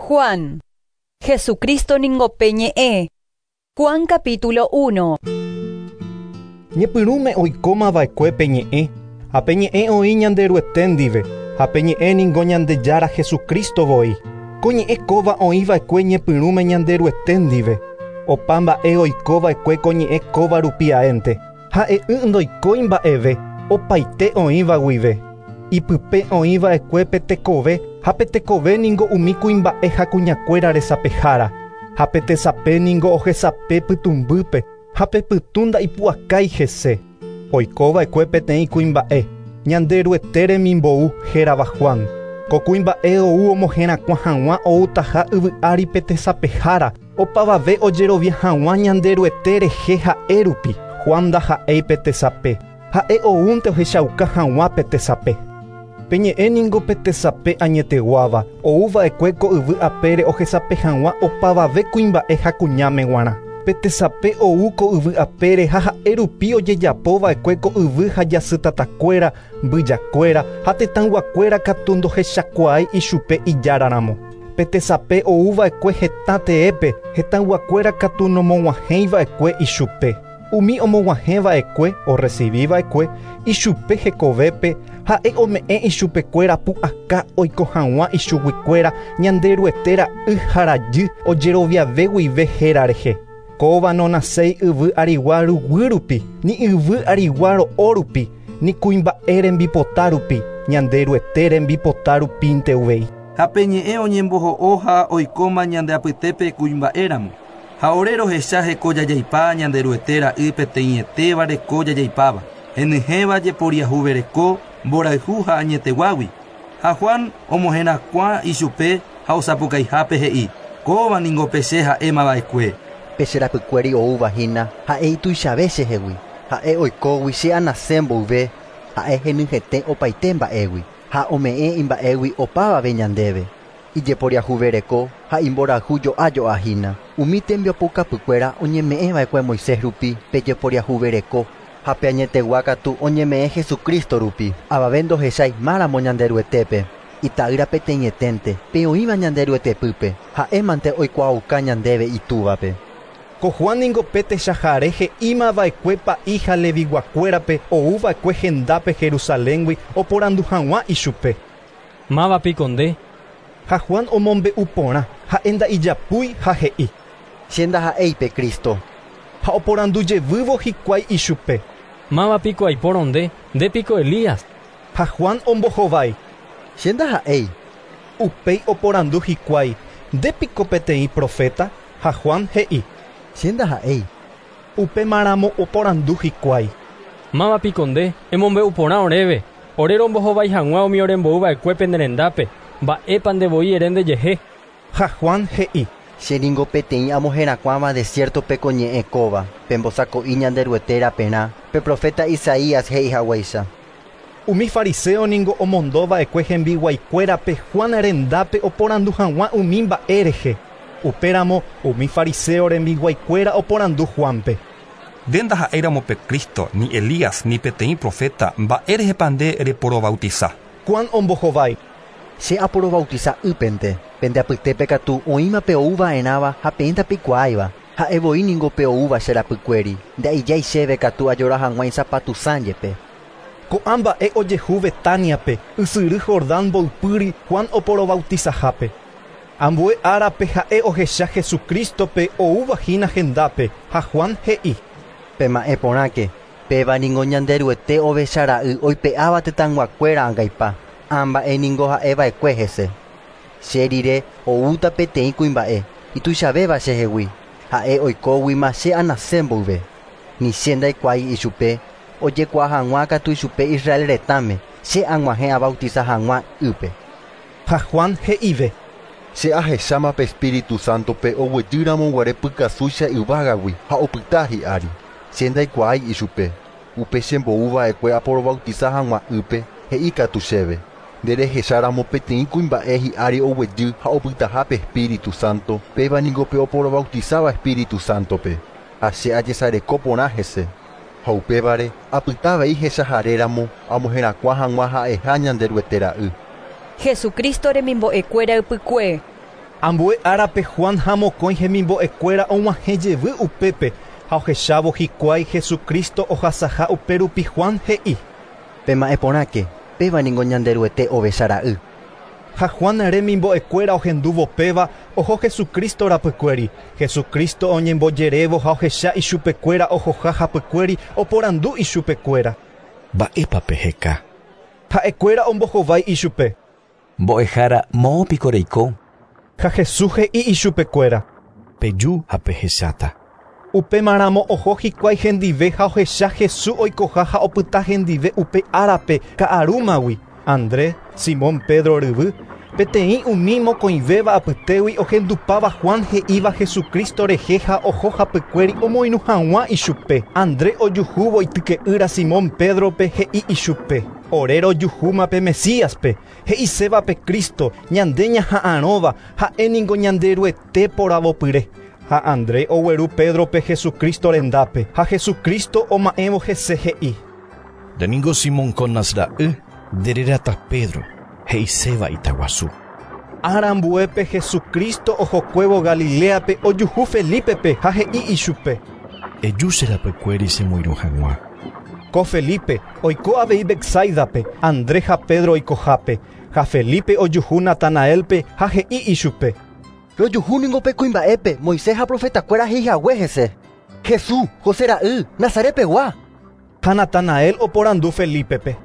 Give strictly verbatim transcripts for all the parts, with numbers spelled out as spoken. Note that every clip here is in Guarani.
Juan. Jesucristo ningo pe ñe'ẽ. Juan capítulo uno. Ñepyrũme oikóma va'ekue pe ñe'ẽ, ha pe ñe'ẽ oĩ Ñanderuete ndive, ha pe ñe'ẽ ningo Ñandejára Jesucristo voi. Ko ñe'ẽ kóva oĩ va'ekue ñepyrũme Ñanderuete ndive. Opa mba'e oiko va'ekue ko ñe'ẽ kóva rupi aénte. Ha'e'ỹ ndoikói mba'eve, opaite oĩva guive. Ipype oĩ va'ekue pe tekove, ha pe tekove ningo umi kuimba'e ha kuñakuéra resapehára. Ha pe tesape ningo ohesape pytũmbýpe, ha pe pytũ nda'ipu'akái hese. Oiko va'ekue peteĩ kuimba'e, Ñanderuete remimbou hérava Juan. Ko kuimba'e ou omoherakuã hag̃ua outaha yvy ári pe tesapehára, opavave ojerovia hag̃ua Ñanderuete rehe ha'e rupi. Juan ndaha'éi pe tesape, ha'e oúnte ohechauka hag̃ua pe tesape. Pe ñe'ẽ ningo pe tesape añeteguáva, ou va'ekue ko yvy apére ohesape hag̃ua opavave kuimba'e ha kuñáme g̃uarã. Pe tesape ou ko yvy apére ha ha'e rupi ojejapo va'ekue ko yvy ha jasytatakuéra, mbyjakuéra ha tetãyguakuéra katu ndohechakuaái ichupe ijáraramo. Pe tesape ou va'ekue hetã teépe, hetãyguakuéra katu nomog̃uahẽi va'ekue ichupe. Umi omog̃uahẽ va'ekue, orecibi va'ekue, ichupe hekovépe, ha'e ome'ẽ ichupekuéra pu'aka oiko hag̃ua ichuguikuéra Ñanderuete ra'y ha rajy ojeroviave guive héra rehe. Kóva nonaséi yvy arigua ruguy rupi, ni yvy arigua ro'o rupi, ni kuimba'e rembipota rupi, Ñanderuete rembipota rupínte uvei. Ha pe ñe'ẽ oñemboho'o ha oikóma ñande apytépe kuimba'éramo. Ha ore rohecha heko jajaipa Ñanderuete ra'y peteĩetéva reko jajaipáva. Henyhẽva jeporiahuvereko, mborayhu ha añeteguágui. Ha Juan omoherakuã ichupe ha osapukaihápe he'i. Kóva ningo pe che ha'éma va'ekue. Pe che rapykuéri oúva hína ha'e ituichave chehegui. Ha'e oikógui che anase mboyve, ha'e henyhẽte opaite mba'égui. Ha ome'ẽ imba'égui opavave ñandéve. Ijeporiahuvereko ha imborayhu jo'a hína. Umi tembiapokapykuéra oñeme'ẽ va'ekue Moisés rupi pe jeporiahuvereko ha pe añetegua katu oñeme'ẽ Jesucristo rupi. Avave ndohechái máramo Ñanderuetépe. Ita'ýra peteĩeténte, pe oĩva Ñanderuetepýpe, ha'émante oikuaauka ñandéve itúvape. Ko Juan ningo pe techahare he'íma va'ekue pa'i ha leviguakuérape ou va'ekue hendápe Jerusaléngui oporandu hag̃ua ichupe. Máva piko nde? Ha Juan omombe'u porã, ha'e nda'ijapúi ha he'i. Che ndaha'éi pe Cristo. Ha oporandu jevývo hikuái ichupe. Máva piko aipórõ nde, nde piko Elías. Ha Juan ombohovái. Che ndaha'éi. Upéi oporandu hikuái, nde piko peteĩ profeta? Ha Juan he'i. Che ndaha'éi. Upémaramo oporandu hikuái. Máva piko nde, emombe'u porã oréve, ore rombohovái hag̃ua umi orembou va'ekue pene rendápe, mba'épa ndevoi ere ndejehe. Ha Juan he'i. Che ningo peteĩ amoherakuãva desiertope ko ñe'ẽ kóva, pembosako'i Ñanderuete raperã, pe profeta Isaías he'i haguéicha. Umi fariseo ningo omondo va'ekue hembiguaikuérape Juan rendápe oporandu hag̃ua umi mba'e rehe. Upéramo umi fariseo rembiguaikuéra oporandu Juanpe. Nde ndaha'éiramo pe Cristo, ni Elías, ni peteĩ profeta, mba'e rehepa nde reporobautiza. Juan ombohovái. Che aporobautiza ýpente, pende apytépe katu oĩma pe ouva'erãva ha peẽ ndapekuaáiva. Ha'e voi ningo pe oúva che rapykuéri, nda'ijái chéve katu ajora hag̃ua isapatu jepe. Ko'ã mba'e ojehu Betániape, ysyry Jordán mboypýri Juan oporobautizahápe. Ambue árape ha'e ohecha Jesucristope oúva hína hendápe, ha Juan he'i. Pema'ẽ porãke, péva ningo Ñanderuete ovecha ra'y oipe'áva tetãyguakuéra angaipa, ã mba'e ningo ha'eva'ekue hese. Che rire oúta peteĩ kuimba'e, ituichavéva chehegui, ha'e oikóguima che anase mboyve. Ni che ndaikuaái ichupe, ojekuaa hag̃ua katu ichupe Israel retãme, che ag̃uahẽ abautiza hag̃ua ýpe. Ha Juan he'ive. Che ahecháma pe Espíritu Santope oguejýramo guare pykasúicha yvágagui ha opyta hi'ári. Che ndaikuaái ichupe, upe chemboúva'ekue aporobautiza hag̃ua ýpe, he'i katu chéve. Nderehecháramo peteĩ kuimba'e hi'ári oguejy ha opytaha pe Espíritu Santo, péva ningo pe oporobautizáva Espíritu Santope. Ha che ajesareko porã hese. Ha upévare apytavei hechaharéramo amoherakuã hag̃ua ha'eha Ñanderuete ra'y. Jesucristo remimbo'ekuéra ypykue. Ambue árape Juan ha mokõi hemimbo'ekuéra og̃uahẽ jevy upépe ha ohechávo hikuái Jesucristo ohasaha upérupi Juan he'i: Pema'ẽporãke, péva ningo Ñanderuete ovechara'y. Ha Juan remimbo'ekuéra ohendúvo péva oho Jesucristo rapykuéri. Jesucristo oñembojerévo ha ohecha ichupekuéra ohoha hapykuéri oporandu ichupekuéra. Mba'épa peheka? Ha'ekuéra ombohovái ichupe. Mbo'ehára moõpiko reiko? Ha Jesús he'i ichupekuéra. Peju ha pehecháta. Upémaramo oho hikuái hendive ha ohecha Jesús oikoha ha opyta hendive upe árape ka'arúmagui. Andrés, Simón Pedro ryvy, peteĩ umi mokõivéva apytégui ohendupáva Juan he'íva Jesucristo rehe ha oho hapykuéri omoirũ hag̃ua ichupe. Andrés ojuhúvo ityke'ýra Simón Pedrope he'i ichupe: Ore rojuhúma pe Mesíaspe, he'iséva pe Cristo, ñande ñaha'arõva, ha'e ningo Ñanderuete poravopyre. Ha Andrés ogueru Pedrope Jesucristo rendápe, ha Jesucristo oma'ẽvo hese he'i: Nde ningo Simón Jonas ra'y, nderérata Pedro, he'iséva itaguasu. Ára ambuépe Jesucristo ohokuévo Galileape ojuhu Felipepe ha he'i ichupe: Eju che rapykuéri chemoirũ hag̃ua. Ko Felipe oiko avei Betsaidape, Andrés ha Pedro oikohápe. Ha Felipe ojuhu Natanaelpe ha he'i ichupe: Rojuhu ningo pe kuimba'épe Moisés ha profetakuéra he'ihague hese. Jesús, José ra'y, Nazarepegua. Ha Natanael oporandu Felipepe: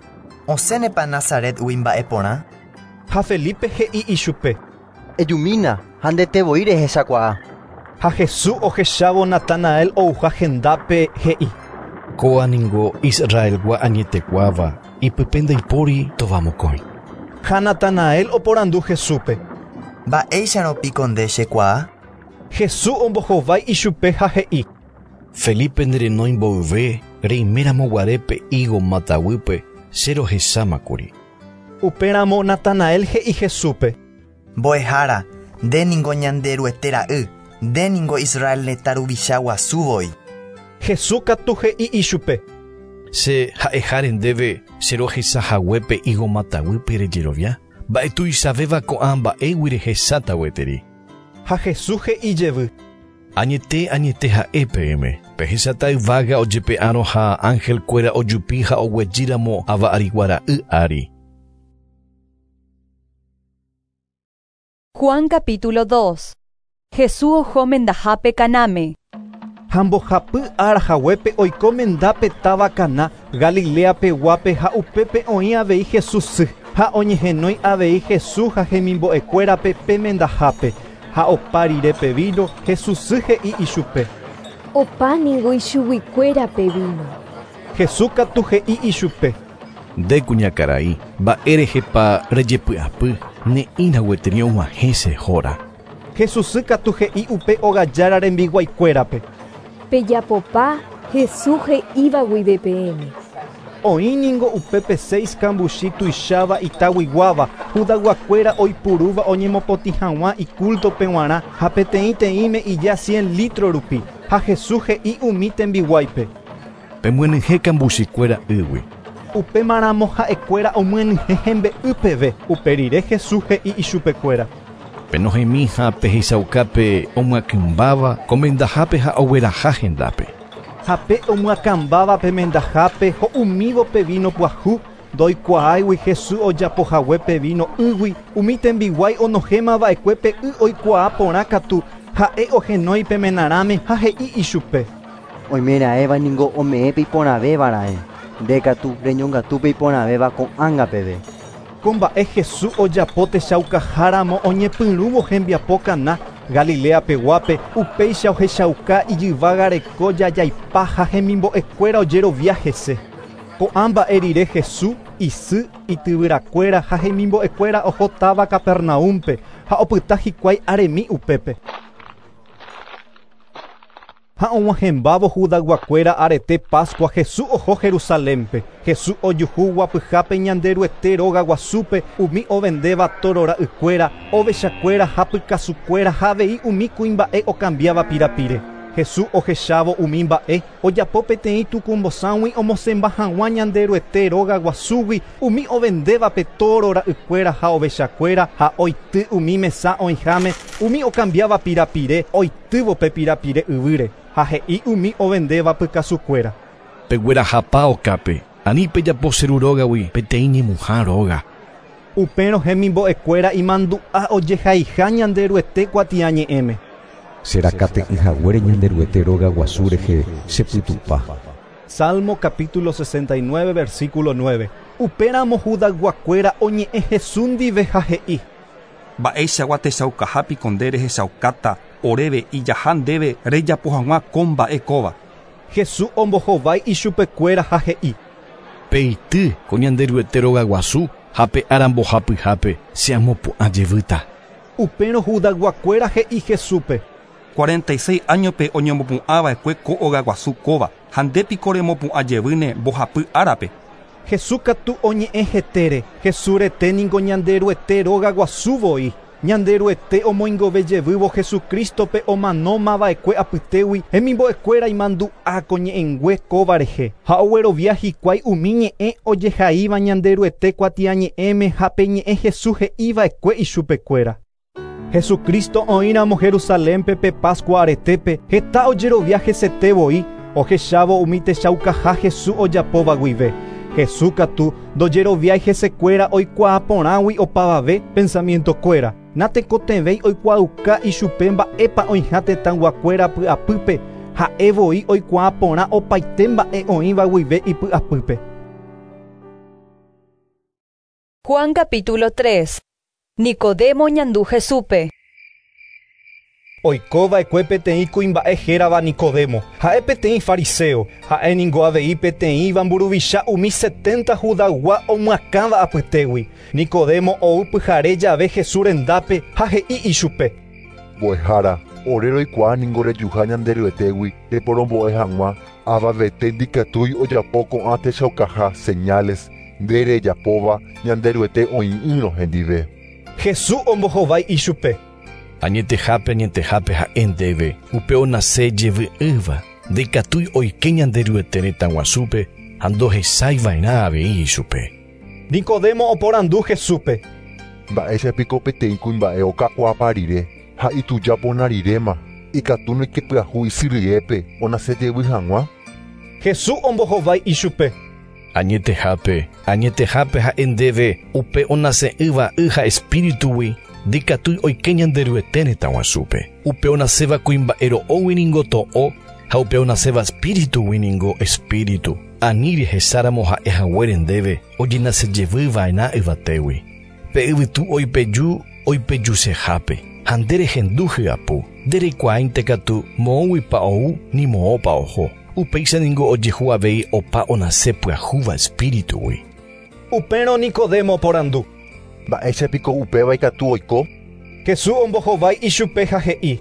Osẽnepa Nazaretgui mba'eporã? Ha Felipe he'i ichupe: Ejumína ha ndetevoi rehechakuaa. Ha Jesús ohechávo Natanael ouha hendápe he'i: Kóa ningo Israelgua añetekuáva, ipype ndaipóri tovamokõi. Ha Natanael oporandu Jesúspe: Mba'éicharõ piko nde chekuaa? Jesús ombohovái ichupe ha he'i: Felipe nerenói mboyve reiméramo guare pe higo mataguýpe che rohechámakuri. Upéramo Natanael he'i Jesúspe: Mbo'ehára, nde ningo Ñanderuete ra'y, nde ningo Israel retã ruvicha guasu voi. Jesús katu he'i ichupe: Che ha'eháre ndéve che rohechahague pe higo mataguýpe rejerovia, mba'etuichavéva ko'ã mba'égui rehecháta gueteri. Ha Jesús he'i jevy: Añete añete ha'e peẽme, pehecháta yvága ojepe'árõ ha angelkuéra ojupi ha oguejýramo ava'arigua ra'y ári. Juan capítulo dos. Jesús oho mendahápe Canáme. Ha mbohapy ára haguépe oiko mendápe táva Caná, Galileapeguápe ha upépe oĩ avei Jesús sy. Ha oñehenói avei Jesús ha hemimbo'ekuérape pe mendahápe. Ha opa rire pe vino, Jesús sy he'i ichupe: Opa ningo ichuguikuéra pe vino. Jesús katu he'i ichupe: Nde kuñakarai, mba'érehepa rejepy'apy, ne'ĩra gueteri og̃uahẽ che hóra. Jesús sy katu he'i upe ogajára rembiguaikuérape: Pejapopa Jesús he'íva guive peẽme. Oĩ ningo upépe seis kambuchi tuicháva itaguiguáva, Judayguakuéra oipurúva oñemopotĩ hag̃ua icultope g̃uarã ha peteĩteĩme ija cien litro rupi. Ha Jesús he'i umi tembiguáipe: Pemyenyhẽ kambuchikuéra ýgui. Upémaramo ha'ekuéra omyenyhẽ hembe'y peve. Upe rire Jesús he'i ichupekuéra: Penohẽmi ha pehechaukápe omyakỹmbáva ko mendahápe ha ogueraha hendápe. Ha pe omyakãmbáva pe mendahápe ho'umívo pe vino pyahu, ndoikuaáigui Jesús ojapohague pe vino ýgui, umi tembiguái onohẽmava'ekue pe y oikuaa porã katu, ha'e ohenói pe menarãme ha he'i ichupe: Oimeraẽva ningo ome'ẽ pe iporãvévara'e, nde katu reñongatu pe iporãvéva ko'ág̃a peve. Ko mba'e Jesús ojapo techaukaháramo oñepyrũvo hembiapo Caná, Galileapeguápe, upéicha ohechauka ijyvága reko jajaipa ha hemimbo'ekuéra ojerovia hese. Ko'ã mba'e rire Jesús, isy, ityvyrakuéra ha hemimbo'ekuéra oho táva Capernaúmpe ha opyta hikuái aremi upépe. Ha og̃uahẽmbávo Judayguakuéra arete Pascua Jesús oho Jerusalénpe. Jesús ojuhu guapyhápe Ñanderuete róga guasúpe umi ovendéva torora'ykuéra, ovechakuéra ha pykasukuéra ha avei umi kuimba'e okambiáva pirapire. Jesús ohechávo umi mba'e ojapo peteĩ tukumbosãgui omosẽmba hag̃ua Ñanderuete róga guasúgui umi ovendévape toro ra'ykuéra ha ovechakuéra ha oity umi mesa oĩháme umi okambiáva pirapire oitývo pe pirapire yvýre ha he'i umi ovendéva pykasukuéra. Peguerahapa okápe, ani pejapo che ru rógagui peteĩ ñemuha róga. Upérõ hemimbo'ekuéra imandu'a ojehaiha Ñanderuete kuatiañe'ẽme. Cherakate'ỹhaguére Ñanderuete róga guasu rehe chepytupa. Salmo capítulo sesenta y nueve versículo nueve. Upéramo Judayguakuéra oñe'ẽ Jesús ndive ha he'i. Mba'eichagua techaukahápiko nde rehechaukáta oréve ijaha ndéve rejapo hag̃ua ko mba'e kóva. Jesús ombohovái ichupekuéra ha he'i. Peity ko Ñanderuete róga guasu ha pe ára mbohapyhápe che amopu'ã jevýta. Upérõ Judayguakuéra he'i Jesúspe. cuarenta y seis añope oñemopu'ãva'ekue ko óga guasu kóva ha ndépiko remopu'ã jevýne mbohapy árape. Jesús katu oñe'ẽ hetére. Jesús rete niko Ñanderuete róga guasu voi. Ñanderuete omoingove jevývo Jesucristope omanómava'ekue apytégui hemimbo'ekuéra imandu'a ko ñe'ẽngue kóva rehe ha oguerovia hikuái umi ñe'ẽ ojehaíva Ñanderuete kuatiañe'ẽme ha pe ñe'ẽ Jesús he'iva'ekue ichupekuéra. Jesucristo oĩramo Jerusalénpe pe Pascua aretépe heta ojerovia hesete voi ohechávo umi techaukaha Jesús ojapóva guive. Jesús katu ndojeroviái hesekuéra oikuaa porãgui opavave pensamientokuéra. Natekotevẽi oikuaauka ichupe mba'épa oĩha tetãyguakuéra py'apýpe ha'e voi oikuaa porã opaite mba'e oĩva guive ipy'apýpe. Juan capítulo tres. Nicodemo ñandu Jesúspe. Oikova'ekue peteĩ kuimba'e hérava Nicodemo, ha'e peteĩ fariseo, ha'e ningo avei peteĩva mburuvicha umi setenta Judaygua omyakãva apytégui. Nicodemo ou pyhare jave Jesús rendápe ha he'i ichupe. Mbo'ehára, ore roikuaa ningo rejuha Ñanderuetégui reporombo'e hag̃ua avavete ndikatúi ojapo ko'ã techaukaha señales nde rejapóva Ñanderuete oĩ'ỹrõ hendive. Jesús ombohovái ichupe. Añetehápe añetehápe ha'e ndéve upe onase jevy'ỹva ndikatúi oike Ñanderuete retã guasúpe ha ndohechaiva'erã avei ichupe. Nicodemo oporandu Jesúspe. Mba'éichapiko peteĩ kuimba'e okakuaapa rire ha itujapona riréma ikatu noikepyahu isyryépe onase jevy hag̃ua. Jesús ombohovái ichupe. Añetehápe añetehápe ha'e ndéve upe onase'ỹva y ha espíritugui ndikatúi oike Ñanderuete retã guasúpe. Upe onaséva kuimba'e ro'ógui ningo to'o ha upe onaséva espíritugui ningo espíritu. Ani rehecháramo ha'e haguére ndéve ojenase jevyva'erã yvatégui. Pe yvytu oipeju oipejusehápe ha nde rehendu hyapu. Ndereikuaáinte katu moõguipa ou ni moõpa oho. Upéicha ningo ojehu avei opa onase pyahúva espíritugui. Upérõ Nicodemo oporandu. Mba'éichapiko upéva ikatu oiko? Jesús ombohovái ichupe ha he'i.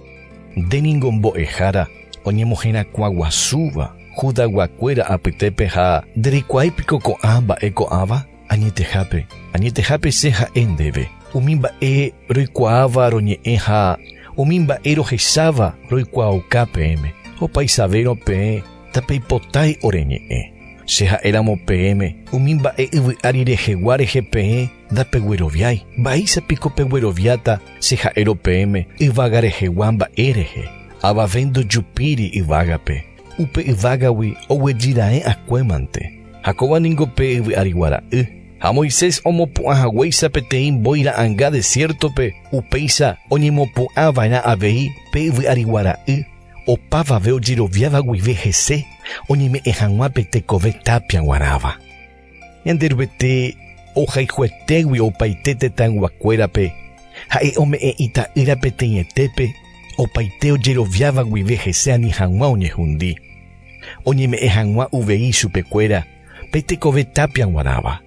Nde ningo mbo'ehára oñemoherakuãguasúva Judayguakuéra apytépe ha ndereikuaáipiko ko'ã mba'e ko'ãva? Añetehápe, añetehápe che ha'e ndéve. Umi mba'e roikuaáva roñe'ẽ ha umi mba'e rohecháva roikuaauka peẽme. Opaisavérõ peẽ tapeipotái oreñe'ẽ. Che ha'éramo peẽme umi mba'e yvy'ári rehegua rehe peẽ ndapegueroviái. Mba'éichapiko pegueroviáta che ha'érõ peẽme yvága rehegua mba'e rehe. Avave ndojupíri yvágape. Upe yvágagui oguejyra'e akuémante. Ha kóva ningo pe yvy'arigua ra'y. Ha Moisés omopu'ã haguéicha peteĩ mbói ra'ãnga desiertope upéicha oñemopu'ãva'erã avei pe yvy'arigua ra'y opavave ojeroviáva guive hese oñeme'ẽ hag̃ua pe tekove tapia g̃uarãva. Ñanderuete ohayhuetégui opaite tetãyguakuérape ha'e ome'ẽ ita'ýra peteĩetépe opaite ojeroviáva guive hese ani hag̃ua oñehundi. Oñeme'ẽ hag̃ua uvei chupekuéra pe tekove tapia g̃uarãva.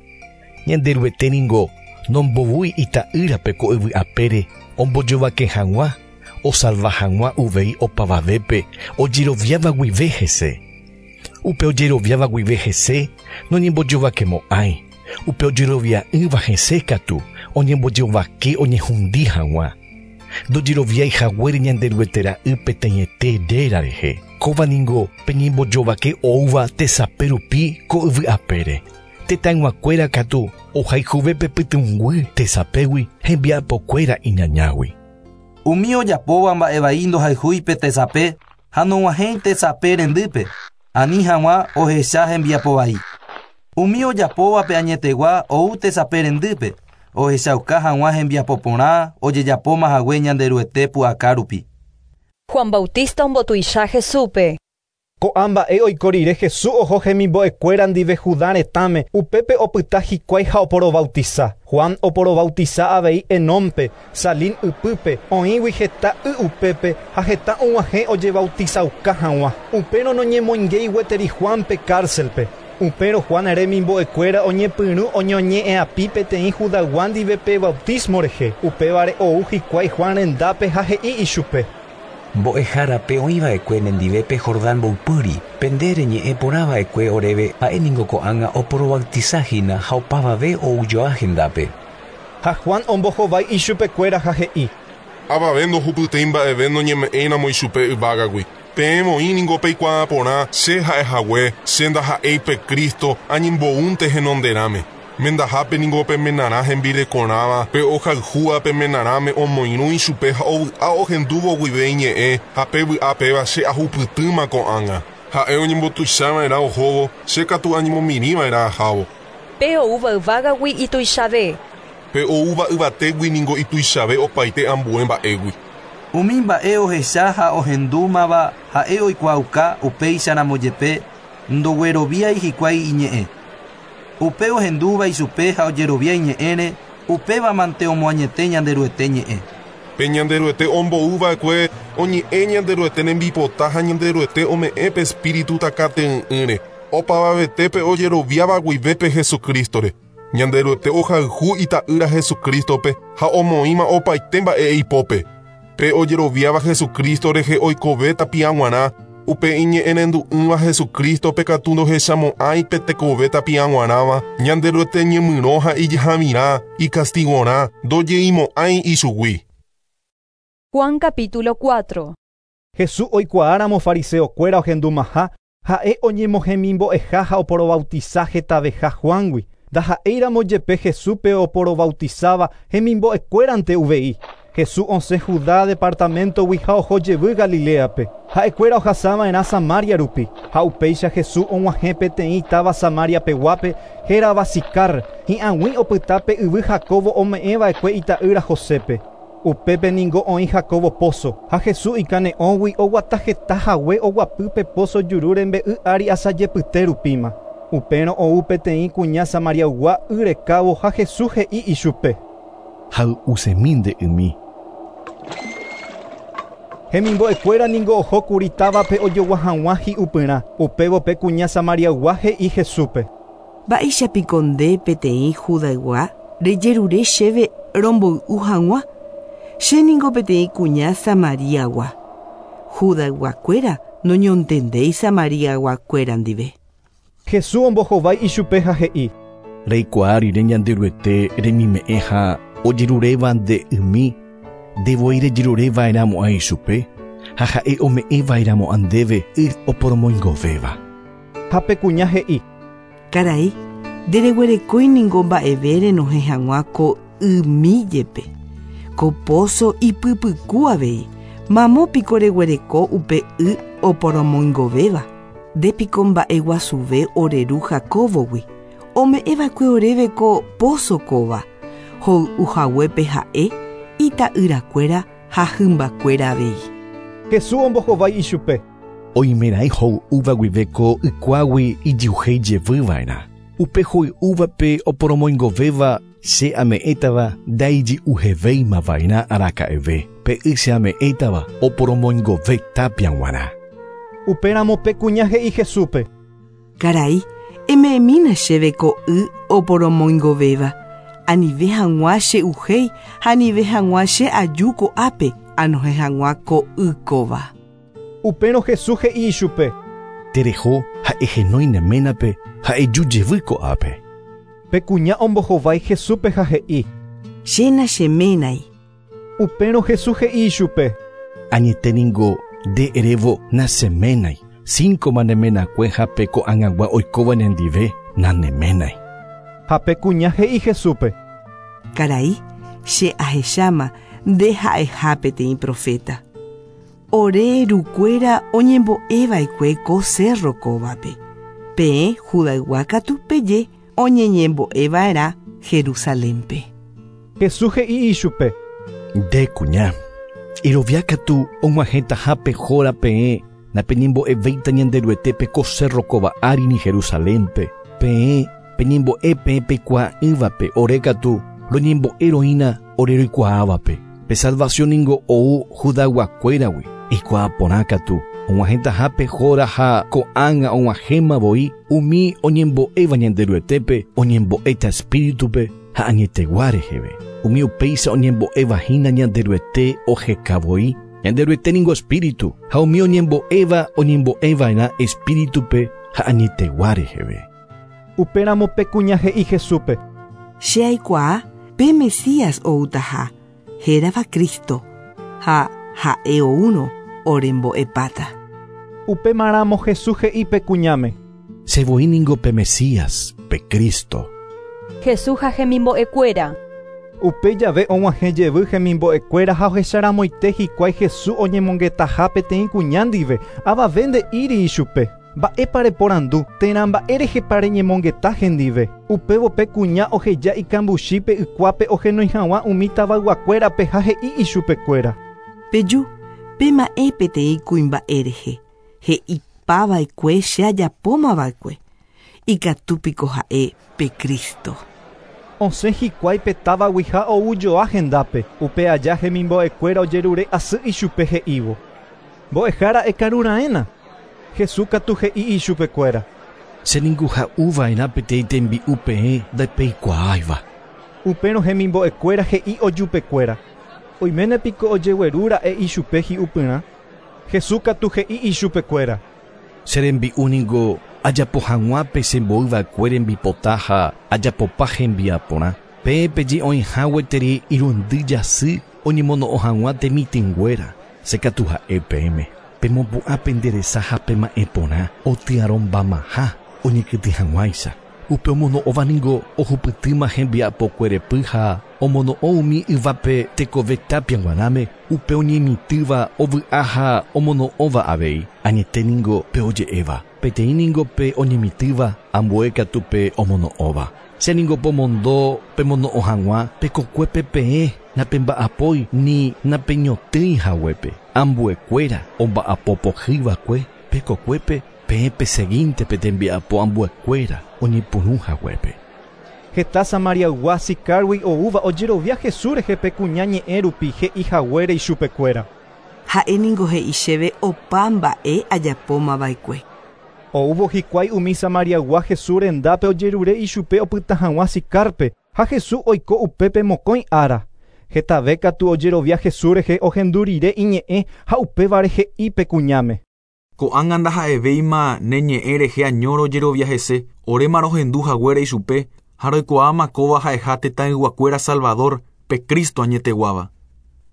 Ñanderuete ningo nombovúi ita'ýrape ko yvy'apére ombojovake hag̃ua osalva hag̃ua uvei opavavépe ojeroviáva guive hese. Upe ojeroviáva guive hese noñembojovakemo'ãi. Upe ojerovia'ỹva hese katu oñembojovake oñehundi hag̃ua. Ndojeroviái haguére Ñanderuete ra'y peteĩete réra rehe. Kóva ningo pe ñembojovake oúva tesape rupi ko yvy apére. Tetãyguakuéra katu ohayhuve pe pytũnguy tesapégui hembiapokuéra iñañágui. Umi ojapóva mba'evai ndohayhúi pe tesape ha nog̃uahẽi tesape rendýpe, ani hag̃ua ohecha hembiapovai. Umi ojapóva pe añetegua ou tesape rendýpe, ohechauka hag̃ua hembiapo porã ojejapóma hague Ñanderuete pu'aka rupi. Juan Bautista ombotuicha Jesúspe. Ko'ã mba'e oiko rire Jesús oho hemimbo'ekuéra ndive Judá retãme, upépe opyta hikuái ha oporobautiza. Juan oporobautiza avei Enónpe, Salín ypýpe, oĩgui heta y upépe ha heta og̃uahẽ ojebautizauka hag̃ua. Upérõ noñemoingéi gueteri Juanpe cárcelpe. Upérõ Juan remimbo'ekuéra oñepyrũ oñoñe'ẽapi peteĩ Judaygua ndive pe bautismo rehe. Upévare ou hikuái Juan rendápe ha he'i ichupe. Mbo'ehárape oĩva'ekue nendive pe Jordán mboypýri, pe nde reñe'ẽ porãva'ekue oréve ha'éningo ko'ág̃a oporobautizahína ha opavave oujoa hendápe. Ha Juan ombohovái ichupekuéra ha he'i. Avave ndohupytýi mba'eve noñeme'ẽiramo ichupe yvágagui. Peẽ oĩ ningo peikuaa porã che ha'ehague, che ndaha'éi pe Cristo añemboúnte henonderãme. Mendahápe ningo pe menarã hembirekorãva, pe ohayhúva pe menarãme omoirũ ichupe ha ovy'a ohendúvo guive iñe'ẽ ha pe vy'a péva che ahupytýma ko'ág̃a. Ha'e oñembotuichava'erã ohóvo, che katu añemomirĩva'erã ahávo. Pe oúva yvágagui ituichave. Pe oúva yvatégui ningo ituichave opaite ambue mba'égui. Umi mba'e ohecha ha ohendúmava ha'e oikuaauka upéicharamo jepe ndogueroviái hikuái iñe'ẽ. Upe ohendúva ichupe ha ojerovia iñe'ẽre, upéva mante omoañete Ñanderuete ñe'ẽ. Pe Ñanderuete omboúva'ekue oñe'ẽ Ñanderuete rembipota ha Ñanderuete ome'ẽ pe Espíritu takate'ỹ'ỹre. Opavavetépe ojeroviáva guive pe Jesucristore. Ñanderuete ohayhu ita'ýra Jesucristope ha omoĩma opaite mba'e ipópe. Pe ojeroviáva Jesucristo rehe oikove tapiag̃uarã, upe iñe'ẽrendu'ỹva Jesucristope katu ndohechamo'ãi pe tekove tapiag̃uarãva, Ñanderuete ñemyrõ ha ijahavirã, ikastigorã, ndojeimo'ãi ichugui. Juan capítulo cuatro. Jesús oikuaáramo fariseokuéra ohendumaha, ha'e oñemohemimbo'eha ha oporobautiza hetaveha Juangui. Ndaha'éiramo jepe Jesúspe oporobautizaba hemimbo'ekuérante uvei. Jesús osẽ Judá departamentogui ha oho jevy Galileape. Ha'ekuéra ohasava'erã Samaria rupi. Ha upéicha Jesús og̃uahẽ peteĩ táva Samaria peguápe hérava Sicar, hi'ag̃ui opyta pe yvy Jacobo ome'ẽva'ekue ita'ýra Josépe. Upépe ningo oĩ Jacobo pozo. Ha Jesús ikane'õgui oguata heta hague oguapy pe pozo juru rembe'y ári asajepyte rupíma. Upérõ ou peteĩ kuña Samariaygua y rekávo ha Jesús he'i ichupe. Hay'usemi nde ymi. Hemimbo'ekuéra ningo ohókuri távape ojogua hag̃ua hi'upyrã. Upévo pe kuña Samariaygua he'i Jesúspe. Mba'éichapiko nde peteĩ Judaygua rejerure chéve romboy'u hag̃ua. Che ningo peteĩ kuña Samariagua. Judayguakuéra noñontendéi Samariaguakuéra ndive. Jesús ombohovái ichupe ha he'i. Reikuaa rire Ñanderuete remime'ẽ ha ojeruréva nde ymi, ndevoi rejerureva'erãmo'ã ichupe ha ha'e ome'ẽva'erãmo'ã ndéve y oporomoingovéva. Ha pe kuña he'i. Karai, ndereguerekói ningo mba'eve renohẽ hag̃ua ko ymi jepe. Ko pozo ipypyku avei. Mamo piko reguereko upe y oporomoingovéva. Ndépiko mba'eguasuve ore ru Jacobogui. Ome'ẽva'ekue oréve ko pozo kóva. Hoy'u haguépe ha'e ita'yrakuéra ha hymbakuéra avei. Jesús ombohovái ichupe. Oimeraẽ hoy'úva guive ko ykuágui ijyuhéi jevyva'erã. Upe hoy'úvape oporomoingovéva che ame'ẽtava ndaijy'uhevéimava'erã araka'eve. Pe y che ame'ẽtava oporomoingove tapia g̃uarã. Upéramo pe kuña he'i Jesúspe. Karai, eme'ẽmína chéve ko y oporomoingovéva. Anive hag̃ua che'uhéi ha anive hag̃ua che aju ko'ápe anohẽ hag̃ua ko y kóva. Upérõ Jesús he'i ichupe. Tereho ha ehenói ne ménape ha eju jevy ko'ápe. Pe kuña ombohovái Jesúspe ha he'i. Chéna cheménai. Upérõ Jesús he'i ichupe. Añeténingo nde erévo nacheménai. Cinco nemenakue ha pe ko'ag̃agua oikóva nendive naneménai. Ha pe kuña he'i Jesúspe. Karai, che ahecháma nde ha'eha peteĩ profeta. Ore rukuéra oñembo'eva'ekue ko cerro kóvape. Peẽ Judaygua katu peje oñeñembo'eva'erã Jerusalénpe. Jesús he'i ichupe. Nde kuña, irovia katu og̃uahẽtaha pehóra peẽ napeñembo'evéita Ñanderuetépe ko cerro kóva ári ni Jerusalénpe. Peẽ peñembo'e peẽ peikuaa'ỹvape ore katu roñembo'eroína ore roikuaávape. Pe salvación ningo ou Judayguakuéragui. Eikuaa porã katu og̃uahẽtaha pehóra ha ko'ág̃a og̃uahẽma voi umi oñembo'éva Ñanderuetépe oñembo'éta espíritupe ha añetegua reheve. Umi upéicha oñembo'éva hína Ñanderuete oheka voi. Ñanderuete ningo espíritu ha umi oñembo'éva oñembo'eva'erã espíritupe ha añetegua reheve. Upéramo pe kuña he'i Jesúspe. Che aikuaa pe Mesías outaha, hérava Cristo, ha ha'e oúrõ orembo'epáta. Upémaramo Jesús he'i pe kuñáme. Che voi ningo pe Mesías, pe Cristo. Jesús ha hemimbo'ekuéra. Upe jave og̃uahẽ jevy hemimbo'ekuéra ha ohecharamoite hikuái Jesús oñemongetaha peteĩ kuña ndive avave nde'íri ichupe. Mba'épa reporandu térã mba'érehepa reñemongeta hendive. Upévo pe kuña oheja ikambuchípe ykuápe ohenói hag̃ua umi tavayguakuérape ha he'i ichupekuéra. Peju, pema'ẽ peteĩ kuimba'e rehe. He'ipava'ekue che ajapómava'ekue. Ikatúpiko ha'e pe Cristo. Osẽ hikuái pe távagui ha oujoa hendápe. Upe aja hemimbo'ekuéra ojerure asy ichupe he'ívo. Mbo'ehára ekarura'ẽna. Jesús katu he'i ichupekuéra. Che ningo ha'uva'erã peteĩ tembi'u peẽ ndapeikuaáiva. Upérõ hemimbo'ekuéra he'i ojupekuéra. Oiménepiko ojeguerúra'e ichupe hi'upyrã. Jesús katu he'i ichupekuéra. Che rembi'u ningo ajapo hag̃ua pe chemboyva'ekue rembipota ha ajapopa hembiaporã. Peẽ peje oĩha gueteri irundy jasy oñemono'õ hag̃ua temitỹnguéra. Che katu ha'e peẽme. Pemopu'ã penderesa ha pema'ẽ porã otyarõmbamaha oñekytĩ hag̃uáicha. Upe omono'õva ningo ohupytýma hembiapokuerepy ha omono'õ umi yvápe tekove tapia g̃uarãme upe oñemitỹva ovy'a ha omono'õva avei. Añete ningo pe oje'éva. Peteĩ ningo pe oñemitỹva ambue katu pe omono'õva. Che ningo pomondo pemono'õ hag̃ua pekokuépe peẽ napemba'apói ni napeñotỹi haguépe. Ambuekuéra omba'apopohýva'ekue pekokuépe peẽ peseguínte pe tembiapo ambuekuéra oñepyrũ haguépe. Heta Samariaygua Sicargui oúva ojerovia Jesús rehe pe kuña ñe'ẽ rupi he'i haguére ichupekuéra. Ha'e ningo he'i chéve opa mba'e ajapómava'ekue. Oúvo hikuái umi Samariaygua Jesús rendápe ojerure ichupe opyta hag̃ua Sicarpe ha Jesús oiko upépe mokõi ára. Hetave katu ojerovia Jesús rehe ohendu rire iñe'ẽ ha upévare he'i pe kuñáme. Ko'ág̃a ndaha'evéima ne ñe'ẽ rehe añóre ojerovia hese, oréma rohendu haguére ichupe ha roikuaáma kóva ha'eha tetãyguakuéra Salvador, pe Cristo añeteguáva.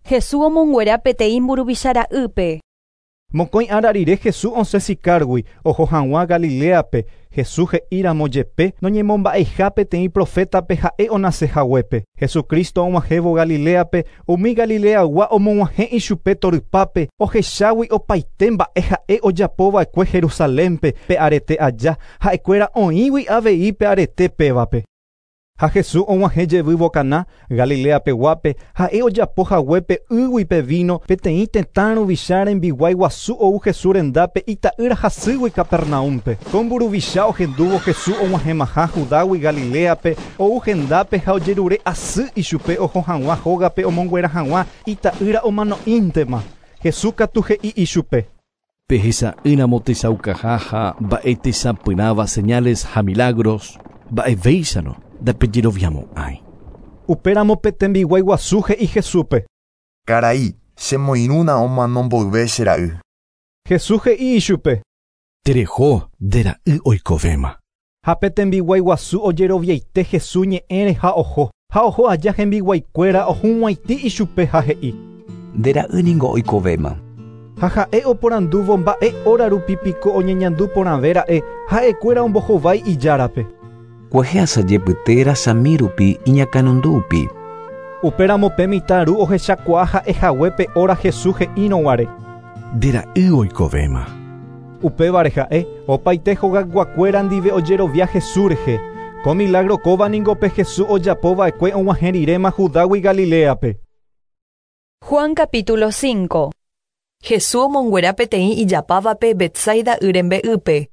Jesús omonguera peteĩ mburuvicha-ra'ýpe. Mokõi ára rire Jesús osẽ Sicargui oho hag̃ua Galileape. Jesús he'íramo jepe noñemomba'eiha peteĩ profétape ha'e onase haguépe. Jesucristo og̃uahẽvo Galileape umi Galileagua omog̃uahẽ ichupe torypápe ohechágui opaite mba'e ha'e ojapova'ekue Jerusalénpe pe arete aja ha'ekuéra oĩgui avei pe arete pévape. Ha Jesús og̃uahẽ jevývo Caná, Galileapeguápe, ha'e ojapo haguépe ýgui pe vino peteĩ tetã ruvicha rembiguái guasu ou Jesús rendápe ita'ýra hasýgui Capernaúmpe. Ko mburuvicha ohendúvo Jesús og̃uahẽmaha Judágui Galileape ou hendápe ha ojerure asy ichupe oho hag̃ua hógape omonguera hag̃ua ita'ýra omano'íntema. Jesús katu he'i ichupe. Pehecha'ỹramo techaukaha ha mba'e techapyrãva señales ha milagros mba'evéicharõ ndapejeroviamo'ãi. Upéramo pe tembiguái guasu he'i Jesúspe. Karai, chemoirũna omano mboyve che ra'y. Jesús he'i ichupe. Tereho nde ra'y oikovéma. Ha pe tembiguái guasu ojeroviaite Jesús ñe'ẽre ha oho. Ha oho aja hembiguaikuéra ohug̃uaitĩ ichupe ha he'i. Nde ra'y ningo oikovéma. Ha ha'e oporandúvo mba'e óra rupi piko oñeñandu porãvéra'e ha'ekuéra ombohovái ijárape. Kuehe asajepyte rasami rupi iñakãnundu'upi. Upéramo pe mitã ru ohechakuaa ha'ehague pe óra Jesús he'írõguare. Nde ra'y oikovéma. Upévare ha'e opaite hogayguakuéra ndive ojerovia Jesús rehe. Ko milagro kóva ningo pe Jesús ojapova'ekue og̃uahẽ riréma Judágui Galileape. Juan capítulo cinco. Jesús omonguera peteĩ ijapávape Betsaida y rembe'ýpe.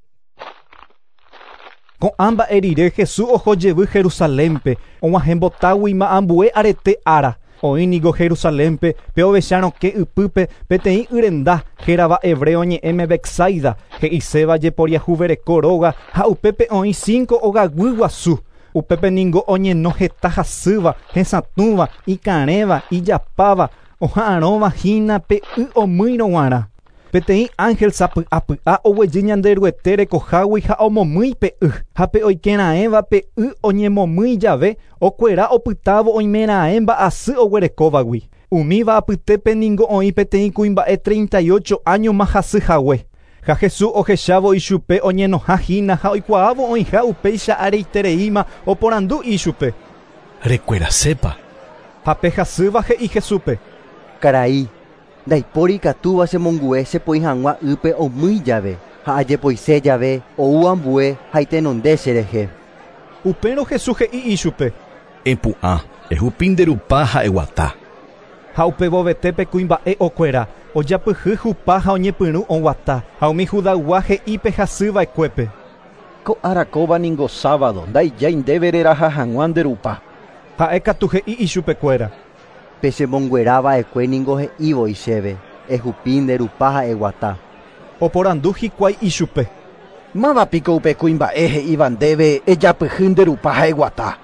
Ko'ã mba'e rire Jesús oho jevy Jerusalénpe, og̃uahẽmbotáguima ambue arete ára. Oĩ niko Jerusalénpe pe ovecharõke ypýpe peteĩ yrenda hérava hebreo ñe'ẽme Betsaida, he'iséva jeporiahuvereko róga ha upépe oĩ cinco ogaguy guasu. Upépe ningo oñeno heta hasýva, hesatũva, ikarẽva, ijapáva, oha'arõva hína pe y omýirõ g̃uarã. Peteĩ ángel sapy'apy'a oguejy Ñanderuete rekohágui ha omomýi pe y, ha pe oikeraẽva pe y oñemomýi jave okuera opytávo oimeraẽ mba'asy oguerekóvagui. Umíva apytépe ningo oĩ peteĩ kuimba'e treinta y ocho añoma hasyhague. Ha Jesús ohechávo ichupe oñenoha hína ha oikuaávo oĩha upéicha areitereíma oporandu ichupe. Rekuerasépa. Ha pe hasýva he'i Jesúspe. Karai, ndaipóri ikatúva chemongu'e chepoi hag̃ua ýpe omýi jave ha ajepoise jave ou ambue ha itenonde cherehe. Upérõ Jesús he'i ichupe. Epu'ã, ehupi nde rupa ha eguata. Ha upevovetépe kuimba'e okuera, ojapyhy hupa ha oñepyrũ oguata, ha umi Judaygua he'i pe hasyva'ekuépe. Ko ára kóva ningo sábado, ndaijái ndéve reraha hag̃ua nde rupa. Ha'e katu he'i ichupekuéra. Pe chemonguerava'ekue ningo he'ívo chéve, ehupi nde rupa ha eguata. Oporandu hikuái ichupe. Mávapiko upe kuimba'e he'íva ndéve ejapyhy nde rupa ha eguata.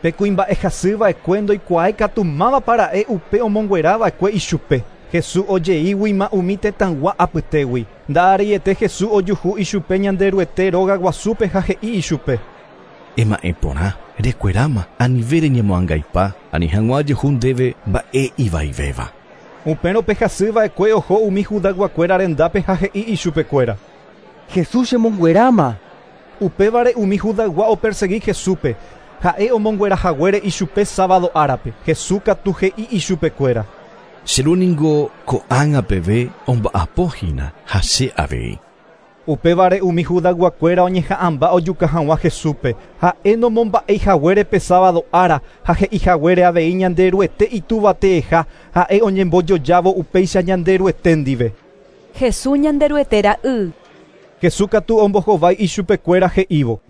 Pe kuimba'e hasyva'ekue ndoikuaái katu mávapa ra'e upe omonguerava'ekue ichupe. Jesús ojeíguima umi tetãygua apytégui. Nda'areiete Jesús ojuhu ichupe Ñanderuete róga guasúpe ha he'i ichupe. Ema'ẽ porã, rekueráma, anive reñemoangaipa, ani hag̃ua jehu ndéve mba'e ivaivéva. Upérõ pe hasyva'ekue oho umi Judayguakuéra rendápe ha he'i ichupekuéra. Jesús chemongueráma. Upévare umi Judaygua opersegui Jesúspe. Ha'e omonguerahaguére ichupe sábado árape. Jesús katu he'i ichupekuéra. Che ru ningo ko'ág̃a peve omba'apohína ha che avei. Upévare umi Judayguakuéra oñeha'ãmba ojuka hag̃ua Jesúspe. Ha'e nomomba'eihaguére pe sábado ára ha he'ihaguére avei Ñanderuete itúvateeha ha'e oñembojojávo upéicha Ñanderuete ndive. Jesús Ñanderuete ra'y. Jesús katu ombohovái ichupekuéra he'ívo.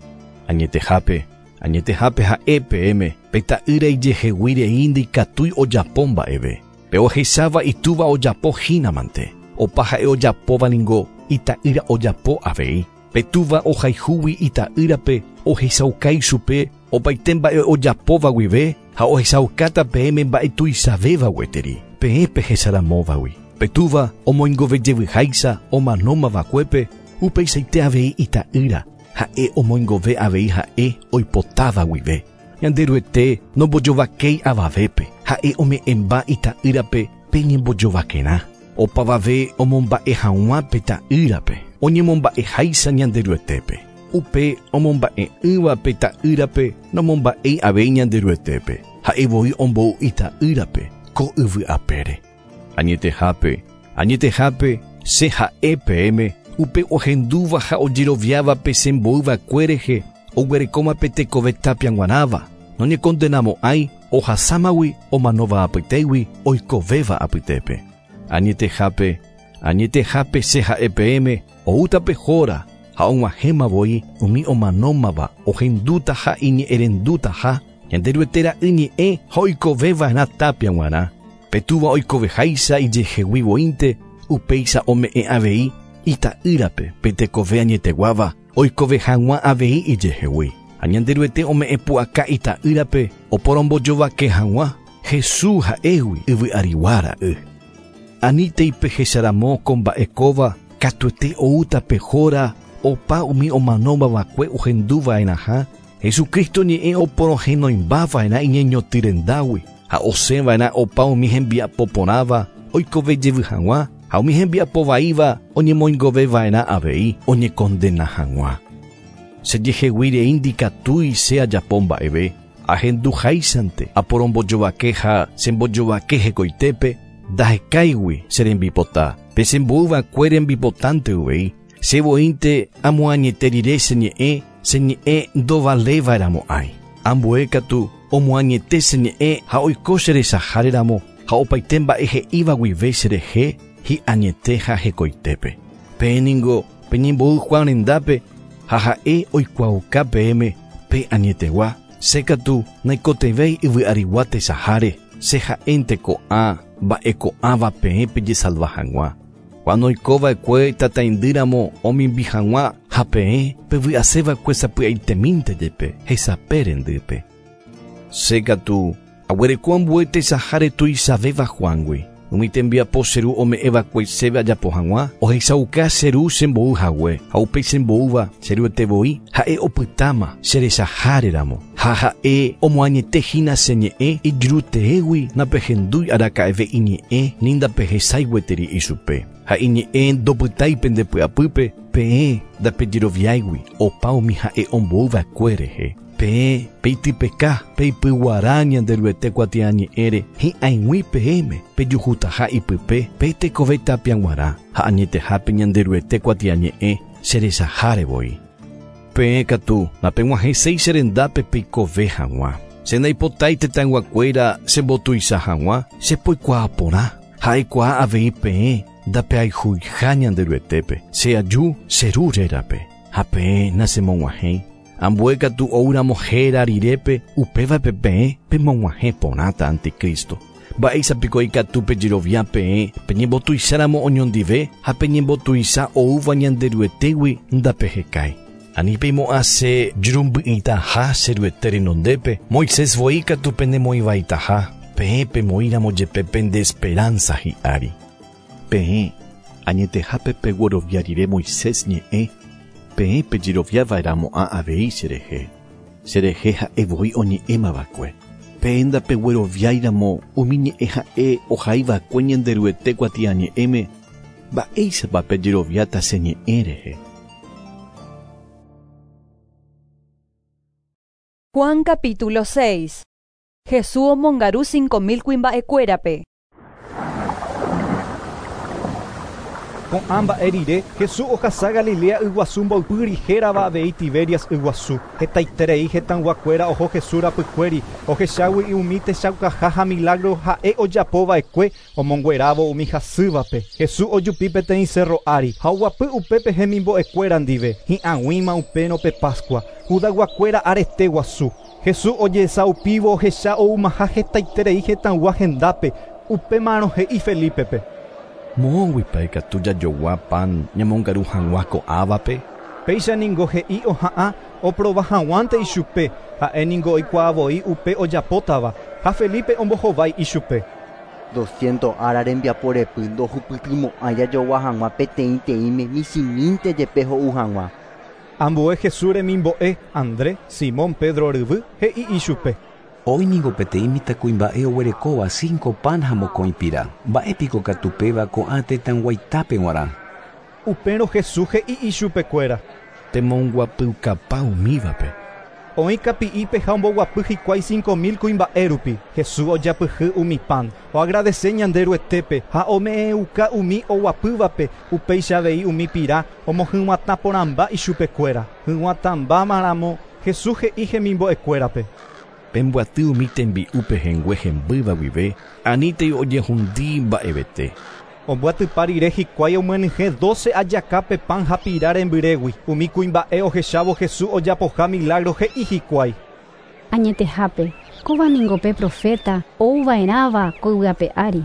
Añetehápe, añetehápe ha'e peẽme pe ta'ýra ijehegui rei ndikatúi ojapo mba'eve. Pe ohecháva itúva ojapo hínamante. Opa ha'e ojapóva ningo ita'ýra ojapo avei. Pe túva ohayhúgui ita'ýrape ohechauka ichupe opaite mba'e ojapóva guive ha ohechaukáta peẽme mba'e tuichavéva gueteri. Peẽ pehecharamóvagui. Pe túva omoingovejevyháicha omanómavakuépe upeichaite avei ita'ýra ha'e omoingove avei ha'e oipotáva guive. Ñanderuete nombojovakéi avavépe ha'e ome'ẽmba ita'ýrape pe ñembojovakerã. Opavave omomba'e hag̃ua pe ta'ýrape oñemomba'eháicha Ñanderuetépe. Upe omomba'e'ỹva pe ta'ýrape nomomba'éi avei Ñanderuetépe. Ha'e voi ombou ita'ýrape ko yvy apére. Añetehápe, añetehápe che ha'e peẽme upe ohendúva ha ojeroviáva pe chemboyva'ekue rehe oguerekóma pe tekove tapia g̃uarãva. Noñekondenamo'ãi ohasámagui omanóva apytégui oikovéva apytépe. Añetehápe, añetehápe che ha'e peẽme oúta pe hóra ha og̃uahẽma voi umi omanómava ohendúta ha iñe'ẽrendútaha Ñanderuete ra'y ñe'ẽ ha oikoveva'erã tapia g̃uarã. Pe túva oikoveháicha ijehegui voínte upéicha ome'ẽ avei ita'ýrape pe tekove añeteguáva oikove hag̃ua avei ijehegui. Ha Ñanderuete ome'ẽ pu'aka ita'ýrape oporombojovake hag̃ua Jesús ha'égui yvy arigua ra'y. Anítei pehecharamo ko mba'e kóva katuete oúta pe hóra opa umi omanómava'ekue ohenduva'erãha Jesucristo ñe'ẽ oporohenoimbava'erã iñeñotyrendágui ha osẽva'erã opa umi hembiapo porãva oikove jevy hag̃ua ha umi hembiapo vaíva oñemoingoveva'erã avei oñekondena hag̃ua. Chejeheguíre indikatúi che ajapo mba'eve ahenduháichante aporombojovake ha chembojovake hekoitépe ndahekáigui che rembipota pe chemboyva'ekue rembipotánte uvei chevoínte amoañete rire che ñe'ẽ che ñe'ẽ ndovaléva'erãmo'ãi ambue katu omoañete che ñe'ẽ ha oiko cherechaháreramo ha opaite mba'e he'íva guive cherehe hi'añete ha hekoitépe. Peẽ ningo peñembo'y Juan rendápe ha ha'e oikuaauka peẽme pe añetegua che katu naikotevẽi yvy'arigua techaháre che ha'énte ko'ã mba'e ko'ãva peẽ pejesalva hag̃ua. Juan oikova'ekue tataindýramo omimbi hag̃ua ha peẽ pevy'aseva'ekue sapy'aitemínte jepe hesape rendýpe. Che katu aguereko ambue techaháre tuichavéva Juángui. Umi tembiapo che ru ome'ẽva'ekue chéve ajapo hag̃ua ohechauka che ru chembo'y hague ha upéi chembo'ýva che ruete voi ha'e opytáma cherechaháreramo ha ha'e omoañete hína che ñe'ẽ ijuruteégui napehendúi araka'eve iñe'ẽ ni ndapehechái gueteri ichupe ha iñe'ẽ ndopytái pendepy'apýpe peẽ ndapejeroviáigui opa umi ha'e omboyva'ekue rehe. Peẽ peitypeka peipyguara Ñanderuete kuatiañe'ẽre hi'ag̃ui peẽme pejuhutaha ipype pe tekove tapia g̃uarã ha añetehápe Ñanderuete kuatiañe'ẽ cherechaháre voi. Peẽ katu napeg̃uahẽséi che rendápe peikove hag̃ua. Che ndaipotái tetãyguakuéra chembotuicha hag̃ua chepoikuaa porã ha'ekuaa avei peẽ ndapeayhuiha Ñanderuetépe che aju che ru rérape ha peẽ nachemog̃uahẽi. Ambue katu oúramo héra rirépe upévape peẽ pemog̃uahẽ porãta anticristo. Mba'éichapiko ikatu pejerovia peẽ peñembotuicháramo oñondive ha peñembotuicha oúva Ñanderuetégui ndapehekái. Ani peimo'ã che jurumby'ỹitaha che ruete renondépe Moisés voi katu penemoĩvaitaha peẽ pemoĩramo jepe pende esperanza hi'ári. Peẽ añetehápe peguerovia rire Moisés ñe'ẽ peẽ pejeroviava'erãmo'ã avei cherehe. Cherehe ha'e voi oñe'ẽmava'ekue. Peẽ ndapegueroviáiramo umi ñe'ẽ ha'e ohaiva'ekue Ñanderuete kuatiañe'ẽme mba'éichapa pejeroviáta che ñe'ẽ rehe. Juan capítulo seis. Jesús omongaru cinco mil kuimba'ekuérape. Ko'ã mba'e rire Jesús ohasa Galilea yguasu mboypýri hérava avei Tiberias yguasu. Hetaiterei hetãyguakuéra oho Jesús rapykuéri ohechágui umi techaukaha ha milagro ha'e ojapova'ekue omonguerávo umi hasývape. Jesús ojupi peteĩ cerro ári ha oguapy upépe hemimbo'ekuéra ndive hi'ag̃uíma upérõ pe Pascua Judayguakuéra arete guasu. Jesús ojesaupívo ohecha oumaha hetaiterei hetãygua hendápe upémarõ he'i Felipepe. Moõguipa ikatu jajogua pan ñamongaru hag̃ua ko'ãvape? Péicha ningo he'i oha'ã oprova hag̃uánte ichupe ha'e ningo oikuaa voi upe ojapótava ha Felipe ombohovái ichupe. Doscientos ára rembiapo repy ndohupytymo'ã jajogua hag̃ua peteĩteĩme michĩmínte jepe ho'u hag̃ua. Ambue Jesús remimbo'e Andrés, Simón Pedro ryvy he'i ichupe. Oĩ niko peteĩ mitãkuimba'e oguerekóva cinco pan ha mokõi pira. Mba'épiko katu péva ko'ã tetãyguaitápe g̃uarã. Upérõ Jesús he'i ichupekuéra. Pemonguapykapa umívape. Oĩ kapi'ípe ha omboguapy hikuái cinco mil kuimba'e rupi. Jesús ojapyhy umi pan, oagradece Ñanderuetépe ha ome'ẽuka umi oguapývape upéicha avei umi pira omohyg̃uatã porãmba ichupekuéra. Hyg̃uatãmbámaramo Jesús he'i hemimbo'ekuérape. Pemboaty umi tembi'u pehẽngue hembýva guive anítei ojehundi mba'evete. Omboatypa rire hikuái omyenyhẽ doce ajakápe pan ha pira rembyrégui. Umi kuimba'e ohechávo Jesús ojapoha milagro he'i hikuái. Añetehápe, kóva ningo pe profeta ouva'erãva ko yvyape ári.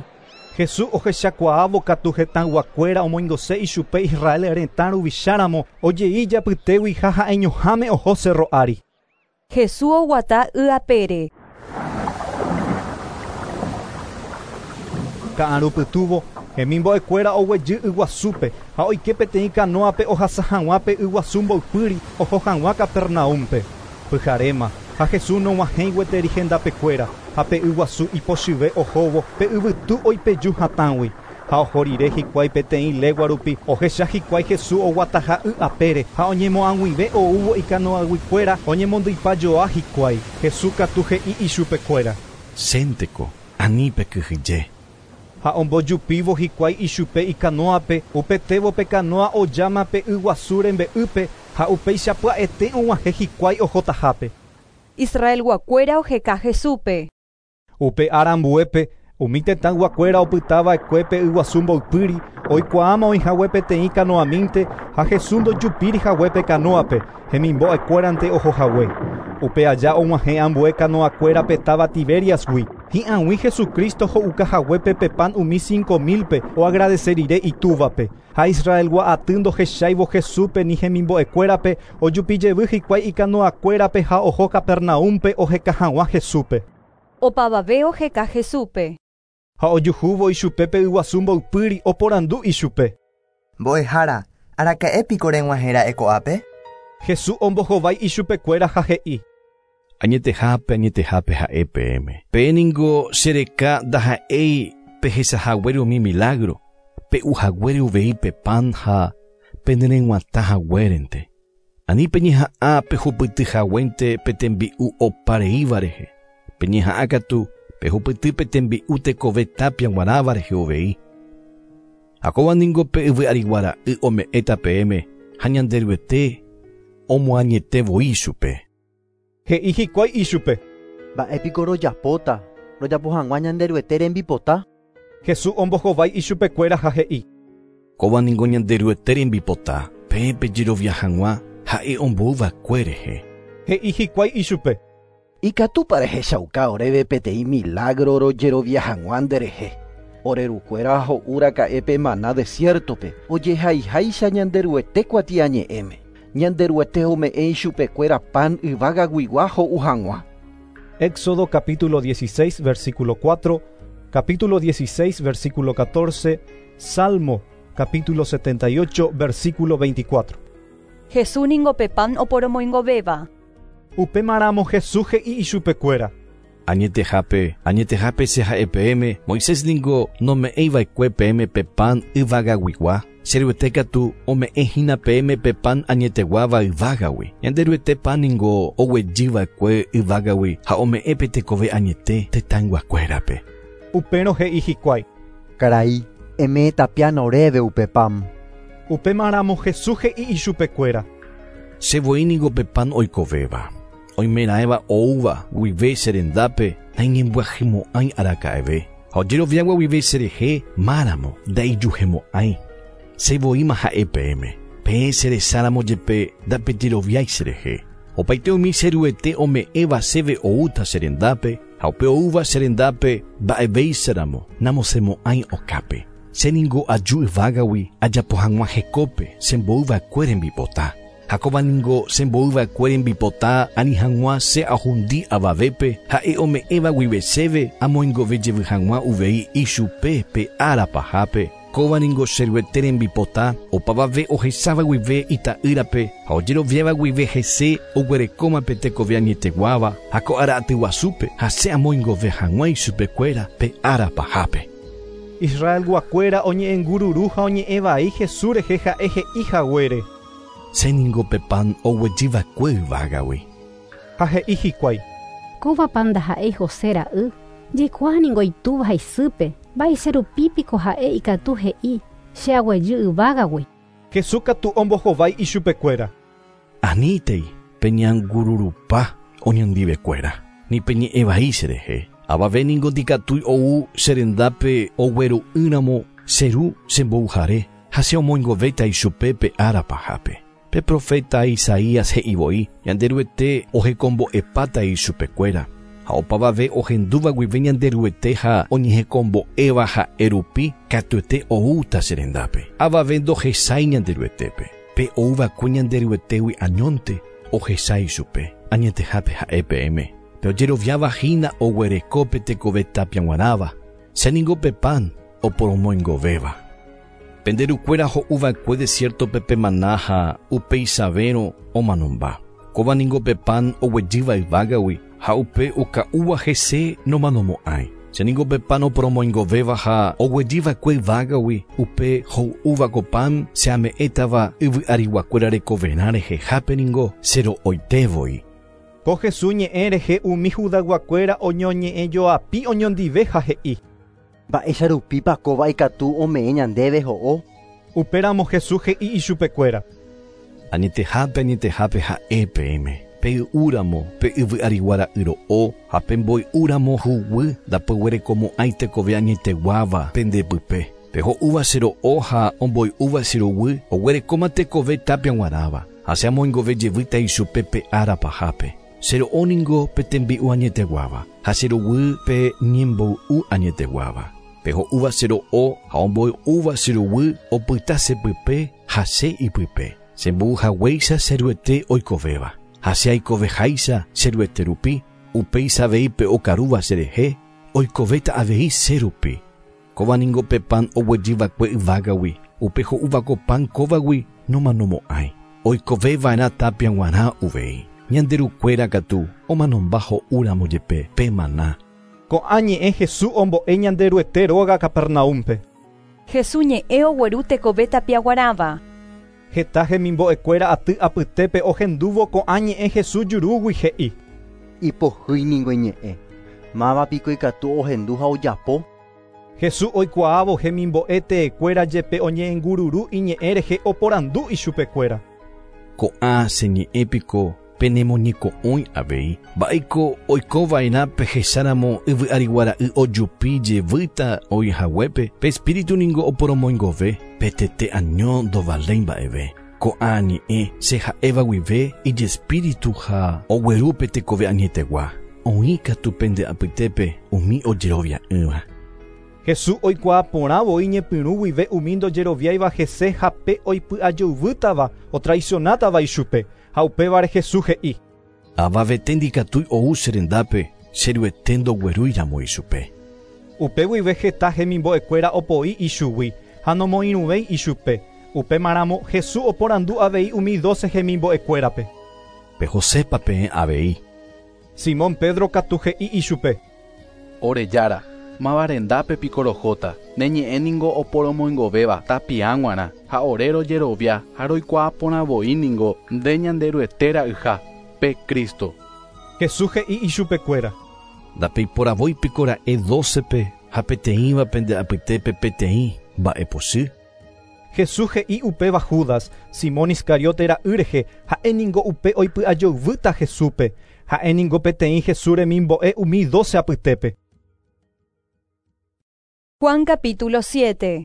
Jesús ohechakuaávo katu hetãyguakuéra omoingose ichupe Israel retã ruvicháramo ojei ijapytégui ha ha'eñoháme oho cerro ári. Jesús oguata y apére. Ka'arupytúvo hemimbo'ekuéra oguejy yguasúpe ha oike peteĩ canoape ohasa hag̃uápe yguasu mboypýri oho hag̃ua Capernaúmpe. Pyharéma, ha Jesús nog̃uahẽi gueteri hendapekuéra, ha pe yguasu ipochyve ohóvo pe yvytu oipeju hatãgui. Ha oho rire hikuái peteĩ legua rupi ohecha hikuái Jesús oguataha y apére ha oñemoag̃uive oúvo ikanoaguikuéra oñemondyipajoa hikuái. Jesús katu he'i ichupekuéra. Chénteko, ani pekyhyje. Ha ombojupívo hikuái ichupe ikanoape, upetévo pe kanoa ojáma pe yguasu rembe'ýpe ha upéicha pya'ete og̃uahẽ hikuái ohotahápe. Israelguakuéra oheka Jesúspe. Upe ára ambuépe umi tetãyguakuéra opytava'ekue pe yguasu mboypýri oikuaáma oĩhague peteĩ kanoamínte ha Jesús ndojupírihague pe kanoape hemimbo'ekuérante ohohague. Upe aja og̃uahẽ ambue kanoakuéra pe táva Tiberiasgui. Hi'ag̃ui Jesucristo ho'ukahaguépe pe pan umi cinco mil-pe oagradece rire itúvape. Ha Israelgua aty ndohecháivo Jesúspe ni hemimbo'ekuérape ojupijevy hikuái ikanoakuérape ha oho Capernaúmpe oheka hag̃ua Jesúspe. Opavave oheka Jesúspe. Ha ojuhúvo ichupe pe yguasu mboypýri oporandu ichupe. Mbo'ehára, araka'épiko reg̃uahẽra'e ko'ápe? Jesús ombohovái ichupekuéra ha he'i. Añetehápe, añetehápe ha'e peẽme. Peẽ ningo chereka ndaha'éi pehechahaguére umi milagro, pe'uhaguére uvei pe pan ha penereg̃uatãhaguérente. Ani peñeha'ã pehupytyhaguénte pe tembi'u opareíva rehe. Peñeha'ã katu pehupyty pe tembi'u tekove tapia g̃uarãva rehe uvei. Ha kóva ningo pe yvy ariguara'y ome'ẽta peẽme ha Ñanderuete omoañete voi chupe. He'i hikuái ichupe. Mba'épiko rojapóta, rojapo hag̃ua Ñanderuete rembipota? Jesús ombohovái ichupekuéra ha he'i. Kóva ningo Ñanderuete rembipota, peẽ pejerovia hag̃ua ha'e omboyva'ekue rehe. He'i hikuái ichupe. Ikatúpa rehechauka oréve peteĩ milagro rojerovia hag̃ua nderehe. Orerukuéra ho'úraka'e pe maná desiertope, ojehaiháicha Ñanderuete kuatiañe'ẽme. Ñanderuete ome'ẽ ichupekuéra pan yvágaguigua ho'u hag̃ua. Éxodo capítulo dieciséis, versículo cuatro, capítulo dieciséis, versículo catorce, Salmo capítulo setenta y ocho, versículo veinticuatro. Jesús ningo pe pan oporomoingovéva. Upémaramo Jesús he'i ichupekuéra. Añetehápe, añetehápe che ha'e peẽme, Moisés ningo nome'ẽiva'ekue peẽme pe pan yvagaguigua. Che katu ome'ẽhína peẽme pe pan añeteguáva yvágagui. Ñanderuete pan ningo oguejyva'ekue yvágagui ha ome'ẽ pe tekove añete tetãyguakuérape. Upérõ he'i hikuái. Karai, eme'ẽ tapiána oréve upe pan. Upémaramo Jesús he'i ichupekuéra. Che voi ningo pe pan oikovéva. Oimeraẽva oúva guive che rendápe naiñembyahýmo'ãi araka'eve. Ha ojeroviágua guive cherehe máramo ndaijuhemo'ãi. Che voíma ha'e peẽme. Peẽ cheresáramo jepe ndapejeroviái cherehe. Opaite umi che Ruete ome'ẽva chéve oúta che rendápe ha upe oúva che rendápe mba'evéicharamo namosẽmo'ãi okápe. Che ningo aju yvágagui ajapo hag̃ua hekópe chemboyva'ekue rembipota. Ha kóva ningo chemboyva'ekue rembipota ani hag̃ua che ahundi avavépe ha'e ome'ẽva guive chéve amoingovejevy hag̃ua uvei ichupe pe ára pahápe. Kóva ningo che Ruete rembipota opavave ohecháva guive ita'ýrape ha ojeroviáva guive hese oguerekóma pe tekove añeteguáva ha ko ára atyguasúpe ha che amoingove hag̃ua ichupekuéra pe ára pahápe. Israelguakuéra oñe'ẽngururu ha oñe'ẽvai Jesús rehe ha'e he'i haguére. Che ningo pe pan oguejyva'ekue yvágagui. Ha he'i hikuái. Kóva pan ndaha'éi José ra'y, jaikuaa ningo itúva ha isýpe, mba'éicha rupípiko ha'e ikatu he'i che aguejy yvágagui. Jesús katu ombohovái ichupekuéra. Anítei peñangururupa oñondivekuéra, ni peñe'ẽvai cherehe. Avave ningo ndikatúi ou che rendápe ogueru'ỹramo che ru chemboyhare ha che omoingovéta ichupe pe ára pahápe. Pe profeta Isaías he'i voi Ñanderuete ohekombo'epáta ichupekuéra. Ha opavave ohendúva guive Ñanderuete ha oñehekombo'éva ha'e rupi katuete oúta che rendápe. Avave ndohechái Ñanderuetépe. Pe oúva'ekue Ñanderuetégui añónte ohechái chupe. Añetehápe ha'e peẽme. Pe ojeroviáva hína oguereko pe tekove tapia g̃uarãva. Che ningo pe pan oporomoingovéva. Penderukuéra ho'uva'ekue desiertope pe maná ha upeichavérõ omanomba. Kóva ningo pe pan oguejýva yvágagui ha upe oka'úva hese nomanomo'ãi. Che ningo pe pan oporomoingovéva ha oguejýva'ekue yvágagui upe ho'úva ko pan che ame'ẽtava yvy'ariguakuéra rekoverã rehehápe ningo che ro'oitévoi. Ko Jesús ñe'ẽ rehe umi judayguakuéra oñoñe'ẽjoapi oñondive ha he'i. Mba'éicha kóva ikatu ome'ẽ ñandéve ho'o. Upéramo Jesús he'i ichupekuéra. Añetehápe añetehápe ha'e peẽme. Pey'úramo pe yvy'ariguara'y ro'o ha pemboy'úramo huguy ndapyguerekomo'ãi tekove añeteguáva pendepype. Peho'úva che ro'o ha omboy'úva che ruguy oguerekóma tekove tapia g̃uarãva ha che amoingove jevýta ichupe pe ára pahápe. Che ro'o ningo pe tembi'u añeteguáva ha che ruguy pe ñemboy'u añeteguáva. Peho'úva che ro'o ha omboy'úva che ruguy opyta chepype ha che ipype. Chembo'uhaguéicha che ruete oikovéva. Ha che aikoveháicha che ruete rupi, upéicha avei pe okarúva cherehe, oikovéta avei che rupi. Kóva ningo pe pan oguejýva'ekue yvágagui, upe ho'úva ko pan kóvagui nomanomo'ãi. Oikoveva'erã tapia g̃uarã uvei. Ñanderukuéra katu omanomba ho'úramo jepe pe maná. Ko'ã ñe'ẽ Jesús ombo'e Ñanderuete róga Capernaúmpe. Jesús ñe'ẽ ogueru tekove tapia guarãva. Heta hemimbo'ekuéra aty apytépe ohendúvo ko'ã ñe'ẽ Jesús jurúgui he'i. Ipohýi ningo iñe'ẽ. Mávapiko ikatu ohendu ha ojapo. Jesús oikuaávo hemimbo'e teekuéra jepe oñe'ẽngururu iñe'ẽ rehe oporandu ichupekuéra. Ko'ã che ñe'ẽpiko penemoñeko'õi avei. Mba'éiko oikova'erã pehecháramo yvy'ariguara'y ojupi jevýta oĩhaguépe, pe espíritu ningo oporomoingove, pe tete año ndovaléi mba'eve. Ko'ã ñe'ẽ che ha'éva guive ijespíritu ha ogueru pe tekove añetegua. Oĩ katu pende apytépe umi ojerovia'ỹva. Jesús oikuaa porãvo iñepyrũ guive umi ndojeroviáiva hese ha pe oipy'ajeyvýtava otraicionátava ichupe. Ha upévare Jesús he'i. Avavete ndikatúi ou che rendápe che ruete ndoguerúiramo ichupe. Upe guive heta hemimbo'ekuéra opoi ichugui ha nomoirũvéi ichupe. Upémaramo Jesús oporandu avei umi doce hemimbo'ekuérape. Pehosépa peẽ avei. Simón Pedro katu he'i ichupe. Ore jára, máva rendápe piko rohóta, ne ñe'ẽ ningo oporomoingovéva tapia g̃uarã ha ore rojerovia ha roikuaa porãvoi ningo nde Ñanderuete ra'yha, pe Cristo. Jesús he'i ichupekuéra. Ndapeiporavói piko ra'e docepe ha peteĩva pende apytépe peteĩ mba'epochy. Jesús he'i upéva Judas, Simón Iscariote ra'y rehe, ha'e ningo upe oipy'ajeyvýta Jesúspe, ha'e ningo peteĩ Jesús remimbo'e umi doce apytépe. Juan capítulo siete.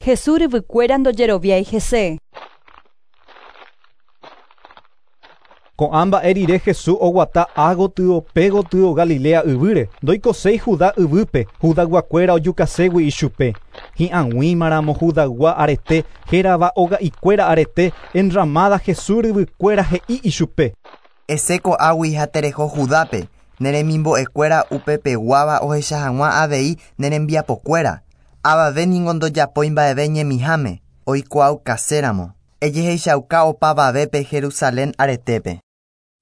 Jesús ryvykuéra ndojeroviái hese. Ko'ã mba'e rire Jesús oguata ágotyo pégotyo Galilea yvýre, ndoikoséi Judá yvýpe, Judayguakuéra ojukaségui ichupe. Hi'ag̃uímaramo Judaygua arete, hérava oga'ikuéra arete, enramada Jesús ryvykuéra he'i ichupe. Ese ko'águi ha tereho Judápe, neremimbo'ekuéra upepeguáva ohecha hag̃ua avei nerembiapokuéra. Avave ningo ndojapói mba'eve ñemiháme, oikuaukaséramo. Ejehechauka opavavépe Jerusalén aretépe.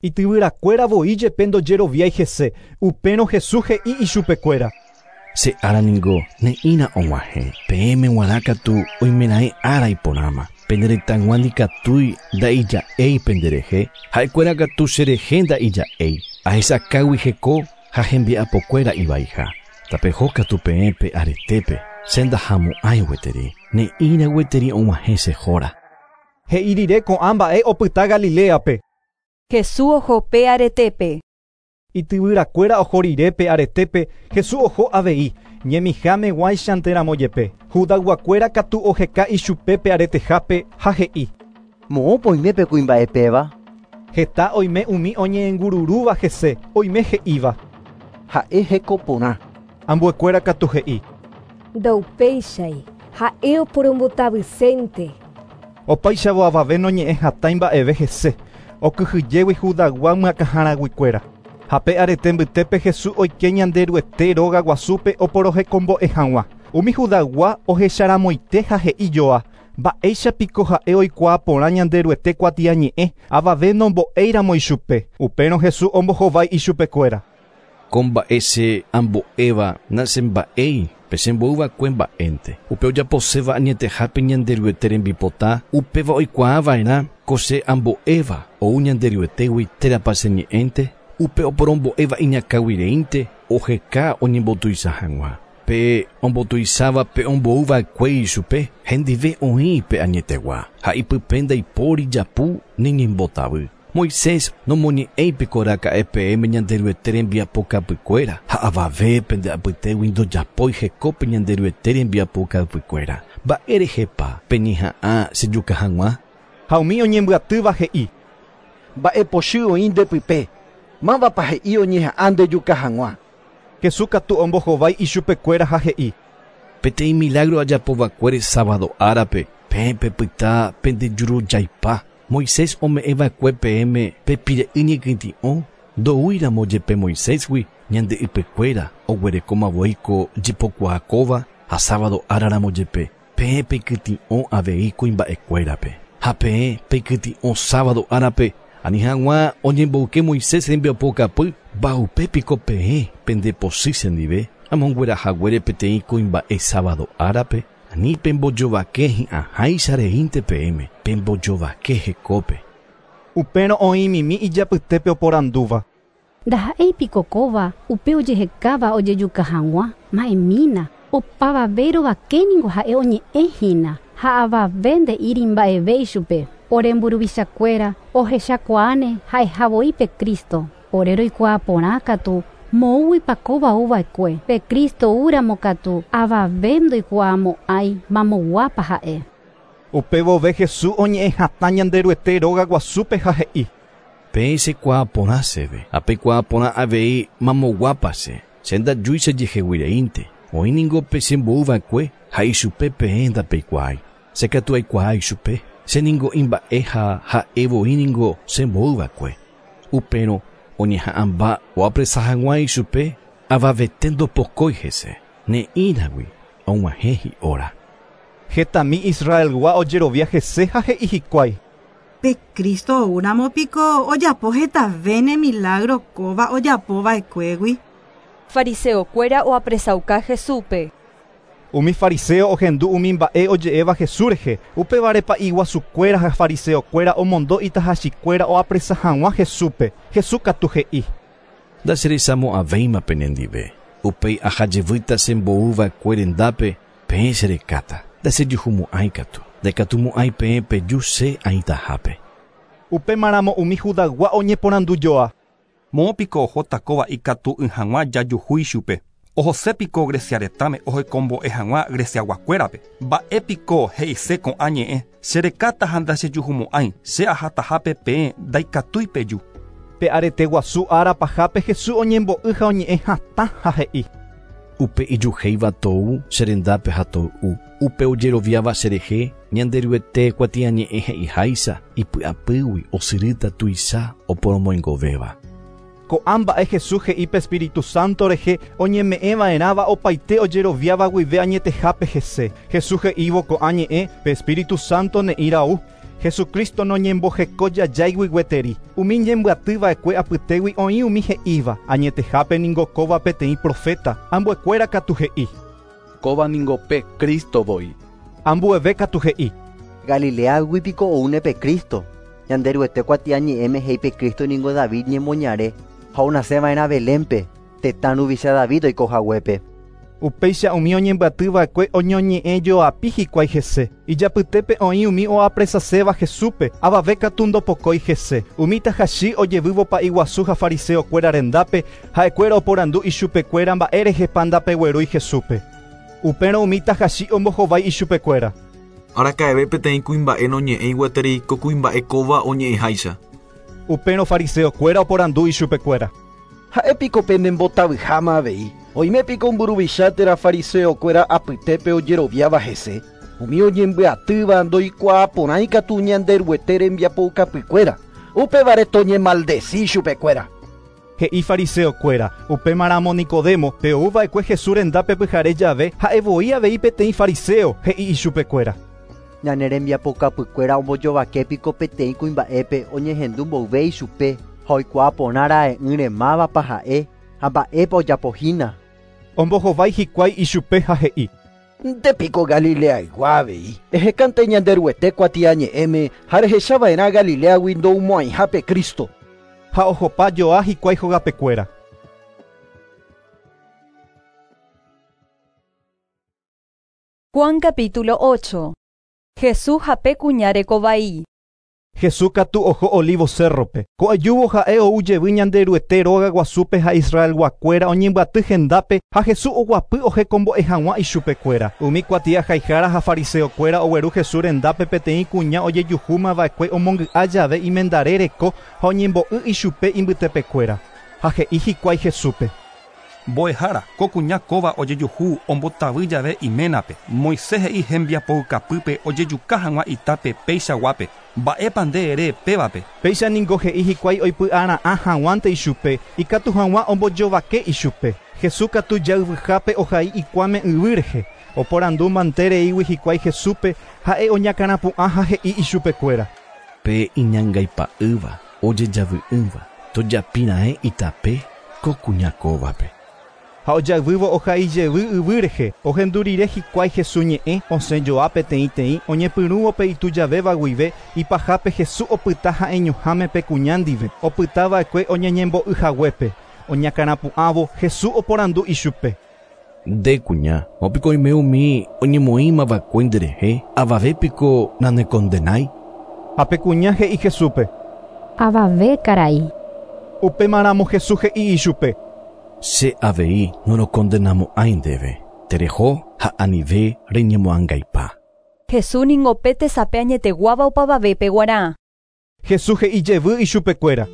Ityvyrakuéra voi jepe ndojeroviái hese, upérõ Jesús he'i ichupekuéra. Che ára ningo ne'ĩra og̃uahẽ, peẽme g̃uarã katu oimeraẽ ára iporãma. Pende retãygua ndikatúi nda'ija'éi penderehe, ha'ekuéra katu cherehe nda'ija'éi. Ahechakágui heko ha hembiapokuéra ivaiha. Tapeho katu peẽ pe aretépe, che ndahamo'ãi gueteri, ne'ĩra gueteri og̃uahẽ che hóra. He'i rire ko'ã mba'e opyta Galileape. Jesús oho pe aretépe. Ityvyrakuéra oho rire pe aretépe, Jesús oho avei, ñemiháme guáichanteramo jepe. Judayguakuéra katu oheka ichupe pe aretehápe ha he'i. Moõpa oime pe kuimba'epéva? Heta oime umi oñe'ẽngururúva hese, oime he'íva. Ha'e hekoporã. Ambuekuéra katu he'i. Ndaupéichai, ha'e oporombotavysénte. Opáichavo avave noñe'ẽ hatã mba'eve hese, okyhyjégui Judaygua myakãharaguikuéra. Ha pe arete mbytépe Jesús oike Ñanderuete róga guasúpe oporohekombo'e hag̃ua. Umi Judaygua ohecharamoite ha he'i joa, Mba'éichapiko ha'e oikuaa porã Ñanderuete kuatiañe'ẽ avave nombo'éiramo ichupe. Upérõ Jesús ombohovái ichupekuéra. Ko mba'e che ambo'éva nasemba'éi pe chembo'yva'ekue mba'énte. Upe ojaposéva añetehápe Ñanderuete rembipota upéva oikuaava'erã ko che ambo'éva ou Ñanderuetégui térãpa che ñe'ẽnte upe oporombo'éva iñakãguireínte oheka oñembotuicha hag̃ua. Pe ombotuicháva pe ombo'yva'ekue ichupe hendive oĩ pe añetegua ha ipype ndaipóri japu neñembotavy. Moisés nomoñe'ẽipiko raka'e peẽme Ñanderuete rembiapokapykuéra ha avave pende apytégui ndojapói hekópe Ñanderuete rembiapokapykuéra. Mba'érehepa peñeha'ã chejuka hag̃ua? Ha umi oñembyatýva he'i. Mba'epochy oĩ ndepype. Mávapa he'i oñeha'ã ndejuka hag̃ua. Jesús katu ombohovái ichupekuéra ha he'i. Peteĩ milagro ajapovakuére sábado árape peẽ pepyta pendejurujaipa. Moisés ome'ẽva'ekue peẽme pepire'ỹ ñekytĩ'o ndoúiramo jepe Moisésgui ñande ypykuéra oguerekómavoi ko jepokuaakóva ha sábado áraramo jepe peẽ peikytĩ'o avei kuimba'ekuérape. Ha peẽ peikytĩ'o sábado árape ani hag̃ua oñemboyke Moisés rembiapokapy mbaupépiko peẽ pendepochy chendive amonguerahaguére peteĩ kuimba'e sábado árape. Ani pembojovake hi'ãháicha reínte peẽme pembojovake hekópe. Upérõ oĩmimi ijapytépe oporandúva. Ndaha'éipiko kóva upe ojehekáva ojejuka hag̃ua ma'ẽmína opavave rovakéningo ha'e oñe'ẽhína ha avave nde'íri mba'eve ichupe. Ore mburuvichakuéra ohechakuaáne ha'ehavoi pe Cristo. Ore roikuaa porã katu moõguipa kóva ouva'ekue. Pe Cristo oúramo katu avave ndoikuaamo'ãi mamoguápa ha'e. Upévove Jesús oñe'ẽ hatã Ñanderuete róga guasúpe ha he'i. Peẽ chekuaa porã chéve ha peikuaa porã avei mamoguápa che. Che ndajúi chejeheguireínte. Oĩningo pe chembo'yva'ekue ha ichupe peẽ ndapeikuaái. Che katu aikuaa ichupe. Che ningo imba'e ha ha'evoíningo chembo'yva'ekue. Upérõ oñeha'ãmba oapresa hag̃ua ichupe avavete ndopokói hese. Ne'írãgui og̃uahẽ hi'óra. Hetami Israelgua ojerovia hese ha he'i hikuái. Pe Cristo oúramo piko ojapo hetave milagro kóva ojapova'ekuégui. Fariseokuéra oapresauka Jesúspe. Umi fariseo ohendu umi mba'e oje'éva Jesús rehe. Upévare pa'i guasukuéra ha fariseokuéra omondo itahachikuéra oapresa hag̃ua Jesúspe. Jesús katu he'i. Ndacheresamo'ãvéima penendive. Upéi ahajevýta chembo'yva'ekue rendápe peẽ cherekáta. Ndachejuhumo'ãi katu. Ndaikatumo'ãi peẽ peju che aĩtahápe. Upémaramo umi Judaygua oñeporandujoa. Moõpiko ohóta kóva ikatu'ỹ hag̃ua jajuhu ichupe. Ohosépiko Grecia retãme ohekombo'e hag̃ua Greciaguakuérape. Mba'épiko he'ise ko'ã ñe'ẽ. Cherekáta ha ndachejuhumo'ãi. Che ahatahápe peẽ ndaikatúi peju. Pe arete guasu ára pahápe Jesús oñembo'y ha oñe'ẽ hatã ha he'i. Upe ijuhéiva tou cherendápe ha toy'u. Upe ojeroviáva cherehe Ñanderuete kuatiañe'ẽ he'iháicha ipy'apýgui osyrýta tuicha oporomoingovéva. Ko'ã mba'e Jesús he'i pe Espíritu Santo rehe oñeme'ẽva'erãva opaite ojeroviáva guive añetehápe hese. Jesús he'ívo ko'ã ñe'ẽ pe Espíritu Santo ne'íra'u. Jesucristo noñembohekojajáigui gueteri. Umi ñembyatýva'ekue apytégui oĩ umi he'íva. Añetehápe ningo kóva peteĩ profeta. Ambuekuéra katu he'i. Kóva ningo pe Cristo voi. Ambueve katu he'i. Galileagui piko oúne pe Cristo. Ñanderuete kuatiañe'ẽme he'i pe Cristo ningo David ñemoñare ha onaseva'erã Belénpe, tetã ruvicha David oikohaguépe. Upéicha umi oñembyatýva'ekue oñoñe'ẽjoapi hikuái hese. Ijapytépe oĩ umi oapresaséva Jesúspe, avave katu ndopokói hese. Umi tahachi ojevývo pa'i guasu ha fariseokuéra rendápe, ha'ekuéra oporandu ichupekuéra mba'érehepa ndapeguerúi Jesúspe. Upérõ umi tahachi ombohovái ichupekuéra. Araka'eve peteĩ kuimba'e noñe'ẽi gueteri ko kuimba'e kóva oñe'ẽháicha. Upérõ fariseokuéra oporandu ichupekuéra. Ha'épiko penembotavyháma avei. Oimépiko mburuvicha térã fariseokuéra apytépe ojeroviáva hese. Umi oñembyatýva ndoikuaaporãi katu Ñanderuete rembiapoukapykuéra. Upévare toñemaldeci chupekuéra. He'i fariseokuéra. Upémaramo Nicodemo pe ouva'ekue Jesús rendápe pyhare jave ha'evoi avei peteĩ fariseo he'i ichupekuéra. Ñane rembiapokapykuéra ombojovake piko peteĩ kuimba'épe oñehendu mboyve ichupe ha oikuaa porã ra'e'ỹre mávapa ha'e ha mba'épa ojapohína. Ombohovái hikuái ichupe ha he'i. Nde piko Galileaygua avei. Ehekánte Ñanderuete kuatiañe'ẽme ha rehechava'erã Galileagui ndoumo'ãihápe Cristo. Ha ohopa joa hikuái hogapekuéra. Juan capítulo ocho. Jesús hape kuña rekovai. Jesús katu oho Olivo cerrope. Ko'ajúvo ha'e ou jevy Ñanderuete róga guasúpe ha Israelguakuéra oñembyaty hendápe ha Jesús oguapy ohekombo'e hag̃ua ichupekuéra. Umi kuatiahaihára ha fariseokuéra ogueru Jesús rendápe peteĩ kuña ojejuhúmava'ekue omongy'a jave imendare reko ha oñembo'y ichupe imbytepekuéra. Ha he'i hikuái Jesúspe. Mbo'ehára, ko kuña kóva ojejuhu ombotavy jave iménape. Moisés he'i hembiapoukapýpe ojejuka hag̃ua itápe peichaguápe. Mba'épa nde ere pévape. Péicha ningo he'i hikuái oipy'ara'ã hag̃uánte ichupe, ikatu hag̃ua ombojovake ichupe. Jesús katu jayvyhápe ohai ikuáme yvy rehe. Oporandu mantereígui hikuái Jesúspe ha'e oñakãrapu'ã ha he'i ichupekuéra. Pe iñangaipa'ýva ojejavy'ỹva tojapira'e itape ko kuña kóvape. Ha ojayvývo ohai jevy yvy rehe, ohendu rire hikuái Jesús ñe'ẽ osẽ joa peteĩteĩ oñepyrũvo pe itujavéva guive ipahápe Jesús opyta ha'eñoháme pe kuña ndive, opytava'ekue oñeñembo'yhaguépe. Oñakãrapu'ãvo Jesús oporandu ichupe. Nde kuña, mopiko oime umi oñemoĩmava'ekue nderehe, avavépiko nanekondenái. Ha pe kuña he'i Jesúspe. Avave karai. Upémaramo Jesús he'i ichupe. Che avei norokondenamo'ãi ndéve. Tereho ha anive reñemoangaipa. Jesús ningo pe tesape añeteguáva opavavépe guarã. Jesús he'i jevy ichupekuéra.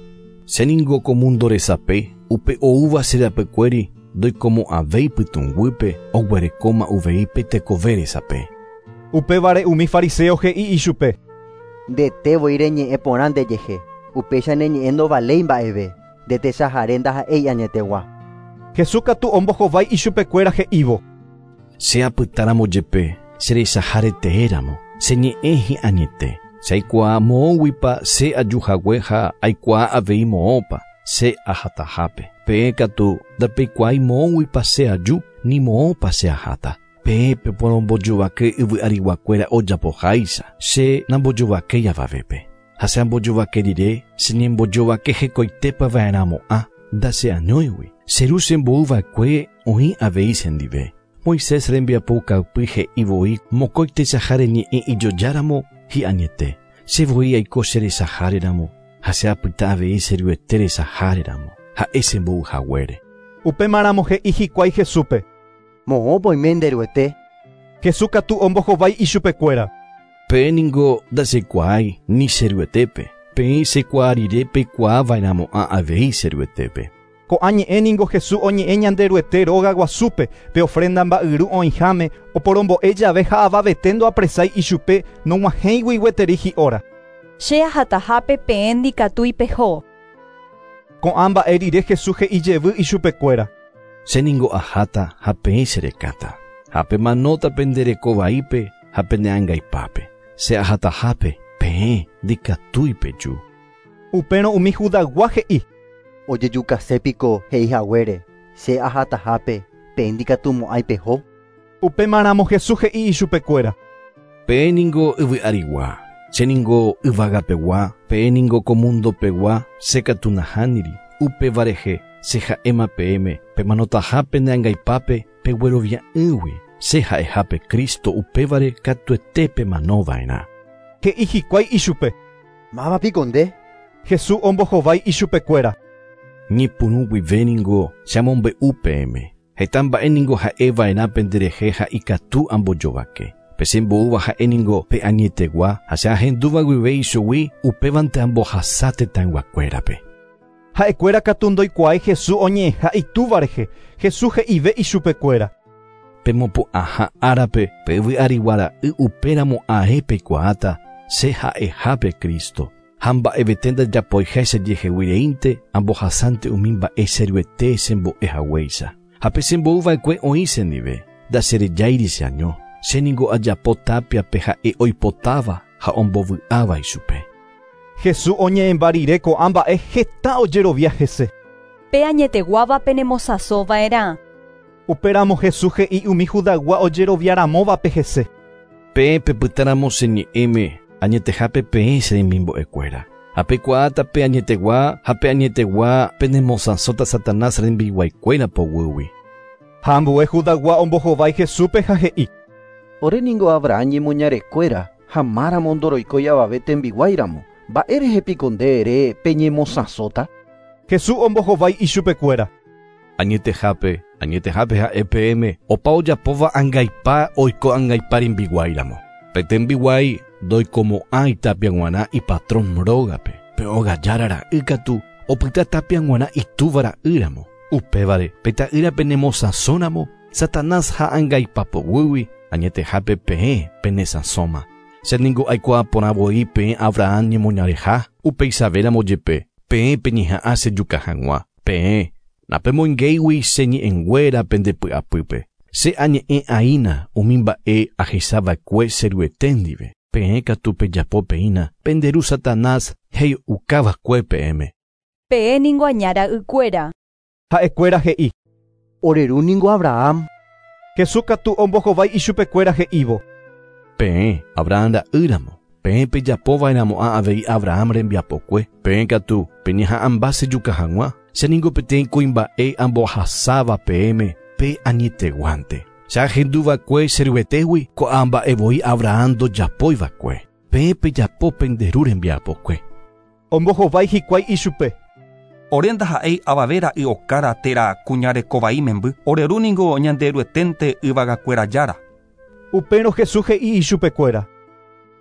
Che ningo ko mundo resape, upe oúva che rapykuéri ndoikomo'ãvéi pytũnguýpe oguerekóma uvei pe tekove resape. Upévare umi fariseo he'i ichupe. Ndete voi reñe'ẽ porã ndejehe, upéicha neñe'ẽ ndovaléi mba'eve, ndetechahare ndaha'éi añetegua. Jesús katu ombohovái ichupekuéra he'ívo. Che apytáramo jepe, che rechahareteéramo, che ñe'ẽ hi'añete. Che aikuaa moõguipa che ajuhague ha aikuaa avei moõpa che ahatahápe. Peẽ katu ndapeikuaái moõguipa che aju ni moõpa che aháta. Peẽ peporombojovake yvy'ariguakuéra ojapoháicha, che nambojovakéi avavépe. Ha che ambojovake rire, che ñembojovake hekoitépava'erãmo'ã ndacheañóigui. Che ru chembo'yva'ekue oĩ avei chendive. Moisés rembiapoukapy he'i voi mokõi techaháre ñe'ẽ ijojáramo hi'añete. Che voi aiko che rechaháreramo ha che apyta avei che ruete rechaháreramo ha'e chembo'yhaguére. Upémaramo he'i hikuái Jesúspe. Moõpa oime nde Ruete. Jesús katu ombohovái ichupekuéra. Peẽ ningo ndachekuaái ni che Ruetépe. Peẽ chekuaa rire peikuaava'erãmo'ã avei che Ruetépe. Ko'ã ñe'ẽ ningo Jesús oñe'ẽ Ñanderuete róga guasúpe pe ofrenda mba'yru oĩháme oporombo'e jave ha avavete ndoapresái ichupe nog̃uahẽigui gueteri hi'óra. Che ahatahápe peẽ ndikatúi peho. Ko'ã mba'e rire Jesús he'i jevy ichupekuéra. Che ningo aháta ha peẽ cherekáta. Ha pemanóta pende rekovaípe ha peneangaipápe. Che ahatahápe peẽ ndikatúi peju. Upérõ umi Judaygua he'i. Ojejukasépiko he'ihaguére, che ahatahápe peẽ ndikatumo'ãi peho. Upémaramo Jesús he'i ichupekuéra. Peẽ ningo yvy'arigua, che ningo yvagapegua, peẽ ningo ko mundopegua, che katu nahániri, upéva rehe che ha'éma peẽme, pemanotaha peneangaipápe peguerovia'ỹgui, che ha'ehápe Cristo upévare katuete pemanova'erã. He'i hikuái ichupe. Mávapiko nde. Jesús ombohovái ichupekuéra. Ñepyrũ guive ningo che amombe'u peẽme. Heta mba'e ningo ha'eva'erã penderehe ha ikatu ambojovake. Pe chembo'úva ha'e ningo pe añetegua ha che ahendúva guive ichugui upévante ambohasa tetãyguakuérape. Ha'ekuéra katu ndoikuaái Jesús oñe'ẽha itúva rehe. Jesús he'ive ichupekuéra. Pemopu'ãha árape pe yvy'arigua ra'y upéramo ae peikuaáta che ha'ehápe Cristo. Ha mba'evete ndajapoiha chejeheguireínte ambohasánte umi mba'e che Ruete chembo'ehaguéicha. Ha pe chembo'yva'ekue oĩ chendive, ndacherejáiri cheaño. Che ningo ajapo tapiape ha'e oipotáva ha ombovy'áva ichupe. Jesús oñe'ẽmba rire ko'ã mba'e heta ojerovia hese. Pe añeteguáva penemosãsova'erã. Upéramo Jesús he'i umi Judaygua ojeroviaramóvape hese. Peẽ pepytáramo che ñe'ẽme añetehápe peẽ che remimbo'ekuéra. Ha peikuaáta pe añetegua ha pe añetegua penemosãsóta Satanás rembiguaikuéra poguýgui. Ha ambue Judaygua ombohovái Jesúspe ha he'i. Ore ningo Abraham ñemoñarekuéra ha máramo ndoroikói avave tembiguáiramo. Mba'érehe piko nde ere peñemosãsóta? Jesús ombohovái ichupekuéra. Añetehápe, añetehápe ha'e peẽme opa ojapóva angaipa oiko angaipa rembiguáiramo. Pe tembiguái ndoikomo'ãi tapia g̃uarã ipatrón rógape. Pe ogajára ra'y katu opyta tapia g̃uarã itúva ra'ýramo. Upévare pe ta'ýra penemosãsóramo Satanás ha angaipa poguýgui añetehápe peẽ penesãsóma. Che ningo aikuaa porã voi peẽ Abraham ñemoñareha upeichavéramo jepe peẽ peñeha'ã chejuka hag̃ua. Peẽ napemoingéigui che ñe'ẽnguéra pendepy'apýpe. Che añe'ẽ aína umi mba'e ahechava'ekue che Ruete ndive. Peẽ katu pejapo peína pende ru Satanás he'iukava'ekue peẽme. Peẽ ningo aña ra'ykuéra. Ha'ekuéra he'i. Ore ru ningo Abraham. Jesús katu ombohovái ichupekuéra he'ívo. Peẽ Abraham ra'ýramo. Peẽ pejapova'erãmo'ã avei Abraham rembiapokue. Peẽ katu peñeha'ãmba chejuka hag̃ua. Che ningo peteĩ kuimba'e ambohasáva peẽme pe añeteguánte. Che ahenduva'ekue che Ruetégui ko'ã mba'e voi Abraham ndojapoiva'ekue. Peẽ pejapo pende ru rembiapokue. Ombohovái hikuái ichupe. Ore ndaha'éi avave ra'y okára térã kuñarekovai memby. Ore ru ningo Ñanderueténte yvagakuéra jára. Upérõ Jesús he'i ichupekuéra.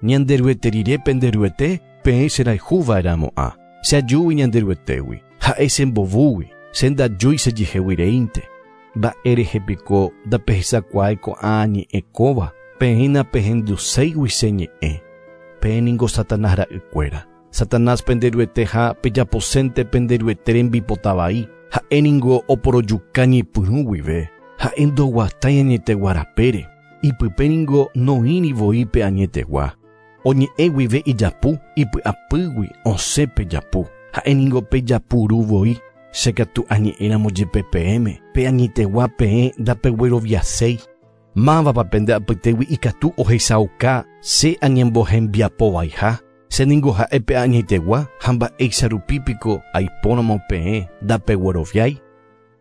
Ñanderuete rire penderuete peẽ cherayhuva'erãmo'ã. Che ajúgui Ñanderuetégui. Ha'e chembovúgui. Che ndajúi chejeheguireínte. Mba'érehe piko ndapehechakuaái ko'ã ñe'ẽ kóva. Peẽ napehenduséigui che ñe'ẽ. Peẽ ningo Satanás ra'ykuéra. Satanás penderuete ha pejaposénte penderuete rembipota vai. Ha'e ningo oporojuka ñepyrũ guive. Ha'e ndoguatái añetegua rapére. Ipype ningo noĩri voi pe añetegua. Oñe'ẽ guive ijapu, ipy'apýgui osẽ pejapu. Ha'e ningo pejapuru voi. Che katu añe'ẽramo jepe peẽme. Pe añetegua peẽ ndapegueroviaséi. Mávapa pende apytégui ikatu ohechauka che añembohembiapovaiha. Che ningo ha'e pe añetegua ha mba'éicha rupi piko aipóramo peẽ ndapegueroviái.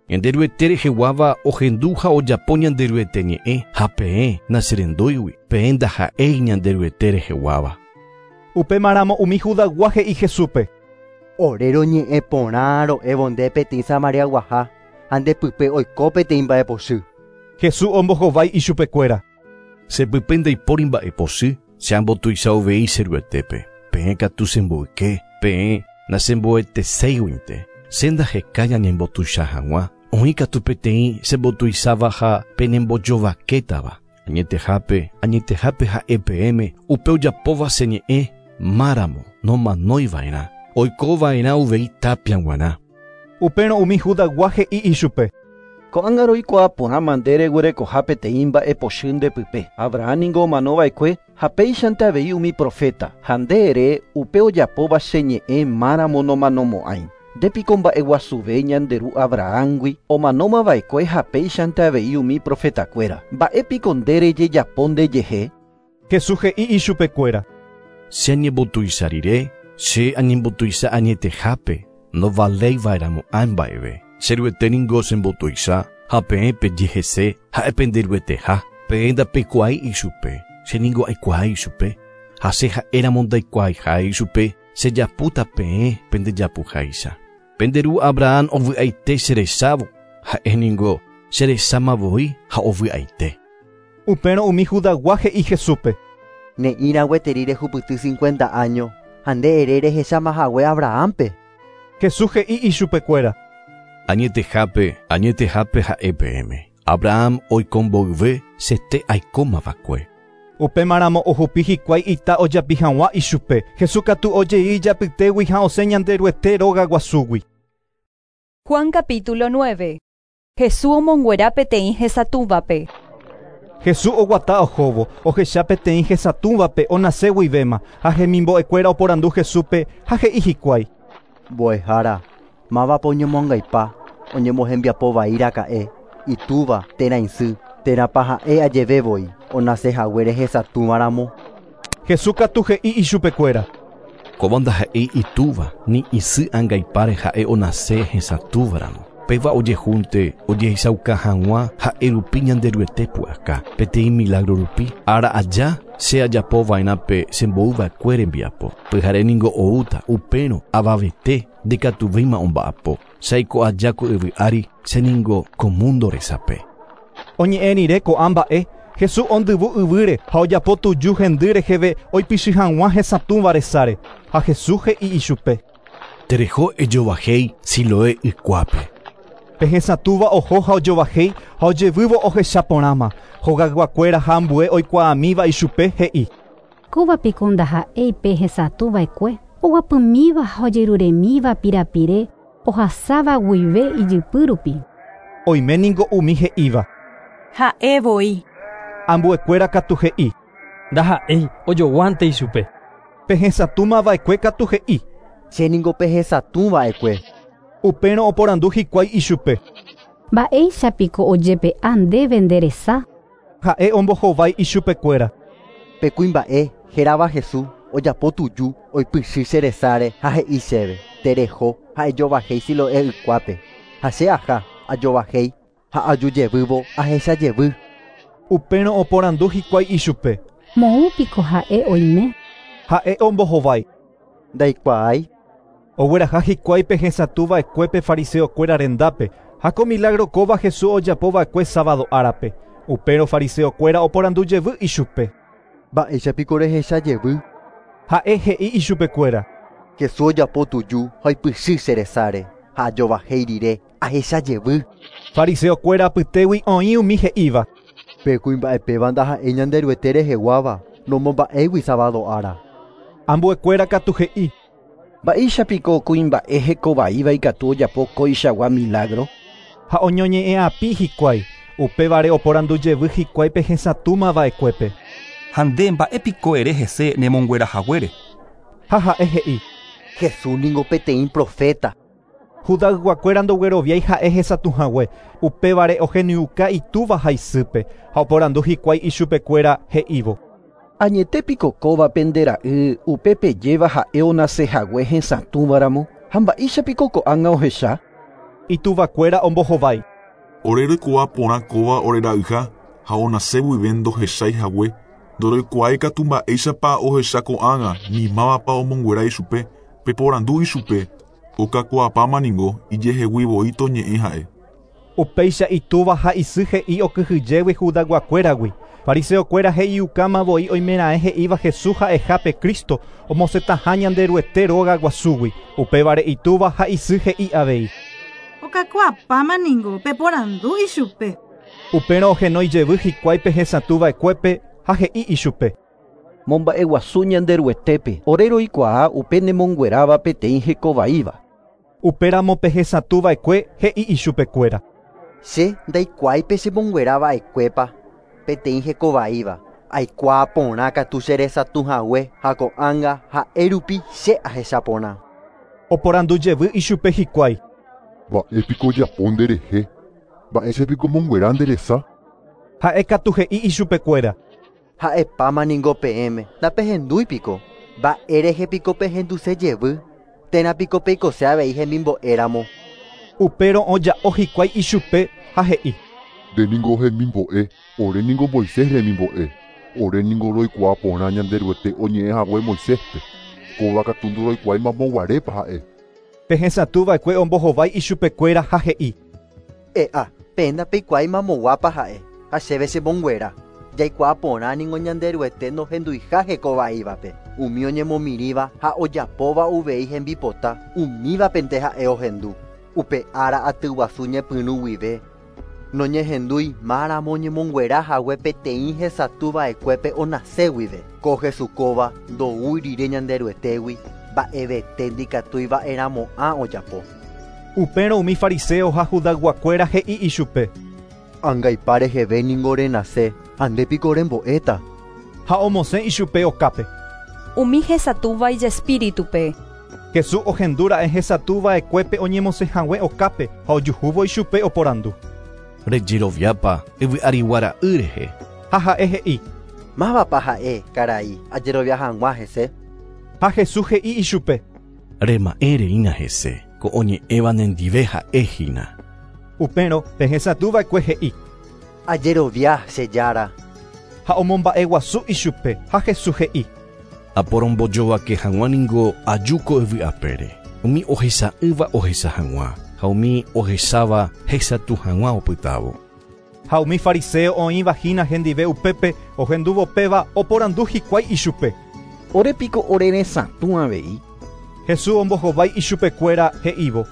Ñanderuete reheguáva ohendu ha ojapo Ñanderuete ñe'ẽ ha peẽ nacherendúigui. Peẽ ndaha'éi Ñanderuete reheguáva. Upémaramo umi Judaygua he'i Jesúspe. Ore roñe'ẽ porã ro'évo nde peteĩ Samariaguaha ha ndepype oiko peteĩ mba'epochy. Jesús ombohovái ichupekuéra. Chepype ndaipóri mba'epochy, che ambotuicha uvei che Ruetépe. Peẽ katu chemboyke, peẽ nachemboeteséiguinte. Che ndahekái añembotuicha hag̃ua. Oĩ katu peteĩ chembotuicháva ha penembojovakétava. Añetehápe, añetehápe ha'e peẽme upe ojapóva che ñe'ẽ máramo nomanoiva'erã. Oikova'erã uvei tapia g̃uarã. Upérõ umi Judaygua he'i ichupe. Ko'ág̃a roikuaa porãma nde reguerekoha peteĩ mba'epochy ndepype. Abraham ningo omanova'ekue ha péichante avei umi profeta. Ha nde ere upe ojapóva che ñe'ẽ máramo nomanomo'ãi. Ndépiko mba'eguasuve ñande ru Abrahamgui omanómava'ekue ha péichante avei umi profetakuéra. Mba'épiko nde rejejapo ndejehe? Jesús he'i ichupekuéra. Che añembotuicha rire, che añembotuicha añetehápe ndovaléiva'erãmo'ã mba'eve. Che Ruete ningo chembotuicha ha peẽ pejehese ha'e penderueteha. Peẽ ndapeikuaái ichupe. Che ningo aikuaái ichupe. Ha che ha'éramo ndaikuaaiha ichupe, chejapúta peẽ pendejapuháicha. Pende ru Abraham ovy'aite cherechávo. Ha'e ningo cherecháma voi ha ovy'aite. Upérõ umi Judaygua he'i Jesúspe. Ne'ĩra gueteri rehupyty cincuenta años ha nde ere rehechámahague Abrahampe. Jesús he'i ichupekuéra. Añetehápe, añetehápe ha'e peẽme. Abraham oikomboyve chete aikómava'ekue. Upémaramo ohupi hikuái ita ojapi hag̃ua ichupe. Jesús katu ojei ijapytégui ha osẽ Ñanderuete róga guasúgui. Juan capítulo nueve. Jesús omonguera peteĩ hesatũvape. Jesús oguata ohóvo, ohecha peteĩ hesatũvape onase guivéma, ha hemimbo'ekuéra oporandu Jesúspe ha he'i hikuái. Mbo'ehára, mávapa oñemoangaipa, oñemohembiapo vai raka'e, itúva térã isy, térãpa ha'e ajevevoi, onase haguére hesatũvaramo. Jesús katu he'i ichupekuéra. Kóva ndaha'éi itúva ni isy angaipáre ha'e onase hesatũvaramo. Péva ojehúnte ojehechauka hag̃ua ha'e rupi Ñanderuete pu'aka peteĩ milagro rupi ára aja che ajapova'erã pe chembo'uva'ekue rembiapo. Pyhare ningo oúta upérõ avavete ndikatuvéima omba'apo. Che aiko aja ko yvy ári che ningo ko mundo resape. Oñe'ẽ rire ko'ã mba'e, Jesús ondyvu yvýre ha ojapo tuju hendy reheve oipichy hag̃ua hesatũva resáre. Ha Jesús he'i ichupe. Tereho ejovahéi Siloé ykuápe. Pe hesatũva oho ha ojovahéi ha ojevývo ohechaporãma. Hogayguakuéra ha ambue oikuaamíva ichupe he'i. Kóva piko ndaha'éi pe hesatũva'ekue, oguapymíva ha ojeruremíva pirapire ohasáva guive ijypy rupi. Oime ningo umi he'íva. Ha'e voi. Ambuekuéra katu he'i. Ndaha'éi ojoguánte ichupe. Pe hesatũmava'ekue katu he'i. Che ningo pe hesatũva'ekue. Upérõ oporandu hikuái ichupe. Mba'éichapiko ojepe'a ndéve nde resa? Ha'e ombohovái ichupekuéra. Pe kuimba'e hérava Jesús ojapo tuju oipychy che resáre ha he'i chéve. Tereho ha ejovahéi Siloé ykuápe. Ha che aha ajovahéi ha ajujevývo ahechajevy. Upérõ oporandu hikuái ichupe. Moõpiko ha'e oime? Ha'e ombohovái. Ndaikuaái. Ogueraha hikuái pe hesatũva'ekue pe fariseokuéra rendápe ha ko milagro kóva Jesús ojapova'ekue sábado árape. Upérõ fariseokuéra oporandu jevy ichupe. Mba'éichapiko rehechajevy? Ha'e he'i ichupekuéra. Jesús ojapo tuju ha oipychy che resáre ha ajovahéi rire ahechajevy. Fariseokuéra apytégui oĩ umi he'íva. Pe kuimba'epéva ndaha'éi Ñanderuete reheguáva nomomba'égui sábado ára. Ambuekuéra katu he'i. Mba'éichapiko kuimba'e hekovaíva ikatu ojapo koichagua milagro? Ha oñoñe'ẽapi hikuái, upévare oporandu jevy hikuái pe hesatũmava'ekuépe. Ha nde mba'épiko ere hese nemonguerahaguére. Ha ha'e he'i. Jesús ningo peteĩ profeta. Judayguakuéra ndogueroviái ha'e hesatũhague, upévare ohenyuka itúva ha isýpe ha oporandu hikuái ichupekuéra he'ívo. Añetépiko kóva pende ra'y upe pejéva ha'e onasehague hesatũvaramo ha mba'éichapiko ko'ág̃a ohecha? Ituvakuéra ombohovái. Ore roikuaa porã kóva ore ra'yha ha onase guive ndohechái hague, ndoroikuaái katu mba'éichapa ohecha ko'ág̃a ni mávapa omonguera ichupe, peporandu ichupe, okakuaapáma ningo ijehegui voi toñe'ẽ ha'e. Upéicha itúva ha isy he'i okyhyjégui Judayguakuéragui. Fariseokuéra he'iukáma voi oimeraẽ he'íva Jesús ha'eha pe Cristo omosẽtaha Ñanderuete róga guasúgui. Upévare itúva ha isy he'i avei. Okakuaapáma ningo peporandu ichupe. Upérõ ohenói jevy hikuái pe hesatũva'ekuépe ha he'i ichupe. Momba'eguasu Ñanderuetépe ore roikuaa upe nemongueráva peteĩ hekovaíva. Upéramo pe hesatũva'ekue he'i ichupekuéra. Che ndaikuaái pe chemonguerava'ekuépa peteĩ hekovaíva. Aikuaa porã katu che resatũhague ha ko'ág̃a ha'e rupi che ahechaporã. Oporandu jevy ichupe hikuái. Mba'épiko ojapo nderehe? Mba'éichapiko omonguera nde resa? Ha'e katu he'i ichupekuéra. Ha'epáma ningo peẽme ndapehendúipiko. Mba'érehepiko pehenduse jevy? Térãpiko peikose avei hemimbo'éramo. Upérõ oja'o hikuái ichupe ha he'i. Nde ningo hemimbo'e, ore ningo Moisés remimbo'e. Ore ningo roikuaa porã Ñanderuete oñe'ẽhague Moiséspe. Kóva katu ndoroikuaái mamoguarépa ha'e. Pe hesatũva'ekue ombohovái ichupekuéra ha he'i. E'a, peẽ ndapeikuaái mamoguápa ha'e ha chéve chemonguera. Jaikuaa porã ningo Ñanderuete nohenduiha hekovaívape. Umi oñemomirĩva ha ojapóva uvei hembipota, umívapente ha'e ohendu. Upe ára atyguasu ñepyrũ guive. Noñehendúi máramo oñemonguera hague peteĩ hesatũva'ekuépe onase guive. Ko Jesús kóva ndoúi rire Ñanderuetégui, mba'evete ndikatúiva'erãmo'ã ojapo. Upérõ umi fariseo ha Judayguakuéra he'i ichupe. Angaipa reheve ningo renase, ha nde piko rembo'éta. Ha omosẽ ichupe okápe. Umi hesatũva ijespíritupe. Jesús ohendúra'e hesatũva'ekuépe oñemosẽhague okápe ha ojuhúvo ichupe oporandu. Rejeroviápa yvy'arigua ra'y rehe. Ha ha'e he'i. Mávapa ha'e, karai, ajerovia hag̃ua hese. Ha Jesús he'i ichupe. Rema'ẽ reína hese, ko oñe'ẽva nendive ha'ehína. Upérõ pe hesatũva'ekue he'i. Ajerovia che Jára. Ha omomba'eguasu ichupe ha Jesús he'i. Aporombojovake hag̃ua ningo aju ko yvy apére. Umi ohesa'ỹva ohesa hag̃ua ha umi ohesáva hesatũ hag̃ua opytávo. Ha umi fariseo oĩva hína hendive upépe ohendúvo péva oporandu hikuái ichupe. Ore piko ore resatũ avei. Jesús ombohovái ichupekuéra he'ívo.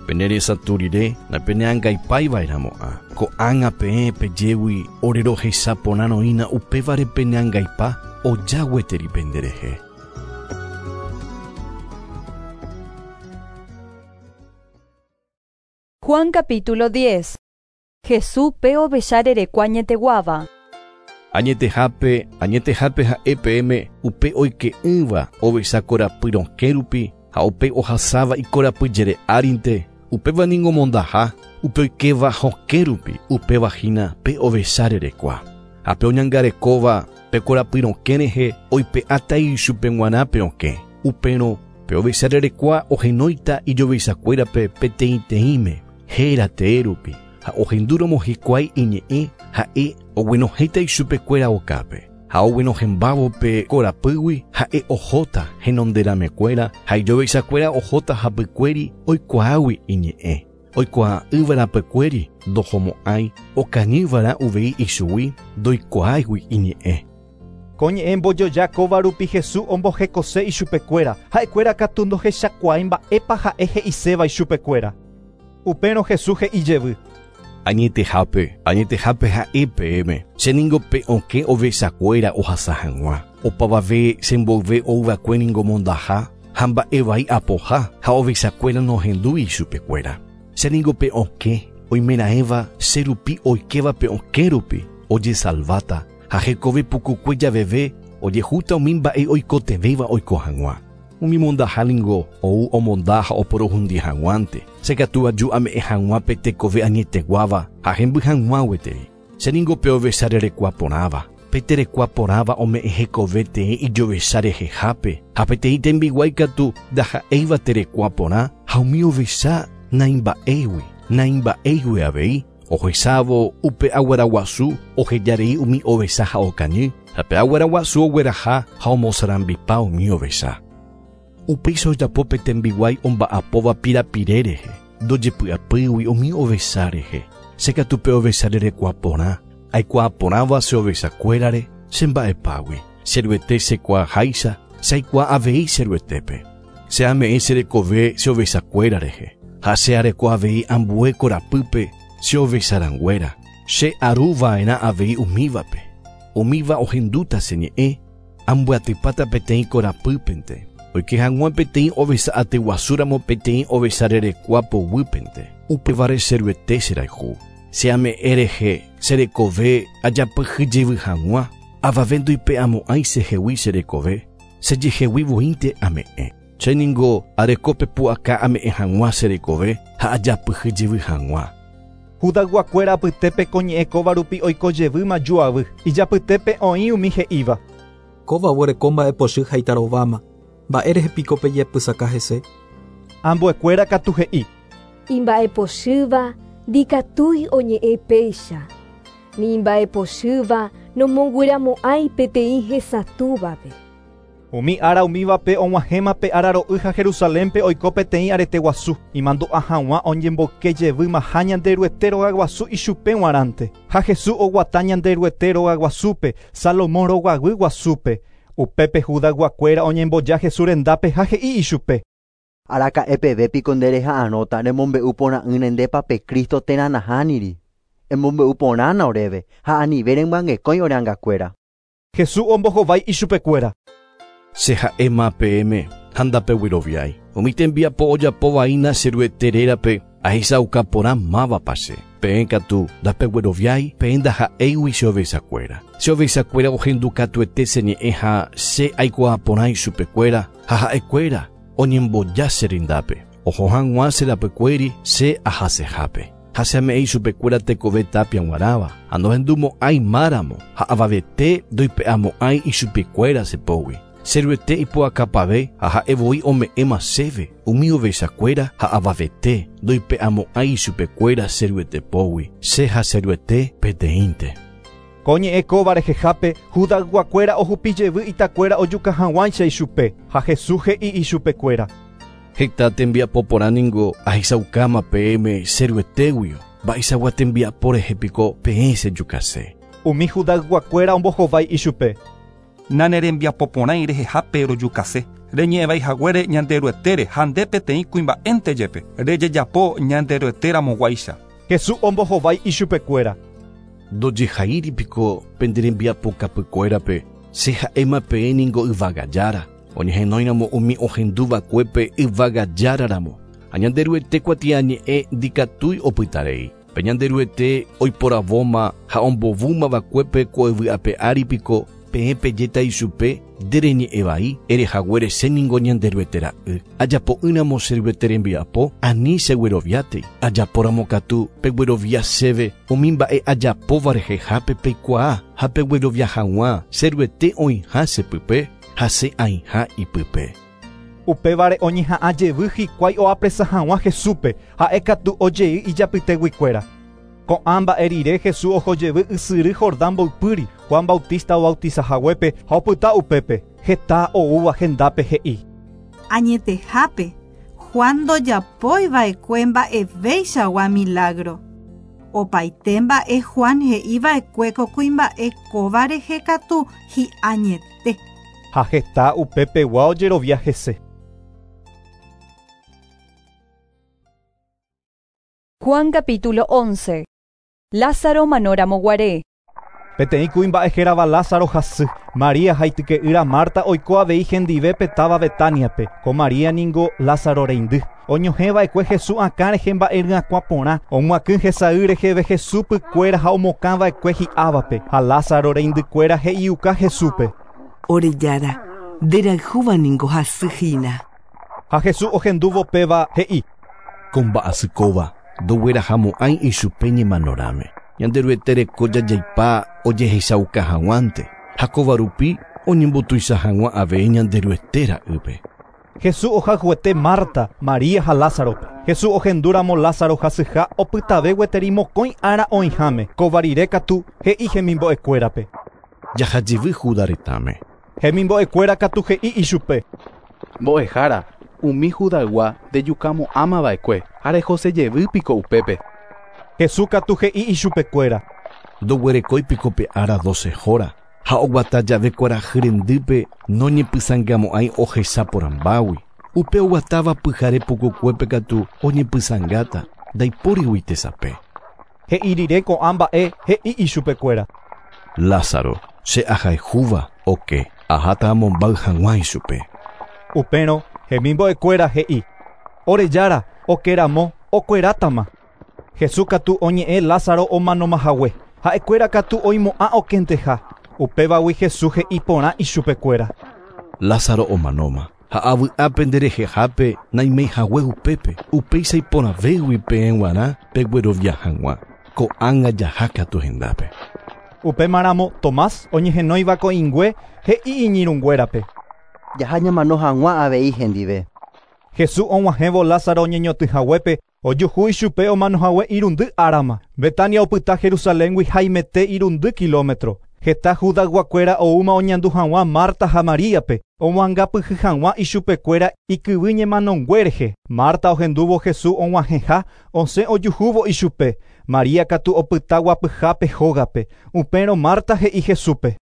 Pene resatũ rire napeneangaipáiva'erãmo'ã. Ko'ág̃a peẽ pejégui ore rohesa porã roína upévare peneangaipa oja gueteri penderehe. Juan capítulo diez. Jesús pe ovecha rerekua añeteguáva. Añetehápe, añetehápe ha'e peẽme upe oike'ỹva ovecha korapy rokẽ rupi ha upe ohasáva ikorapy jere árinte, upéva ningo mondaha, upe oikéva hokẽ rupi, upéva hína pe ovecha rerekua. Ha pe oñangarekóva pe korapy rokẽ rehe oipe'áta ichupe g̃uarã pe okẽ. Upérõ pe ovecha rerekua ohenóita ijovechakuérape peteĩteĩme héra tee rupi. Ha ohendúramo hikuái iñe'ẽ ha'e oguenohẽta ichupekuéra okápe. Ha oguenohẽmbávo pe korapýgui ha'e ohóta henonderamekuéra ha ijovechakuéra ohóta hapykuéri oikuaágui iñe'ẽ. Oikuaa'ỹva rapykuéri ndohomo'ãi okañývarã uvei ichugui ndoikuaáigui iñe'ẽ. Ko ñe'ẽ mbojoja kóva rupi Jesús ombohekose ichupekuéra ha'ekuéra katu ndohechakuaái mba'épa ha'e he'iséva ichupekuéra. Upérõ Jesús he'i jevy. Añetehápe, añetehápe ha'e peẽme, che ningo pe okẽ ovechakuéra ohasa hag̃ua. Opavave chemboyve ouva'ekue ningo mondaha ha mba'evai apoha ha ovechakuéra nohendúi ichupekuéra. Che ningo pe okẽ oimeraẽva che rupi oikéva pe okẽ rupi ojesalváta ha hekove pukukue javeve ojehúta umi mba'e oikotevẽva oiko hag̃ua. Umi mondaha ningo ou omonda ha oporohundi hag̃uánte. Che katu aju ame'ẽ hag̃ua pe tekove añeteguáva ha hemby hag̃ua gueteri. Che ningo pe ovecha rerekua porãva. Pe terekua porãva ome'ẽ hekove teĩ ijovecha rehehápe ha peteĩ tembiguái katu ndaha'éiva terekua porã ha umi ovecha naimba'éigui naimba'éigui avei ohesávo upe aguaraguasu ohejarei umi ovecha ha okañy ha pe aguaraguasu ogueraha ha omosarambipa umi ovecha. Upéicha ojapo pe tembiguái omba'apóva pirapire rehe, ndojepy'apýgui umi ovecha rehe. Che katu pe ovecha rerekua porã, aikuaa porãva che ovechakuérare che mba'epágui. Che ruete chekuaaháicha, che aikuaa avei che ruetépe. Che ame'ẽ che rekove che ovechakuéra rehe, ha che areko avei ambue korapýpe che ovecharãnguéra. Che aruva'erã avei umívape. Umíva ohendúta che ñe'ẽ, ambyatypáta peteĩ korapýpente. Oike hag̃ua peteĩ ovecha atyguasúramo peteĩ ovecha rerekua poguýpente. Upévare che ruete cherayhu. Che ame'ẽ rehe che rekove ajapyhyjevy hag̃ua, avave ndoipe'amo'ãi chehegui che rekove, chejehegui voínte ame'ẽ. Che ningo areko pepu'aka ame'ẽ hag̃ua che rekove ha ajapyhyjevy hag̃ua. Judayguakuéra apytépe ko ñe'ẽ kóva rupi oikojevýma juavy. Ijapytépe oĩ umi he'íva. Kóva oguereko mba'epochy ha itarováma. Mba'e rehe piko pejepysaka hese. Ambuekuéra katu he'i. Imba'epochýva ndikatúi oñe'ẽ péicha. Ni imba'epochýva nomongueramo'ãi peteĩ hesatũvape. Umi ára umívape og̃uahẽma pe ára ro'y ha Jerusalénpe oiko peteĩ arete guasu. Imandu'a hag̃ua oñemboyke jevymaha Ñanderuete rogaguasu ichupe g̃uarãnte. Ha Jesús oguata Ñanderuete rogaguasúpe, Salomón rogaguy guasúpe. Upépe Judayguakuéra oñemboja Jesús rendápe ha he'i ichupe. Araka'e peve piko nde reha'arõta remombe'u porã'ỹre ndépa pe Cristo térã nahániri. Emombe'u porãna oréve ha anive remyangekõi ore angakuéra. Jesús ombohovái ichupekuéra. Che ha'éma peẽme ha ndapegueroviái. Umi tembiapo ojapóvaína che ruete rérape Ahechauka porã mávapa che. Peẽ katu ndapegueroviái, peẽ ndaha'éigui che ovechakuéra. Che ovechakuéra ohendukatuete che ñe'ẽ ha che aikuaa porã ichupekuéra ha ha'ekuéra oñemboja che rendápe. Oho hag̃ua che rapykuéri che ahasehápe. Ha che ame'ẽ ichupekuéra tekove tapia g̃uarãva, ha nohendumo'ãi máramo ha avavete ndoipe'amo'ãi ichupekuéra che pógui. Che Ruete ipu'akapave ha ha'e voi ome'ẽma chéve umi ovechakuéra ha avavete ndoipe'amo'ãi ichupekuéra che Ruete pógui. Che ha che Ruete peteĩnte. Ko ñe'ẽ kóva rehehápe Judayguakuéra ohupijevy itakuéra ojuka hag̃uáicha ichupe ha Jesús he'i ichupekuéra. Heta tembiapo porã ningo ahechaukáma peẽme che Ruetéguio. Mba'eichagua tembiapo rehe piko peẽ chejukase. Umi Judayguakuéra ombohovái ichupe. Nanerembiapoporãi rehehápe rojukase. Reñe'ẽvaihaguére Ñanderuetére ha nde peteĩ kuimba'énte jepe. Rejejapo Ñanderueteramoguáicha. Jesús ombohovái ichupekuéra. Ndojehaíri piko penderembiapokapykuérape che ha'éma peẽ ningo yvagajára. Oñehenóiramo umi ohenduva'ekuépe yvagajáraramo. Ha Ñanderuete kuatiañe'ẽ ndikatúi opytarei. Pe Ñanderuete oiporavóma ha ombovúmava'ekuépe ko yvy ári piko peẽ pejéta ichupe ndereñe'ẽvai erehaguére che ningo Ñanderuete ra'y. Ajapo'ỹramo che Ruete rembiapo ani chegueroviátei. Ajapóramo katu peguerovia chéve umi mba'e ajapóva rehehápe peikuaa ha peguerovia hag̃ua che Ruete oĩha chepype ha che aĩha ipype. Upévare oñeha'ã jevy hikuái oapresa hag̃ua Jesúspe ha'e katu ojei ijapyteguikuéra. Ko'ã mba'e rire Jesús oho jevy ysyry Jordán mboypýri Juan Bautista obautizahaguépe ha opyta upépe. Heta oúva hendápe he'i. Añetehápe, Juan ndojapoiva'ekue mba'evéichagua milagro. Opaite mba'e Juan he'iva'ekue ko kuimba'e kóva rehe katu hi'añete. Ha heta upepegua ojerovia hese. Juan capítulo once. Lázaro manoramo guare. Peteĩ kuimba'e hérava Lázaro hasy. María haityke'ýra Marta oiko avei hendive petáva Betaniape. Ko María ningo Lázaro reindy. Oñohẽva'ekue Jesús akã rehe mba'e ryakuã porã. Omoakỹ hesay reheve Jesús pykuéra ha omokãva'ekue hi'ávape. Ha Lázaro reindykuéra he'iuka Jesúspe. Orejára, nderayhúva ningo hasy hína. Ha Jesús ohendúvo péva he'i. Ko mba'asy kóva ndoguerahamo'ãi ichupe ñemanorãme. Ñanderuete reko jajaipa ojehechauka hag̃uánte. Ha kóva rupi oñembotuicha hag̃ua avei Ñanderuete ra'ýpe. Jesús ohayhuete Marta, María ha Lázarope. Jesús ohendúramo Lázaro hasyha opytave gueteri mokõi ára oĩháme. Kóva rire katu he'i hemimbo'ekuérape. Jahajevy Juda retãme. Hemimbo'ekuéra katu he'i ichupe. Mbo'ehára, umi Judaygua ndejukamo'ãmava'ekue ha rehosejevy piko upépe. Jesús katu he'i ichupekuéra. Ndoguerekói piko pe ára doce hora ha oguata jave kuarahy rendýpe noñepysãngamo'ãi ohecha porãmbágui. Upe oguatáva pyhare pukukuépe katu oñepysãngáta ndaipórigui tesape. He'i rire ko'ã mba'e he'i ichupekuéra. Lázaro, che ahayhúva oke, aháta amombáy hag̃ua ichupe. Upérõ hemimbo'ekuéra he'i. Orejára, okeramo, okuerátama. Jesús katu oñe'ẽ Lázaro omanomahague. Ha'ekuéra katu oimo'ã okenteha. Upévagui Jesús he'i porã ichupekuéra. Lázaro omanóma. Ha avy'ápe nderehehápe naimeihague upépe. Upéicha iporãvégui peẽ g̃uarã peguerovia hag̃ua. Ko'ág̃a jaha katu hendápe. Upémaramo Tomás oñehenóiva ko'ĩngue he'i iñirũnguérape. Jaha ñamano hag̃ua avei hendive. Jesús og̃uahẽvo Lázaro oñeñotỹhaguépe ojuhu ichupe omanohague irundy árama. Betania opyta Jerusaléngui haimete irundy kilómetro. Heta Judayguakuéra oúma oñandu hag̃ua Marta ha Maríape. Omoangapyhy hag̃ua ichupekuéra ikyvy ñemanongue rehe. Marta ohendúvo Jesús og̃uahẽha osẽ ojuhúvo ichupe. María katu opyta guapyhápe hógape. Upérõ Marta he'i Jesúspe.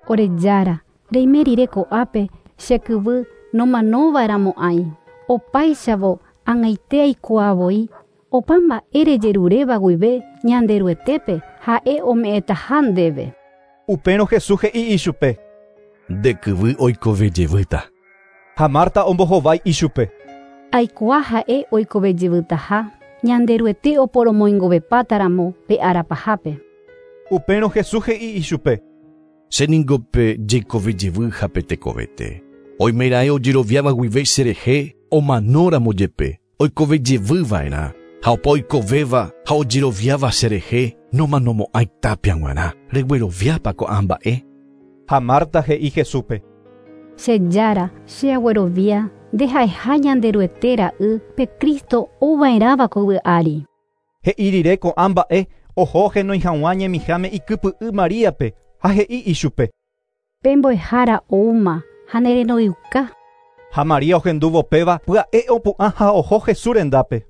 Orejára, reime rire ko'ápe che kyvy nomanova'erãmo'ãi. Opáichavo ag̃aite aikuaavoi opa mba'e rejeruréva guive Ñanderuetépe ha'e ome'ẽtaha ndéve. Upérõ Jesús he'i ichupe. Nde kyvy oikovejevýta. Ha Marta ombohovái ichupe. Aikuaa ha'e oikovejevytaha Ñanderuete oporomoingovepátaramo pe arapahápe. Upérõ Jesús he'i ichupe. Che ningo pe jeikove ha pe tekovete. Oimeraẽ ojeroviáva guive cherehe omanóramo jepe oikovejevyva'erã ha opa oikovéva ha ojeroviáva cherehe nomanomo'ãi tapia g̃uarã. Regueroviápa ko'ã mba'e? Ha Marta he'i Jesúspe. Che Jára, che aguerovia nde ha'eha Ñanderuete ra'y pe Cristo ouva'erãva ko yvy ári. He'i rire ko'ã mba'e oho henói hag̃ua ñemiháme ikypy'y Maríape ha he'i ichupe. Pe mbo'ehára oúma ha nerenoiuka. Ha María ohendúvo péva pya'e opu'ã ha oho Jesús rendápe.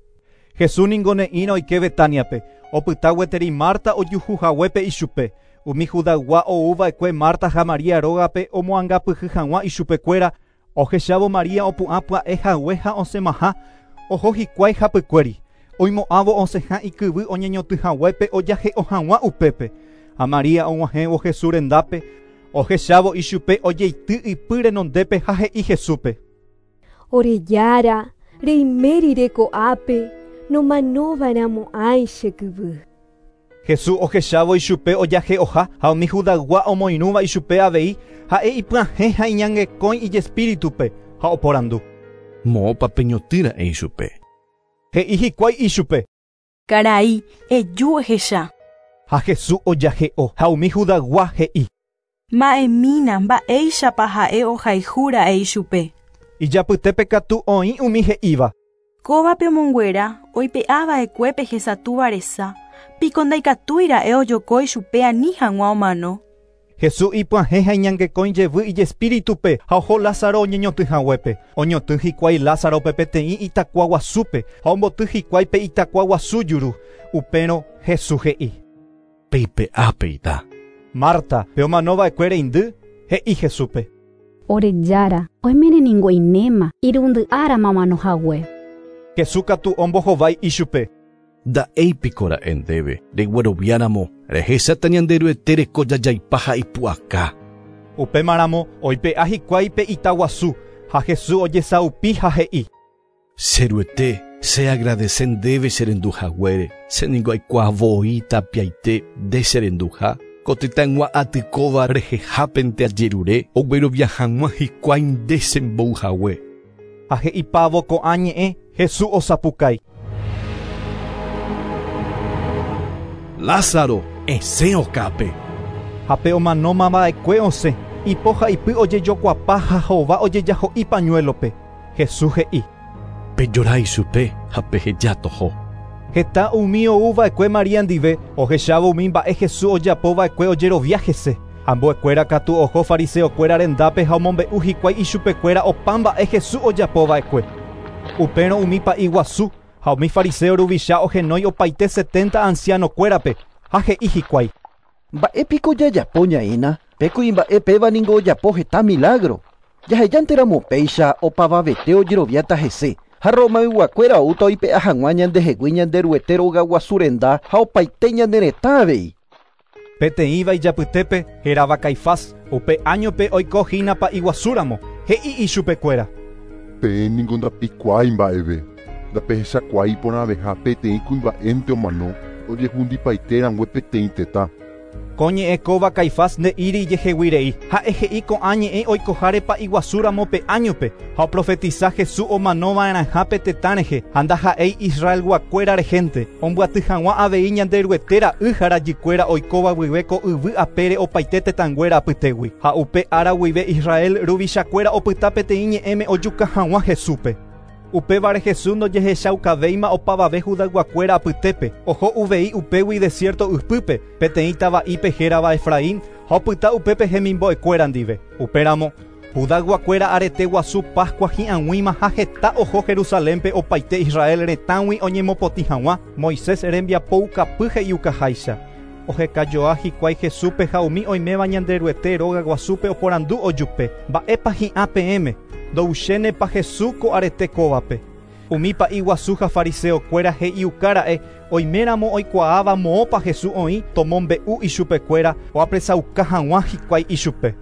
Jesús ningo ne'ĩra oike Betániape, opyta gueteri Marta ojuhuhaguépe ichupe. Umi Judaygua ouva'ekue Marta ha María rógape omoangapyhy hag̃ua ichupekuéra, ohechávo María opu'ã pya'e hague ha osẽmaha, oho hikuái hapykuéri. Oimo'ãvo osẽha ikyvy oñeñotỹhaguépe ojahe'o hag̃ua upépe. Ha María og̃uahẽvo Jesús rendápe, ohechávo ichupe ojeity ipy renondépe ha he'i Jesúspe. Ore Jára, reimérire ko'ápe, nomanova'erãmo'ãi che kyvy. Jesús ohechávo ichupe ojahe'oha ha umi Judaygua omoirũva ichupe avei ha'e ipyahẽ ha iñangekõi ijespíritupe ha oporandu. Moõpa peñotỹra'e ichupe. He'i hikuái ichupe. Karai, eju ehecha. Ha Jesús ojahe'o ha umi Judaygua he'i. Ma'ẽmína mba'éichapa ha'e ohayhúra'e ichupe. Ijapytépe katu oĩ umi he'íva. Kóvape omonguera oipe'ava'ekue pe hesatúva resa, piko ndaikatúira'e ojoko ichupe ani hag̃ua omano. Jesús ipyahẽ ha iñangekõi jevy ijespíritupe ha oho Lázaro oñeñotỹhaguépe. Oñotỹ hikuái Lázarope peteĩ itakua guasúpe ha omboty hikuái pe itakua guasu juru. Upérõ Jesús he'i. Peipe'ápe ita. Marta, pe omanova'ekue reindy, he'i Jesúspe. Ore Jára, oimére ningo inéma, irundy árama omanohague. Jesús katu ombohovái ichupe. Nda'éipikora'e ndéve regueroviáramo rehecháta Ñanderuete reko jajaipa ha ipu'aka. Upémaramo oipe'a hikuái pe itaguasu ha Jesús ojesaupi ha he'i. Cheruete, che agradece ndéve cherenduhaguére, che ningo aikuaa voi tapiaite nde cherenduha, ko tetãygua atykóva rehehápente ajerure oguerovia hag̃ua hikuái nde chembouhague. Ha he'ipávo ko'ã ñe'ẽ Jesús osapukái. Lázaro, esẽ okápe. Ha pe omanómava'ekue osẽ, ipo ha ipy ojejokuapa ha hova ojejaho'i pañuelope. Jesús he'i. Pejora ichupe ha peheja toho. Heta umi ouva'ekue María ndive ohechávo umi mba'e Jesús ojapova'ekue ojerovia hese. Ambuekuéra katu oho fariseokuéra rendápe ha omombe'u hikuái ichupekuéra opa mba'e Jesús ojapova'ekue. Upérõ umi pa'i guasu ha umi fariseo ruvicha ohenói opaite setenta ancianokuérape ha he'i hikuái. Mba'épiko jajapo ñaína, pe kuimba'e péva ningo ojapo heta milagro. Jahejánteramo péicha opavavete ojeroviáta hese. Ha Romayguakuéra oúta oipe'a hag̃ua ñandehegui Ñanderuete rogaguasu renda ha opaite ñane retã avei. Peteĩva ijapytépe hérava Caifás, upe áñope oiko hína pa'iguasúramo, he'i ichupekuéra. Peẽ ningo ndapikuaái mba'eve. Ndapehechakuaái iporãveha peteĩ kuimba'énte omano ojehundipaite peteĩ tetã. Ko ñe'ẽ kóva Caifás nde'íri ijeheguirei, ha'e he'i ko'ã ñe'ẽ oikoháre pa'iguasúramo pe áñope ha oprofetisa Jesús omanova'erãha pe tetã rehe ha ndaha'éi Israelguakuéra rehente, ombyaty hag̃ua avei Ñanderuete ra'y ha rajykuéra oikóva guive ko yvy apére opaite tetãnguéra apytégui. Ha upe ára guive Israel ruvichakuéra opyta peteĩ ñe'ẽme ojuka hag̃ua Jesúspe. Upévare Jesús ndojehechaukavéima opavave Judayguakuéra apytépe, oho uvei upégui desierto ypýpe, peteĩ tava'ípe hérava Efraín ha opyta upépe hemimbo'ekuéra ndive. Upéramo, Judayguakuéra arete guasu Pascua hi'ag̃uíma ha heta oho Jerusalénpe opaite Israel retãgui oñemopotĩ hag̃ua Moisés rembiapoukapy he'iukaháicha. Ohekajoa hikuái Jesúspe ha umi oiméva Ñanderuete róga guasúpe oporandu ojupe. Mba'épa hi'ã peẽme, ndouchénepa Jesús ko arete kóvape. Umi pa'i guasu ha fariseokuéra he'iukára'e oiméramo oikuaáva moõpa Jesús oĩ tomombe'u ichupekuéra oapresauka hag̃ua hikuái ichupe.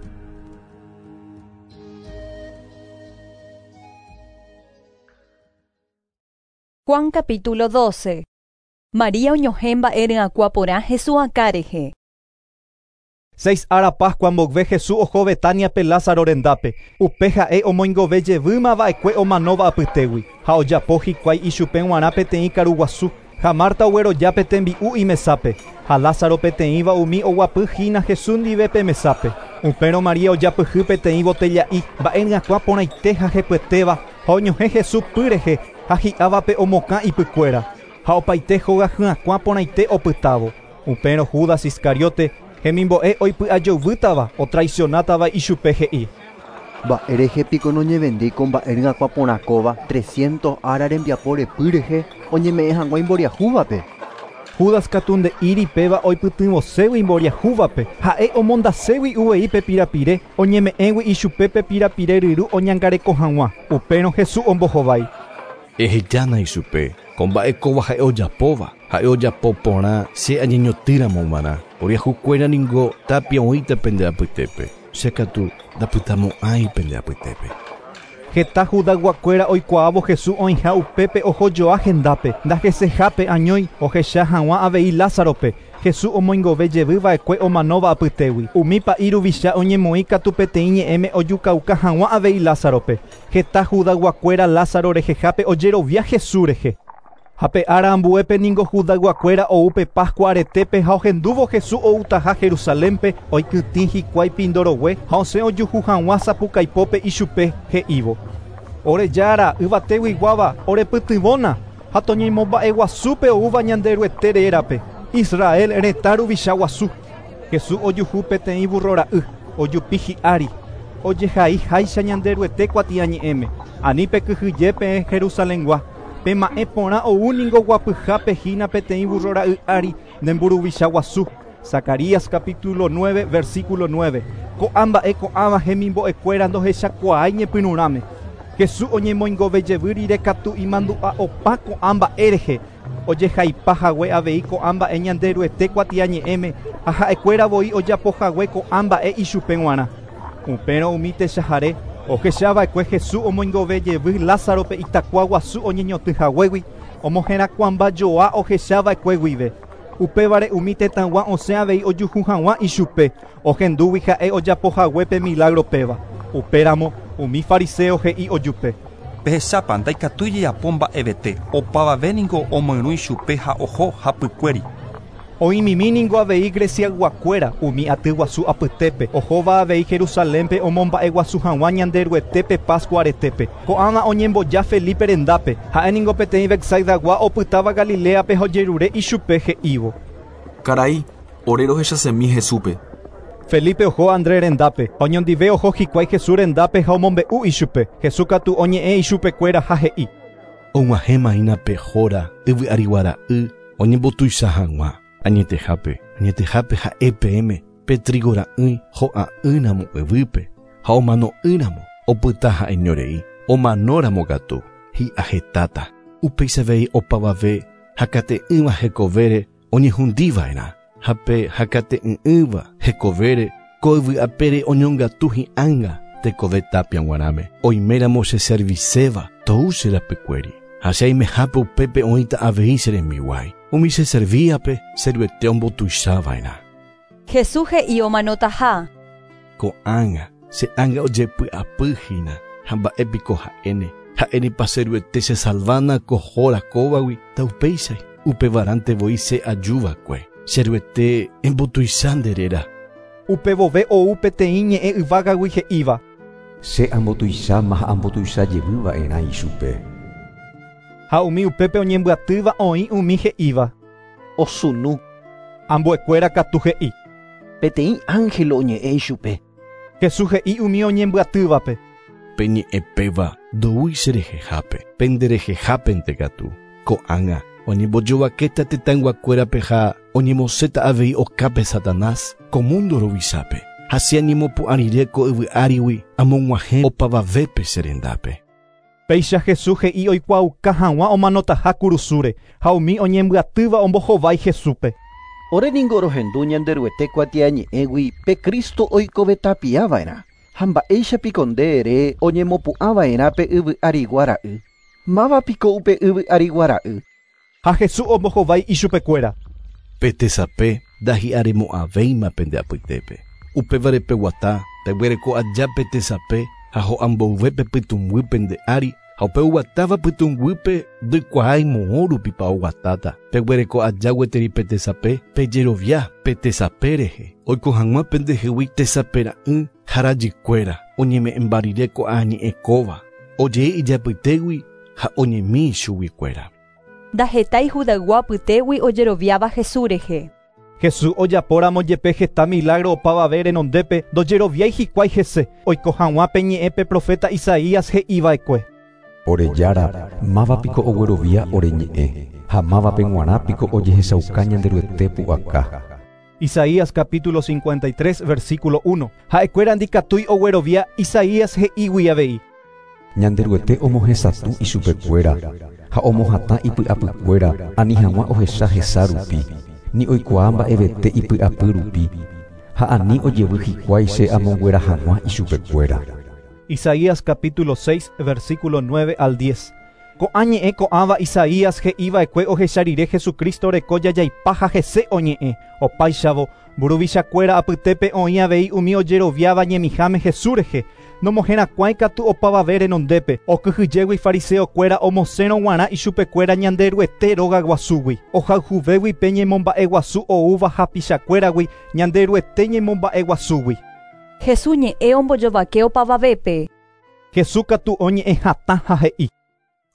Juan capítulo doce. María oñohẽ mba'e ryakuã porã Jesús akã rehe. Seis ára Pascua mboyve Jesús oho Betaniape Lázaro rendápe. Upe ha'e omoingove jevýma va'ekue omanóva apytégui ha ojapo hikuái ichupe g̃uarã peteĩ karuguasu. Ha Marta ogueroja tembi'u imesápe ha Lázaro peteĩva umi oguapy hína Jesús ndive pe mesápe. Upérõ María ojapyhy peteĩ botella'i mba'e ryakuã porãite ha hepyetéva ha oñohẽ Jesús py rehe ha hi'ávape omokã ipykuéra ha opaite hóga hyakuã porãite opytávo. Upérõ Judas Iscariote hemimbo'e oipy'ajovýtava otraicionátava ichupe he'i. Mba'e rehe piko noñevendéi ko mba'e ryakuã porã kóva trescientos ára rembiapo repy rehe oñeme'ẽ hag̃ua imboriahúvape. Judas katu nde'íri péva oipytyvõségui imboriahúvape ha'e omondaségui uvei pe pirapire oñeme'ẽgui ichupe pe pirapire ryru oñangareko hag̃ua. Upérõ Jesús ombohovái. Ehejána ichupe ko mba'e kóva ha'e ojapóva ha'e ojapo porã che añeñotýramo g̃uarã. Oriahukuéra ningo tapia oĩta pende apytépe. Che katu ndapytamo'ãi pende apytépe. Heta Judayguakuéra oikuaávo Jesús oĩha upépe ohojoa hendápe ndahesehápe añói ohecha hag̃ua avei Lázarope. Jesús omoingove jevy va'ekue omanóva apytégui. Umi pa'i ruvicha oñemoĩ katu peteĩ ñe'ẽme ojukauka hag̃ua avei Lázarope. Heta Judayguakuéra Lázaro rehehápe ojerovia Jesús rehe. Ha pe ára ambuépe ningo Judayguakuéra ou pe Pascua aretépe ha ohendúvo Jesús outaha Jerusalénpe oikytĩ hikuái pindorogue ha osẽ ojuhu hag̃ua sapukaipópe ichupe he'ívo. Ore jára yvateguiguáva orepytyvõna ha toñemomba'eguasúpe oúva Ñanderuete rérape Israel retã ruvicha guasu. Jesús ojuhu peteĩ burrora'y ojupi hi'ári ojehai háicha Ñanderuete kuatiañe'ẽme ani pekyhyje peẽ Jerusalengua. Pe ma'ẽ porã ou ningo guapyhápe hína peteĩ burrora'y ári nde mburuvicha guasu. Zacarías capítulo nueve versículo nueve. Ko'ã mba'e ko'ãva hemimbo'ekuéra ndohechakuaái ñepyrũrãme. Jesús oñemoingove jevy rire katu imandu'a opa ko'ã mba'e rehe. Ojehaipa hague avei ko'ã mba'e Ñanderuete kuatiañe'ẽme ha ha'ekuéra voi ojapo hague ko'ã mba'e ichupe g̃uarã. Upérõ umi techahare ohechava'ekue Jesús omoingove jevy Lázarope itakua guasu oñeñotỹ haguégui omoherakuãmbajoa ohechava'ekue guive. Upévare umi tetãgua osẽ avei ojuhu hag̃ua ichupe ohendúgui ha'e ojapo hague pe milagro péva. Upéramo umi fariseo he'i ojupe. Pehechápa ndaikatúi jajapo mba'evete opavave ningo omoirũ ichupe ha oho hapykuéri. Oĩmimi ningo avei Greciayguakuéra umi aty guasu apytépe ohóva avei Jerusalénpe omomba'eguasu hag̃ua Ñanderuetépe Pascua aretépe. Ko'ág̃a oñemboja Felipe rendápe ha'e ningo peteĩ Betsaidagua opytáva Galileape ha ojerure ichupe he'ívo. Karai, ore rohechasemi Jesúspe. Felipe oho Andrés rendápe ha oñondive oho hikuái Jesús rendápe ha omombe'u ichupe. Jesús katu oñe'ẽ ichupekuéra ha he'i. Og̃uahẽma hína pe hóra yvy ariguara'y oñembotuicha hag̃ua. Añetehápe, añetehápe ha'e peẽme pe trigo ra'ỹi ho'a'ỹramo yvýpe ha omano'ỹramo opyta ha'eñorei omanóramo katu hi'ahetáta. Upéicha avei opavave hakate'ỹva hekovére oñehundiva'erã ha pe hakate'ỹ'ỹva hekovére ko yvy apére oñongatu hi'ánga tekove tapia g̃uarãme. Oiméramo che serviséva tou che rapykuéri ha che aimehápe upépe oĩta avei che rembiguái. Umi che servíape Che Ruete ombotuichava'erã. Jesús he'i omanotaha. Ko'ág̃a che ánga ojepy'apy hína ha mba'e piko ha'éne. Ha'énepa Che Ruete che salvána ko hóra kóvagui taupéichai. Upevarãnte voi che ajuva'ekue. Che Ruete embotuicha nde réra. Upevove ou peteĩ ñe'ẽ yvágagui he'íva. Che ambotuicháma ha ambotuicha jevyva'erã ichupe. Ha umi upépe oñembyatýva oĩ umi he'íva. Osunu. Ambuekuéra katu he'i. Peteĩ ángel oñe'ẽ ichupe. Jesús he'i umi oñembyatývape. Pe ñe'ẽ péva ndoúi che rehehápe, pende rehehápente katu. Ko'ág̃a oñembojovakéta tetãyguakuérape ha oñemosẽta avei okápe Satanás ko mundo ruvichápe. Ha che añemopu'ã rire ko yvy árigui amog̃uahẽ opavavépe che rendápe. Péicha Jesús he'i oikuaauka hag̃ua omanotaha kurusúre ha umi oñembyatýva ombohovái Jesúspe. Ore ningo rohendu Ñanderuete kuatiañe'ẽgui pe Cristo oikovetapiava'erã ha mba'éicha piko nde ere oñemopu'ãva'erã pe yvy arigua ra'y. Máva piko upe yvy arigua ra'y. Ha Jesús ombohovái ichupekuéra. Pe tesape ndahi'aremo'ãvéima pende apytépe. Upévare peguata, peguereko aja pe tesape ha ho'amboyve pe pytũnguy pende ári ha upe oguatáva pytũnguýpe ndoikuaái moõ rupipa oguatáta. Peguereko aja gueteri pe tesape pejerovia pe tesape rehe. Oiko hag̃ua pendehegui tesapera'ỹ ha rajykuéra oñeme'ẽmba rire ko'ã ñe'ẽ kóva. Ojei ijapytégui ha oñemi chuguikuéra. Ndahetái Judaygua apytégui ojeroviáva Jesús rehe. Jesús ojapóramo jepe heta milagro opavave renondépe ndojeroviái hikuái hese oiko hag̃ua pe ñe'ẽ pe profeta Isaías he'iva'ekue. Ore Jára, máva piko oguerovia ore ñe'ẽ, ha mávape g̃uarã piko ojehechauka Ñanderuete pu'aka. Isaías capítulo cincuenta y tres, versículo uno. Ha'ekuéra ndikatúi oguerovia Isaías he'ígui avei. Ñanderuete omohesatũ ichupekuéra ha omohatã ipy'apykuéra ani hag̃ua ohecha hesa rupi, ni oikuaa mba'evete ipy'apy rupi, ha ani ojevy hikuái che amonguera hag̃ua ichupekuéra. Isaías capítulo seis, versículo nueve al diez. Ko'ã ñe'ẽ ko'ãva Isaías he'iva'ekue ohecha rire Jesucristo reko jajaipa ha hese oñe'ẽ. Opáichavo, mburuvichakuéra apytépe oĩ avei umi ojeroviáva ñemiháme Jesús rehe. Nomoherakuãi katu opavave renondépe, okyhyjégui fariseokuéra omosẽrõ g̃uarã ichupekuéra Ñanderuete róga guasúgui. Ohayhuvégui pe ñemomba'eguasu oúva hapichakuéragui Ñanderuete ñemomba'eguasúgui. Jesús ñe'ẽ ombojovake opavavépe. Jesús katu oñe'ẽ hatã ha he'i.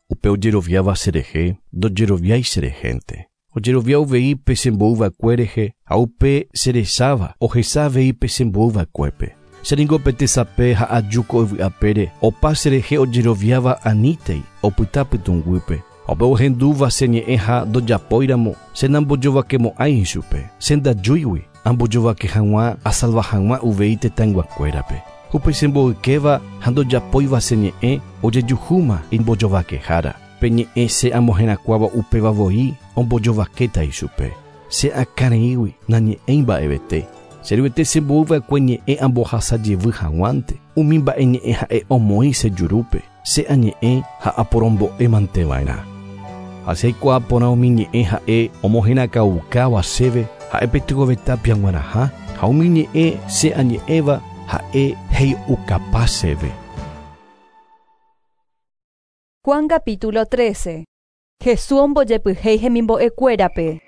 Upe ojeroviáva cherehe, ndojeroviái cherehénte. Ojerovia uvei pe chemboyva'ekue rehe ha upe cherecháva ohecha avei pe chemboyva'ekuépe. Che ningo pe tesape ha aju ko yvy'apére opa cherehe ojeroviáva anítei opyta pytũnguýpe. Ha upe ohendúva che ñe'ẽ ha ndojapóiramo che nambojovakemo'ãi ichupe. Che ndajúigui ambojovake hag̃ua asalva hag̃ua uvei tetãyguakuérape. Upe chemboykéva ha ndojapóiva che ñe'ẽ ojejuhúma imbojovakehára. Pe ñe'ẽ che amoherakuãva upéva voi ombojovakéta ichupe. Che akãreígui nañe'ẽi mba'evete. Che ruete chemboyva'ekue ñe'ẽ ambohasa jevy hag̃uánte. Umi mba'e ñe'ẽ ha'e omoĩ che jurúpe. Che añe'ẽ ha aporombo'emanteva'erã. Ha che aikuaa porã umi ñe'ẽ ha'e omoherakãukáva chéve ha'e peteĩ tapia g̃uarãha ha umi ñe'ẽ che añe'ẽva ha'e hei'ukapa chéve. Juan capítulo trece. Jesús ombojepyhéi hemimbo'ekuérape.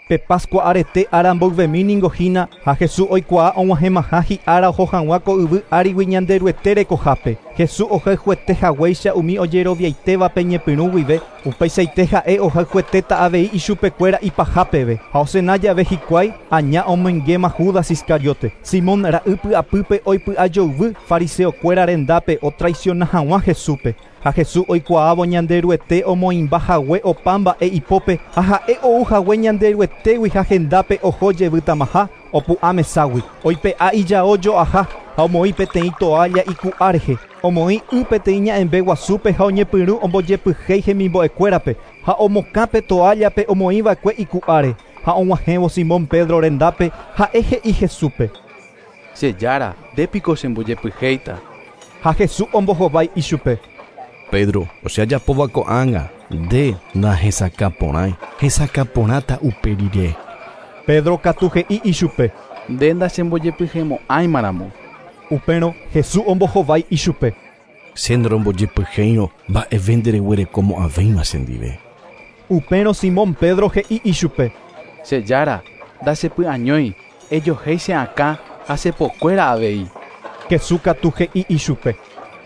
Pe Pascua arete ára mboyvemi ningo hína ha Jesús oikuaa og̃uahẽmaha hi'ára oho hag̃ua ko yvy árigui Ñanderuete rekohápe. Jesús ohayhuete haguéicha umi ojeroviaitévape ñepyrũ guive, upeichaite ha'e ohayhuetéta avei ichupekuéra ipahápeve. Ha osena jave hikuái aña omoingéma Judas Iscariote. Simón ra'y py'apýpe oipy'ajoyvy fariseokuéra rendápe otraiciona hag̃ua Jesúspe. Ha Jesús oikuaávo Ñanderuete omoĩmba hague opa mba'e ipópe ha ha'e ou hague Ñanderuetégui ha hendápe oho jevytamaha opu'ã meságui. Oipe'a ijao jo'aha ha omoĩ peteĩ toalla iku'a rehe. Omoĩ y peteĩ ña'ẽmbe guasúpe ha oñepyrũ ombojepyhéi hemimbo'ekuérape ha omokã pe toallape omoĩva'ekue iku'áre. Ha og̃uahẽvo Simón Pedro rendápe ha'e he'i Jesúspe. Che Jára, ndépiko chembojepyhéita. Ha Jesús ombohovái ichupe. Pedro, o sea, ajapóva ko'ág̃a, nde nahesakãporãi, hesakãporãta upe rire. Pedro katu he'i ichupe. Nde ndachembojepyhemo'ãimaramo. Upérõ Jesús ombohovái ichupe. Che ndorombojepyhéirõ mba'eve ndereguerekomo'ãvéima chendive. Upérõ Simón Pedro he'i ichupe. Che Jára, ndachepy'añói, ejohéi che akã ha chepokuéra avei. Jesús katu he'i ichupe.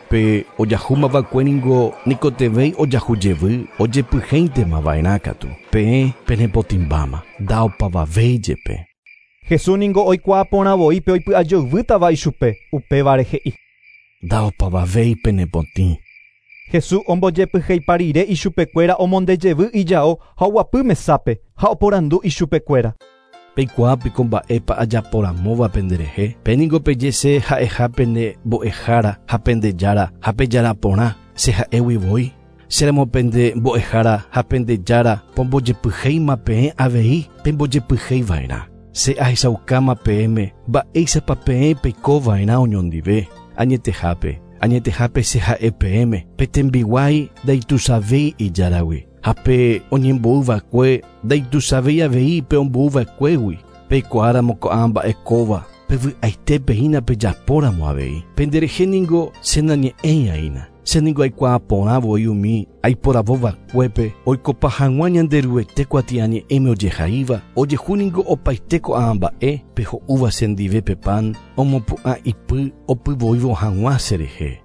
Pe ojahúmava'ekue ningo nikotevẽi ojahu jevy ojepyhéintemava'erã katu. Peẽ penepotĩmbáma, ndaopavavéi jepe. Jesús ningo oikuaa porã voi pe oipy'ajoyvýtava ichupe, upévare he'i. Ndaopavavéi penepotĩ. Jesús ombojepyheipa rire ichupekuéra omondejevy ijao ha oguapy mesápe ha oporandu ichupekuéra. Peikuaa piko mba'épa ajaporamóva penderehe. Pe ningo peje che ha'eha pene mbo'ehára ha pendejára ha pejaraporã che ha'égui voi. Cheramo pende mbo'ehára ha pendejára pombojepyhéima peẽ avei pembojepyheiva'erã. Che ahechaukáma peẽme mba'éichapa peẽ peikova'erã oñondive. Añetehápe añetehápe che ha'e peẽme pe tembiguái ndaituichavéi ijáragui ha pe oñembo'yva'ekue ndaituichavéi avei pe ombo'yva'ekuégui. Peikuaáramo ko'ã mba'e kóva pevy'aitépe hína pejapóramo avei. Penderehe ningo che nañe'ẽi'aína. Che ningo aikuaa porã voi umi aiporavova'ekuépe oikopa hag̃ua Ñanderuete kuatiañe'ẽme ojehaíva ojehu ningo opaite ko'ã mba'e peho'úva chendive pe pan omopu'ã ipy opyvoívo hag̃ua cherehe.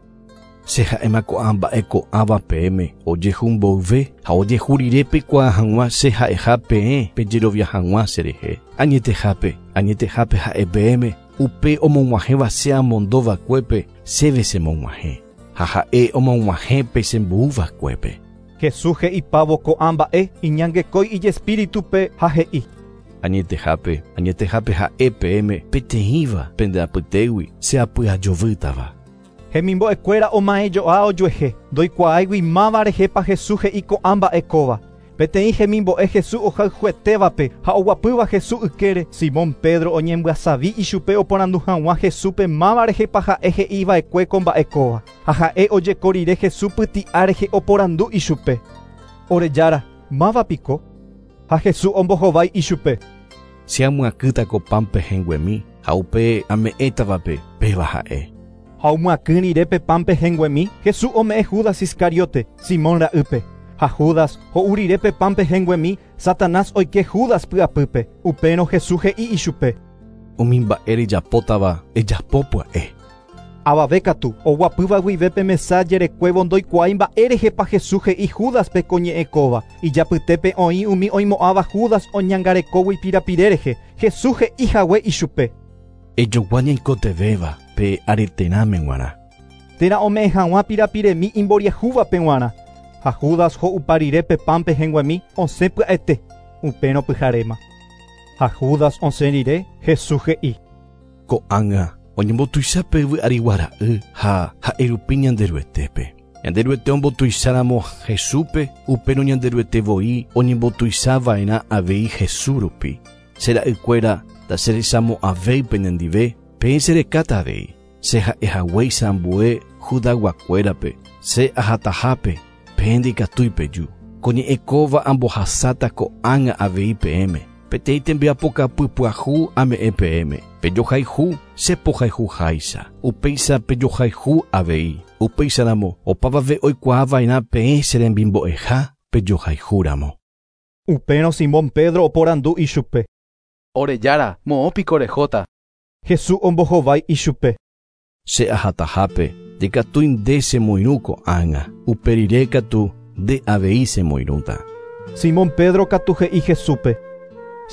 Che ha'éma ko'ã mba'e ko'ãva peẽme ojehu mboyve ha ojehu rire peikuaa hag̃ua che ha'eha peẽ pejerovia hag̃ua cherehe. Añetehápe, añetehápe ha'e peẽme upe omog̃uahẽva che amondova'ekuépe chéve chemog̃uahẽ ha ha'e omog̃uahẽ pe chembo'uva'ekuépe. Jesús he'ipávo ko'ã mba'e iñangekói ijespíritupe ha he'i. Añetehápe, añetehápe ha'e peẽme peteĩva pende apytégui che apy'ajovýtava. Hemimbo'ekuéra oma'ẽjo'a ojuehe ndoikuaáigui máva rehépa Jesús he'i ko'ã mba'e kóva. Peteĩ hemimbo'e Jesús ohayhuetévape ha oguapýva Jesús ykére Simón Pedro oñembyasavi ichupe oporandu hag̃ua Jesúspe máva rehépa ha'e he'iva'ekue ko mba'e kóva. Ha ha'e ojeko rire Jesús pyti'a rehe oporandu ichupe. Ore Jára, máva piko? Ha Jesús ombohovái ichupe. Che amyakýta ko pan pehẽnguemi ha upe ame'ẽtavape péva ha'e. Ha omyakỹ rire pe pan pehẽnguemi, Jesús ome'ẽ Judas Iscariote, Simón ra'ýpe. Ha Judas ho'u rire pe pan pehẽnguemi, Satanás oike Judas py'apýpe. Upérõ Jesús he'i ichupe. Umi mba'e rejapótava ejapo pya'e. Avave katu oguapýva guive pe mesa jerekuévo ndoikuaái mba'e rehépa Jesús he'i Júdaspe ko ñe'ẽ kóva. Ijapytépe oĩ umi oimo'ãva Judas oñangarekógui pirapire rehe. Jesús he'i hague ichupe. Ejogua ñaikotevẽva pe areterãme g̃uarã. Térã ome'ẽ hag̃ua pirapiremi imboriahúvape g̃uarã. Ha Judas ho'upa rire pe pan pehẽnguemi osẽ pya'ete upérõ pyharéma. Ha Judas osẽ rire Jesús he'i. Ko'ág̃a oñembotuicha pe yvy arigua ra'y ha ha'e rupi Ñanderuetépe. Ñanderuete ombotuicháramo Jesúspe upérõ Ñanderuete voi oñembotuichava'erã avei Jesús rupi. Che ra'ykuéra ndacherechamo'ãvéi penendive peẽ cherekáta avei. Che ha'ehaguéicha ambue Judaguakuérape che ahatahápe peẽ ndikatúi peju. Ko ñe'ẽ kóva ambohasáta ko'ág̃a avei peẽme. Peteĩ tembiapokapy pyahu ame'ẽ peẽme. Pejohayhu che pohayhuháicha. Upéicha pejohayhu avei. Upéicharamo opavave oikuaava'erã peẽ che rembimbo'eha pejohayhúramo. Upérõ Simón Pedro oporandu ichupe. Ore Jára, moõ piko rehóta. Jesús ombohovái ichupe. Che ahatahápe ndikatúi nde chemoirũ ko'ág̃a. Upe rire katu nde avei chemoirũta. Simón Pedro katu he'i Jesúspe.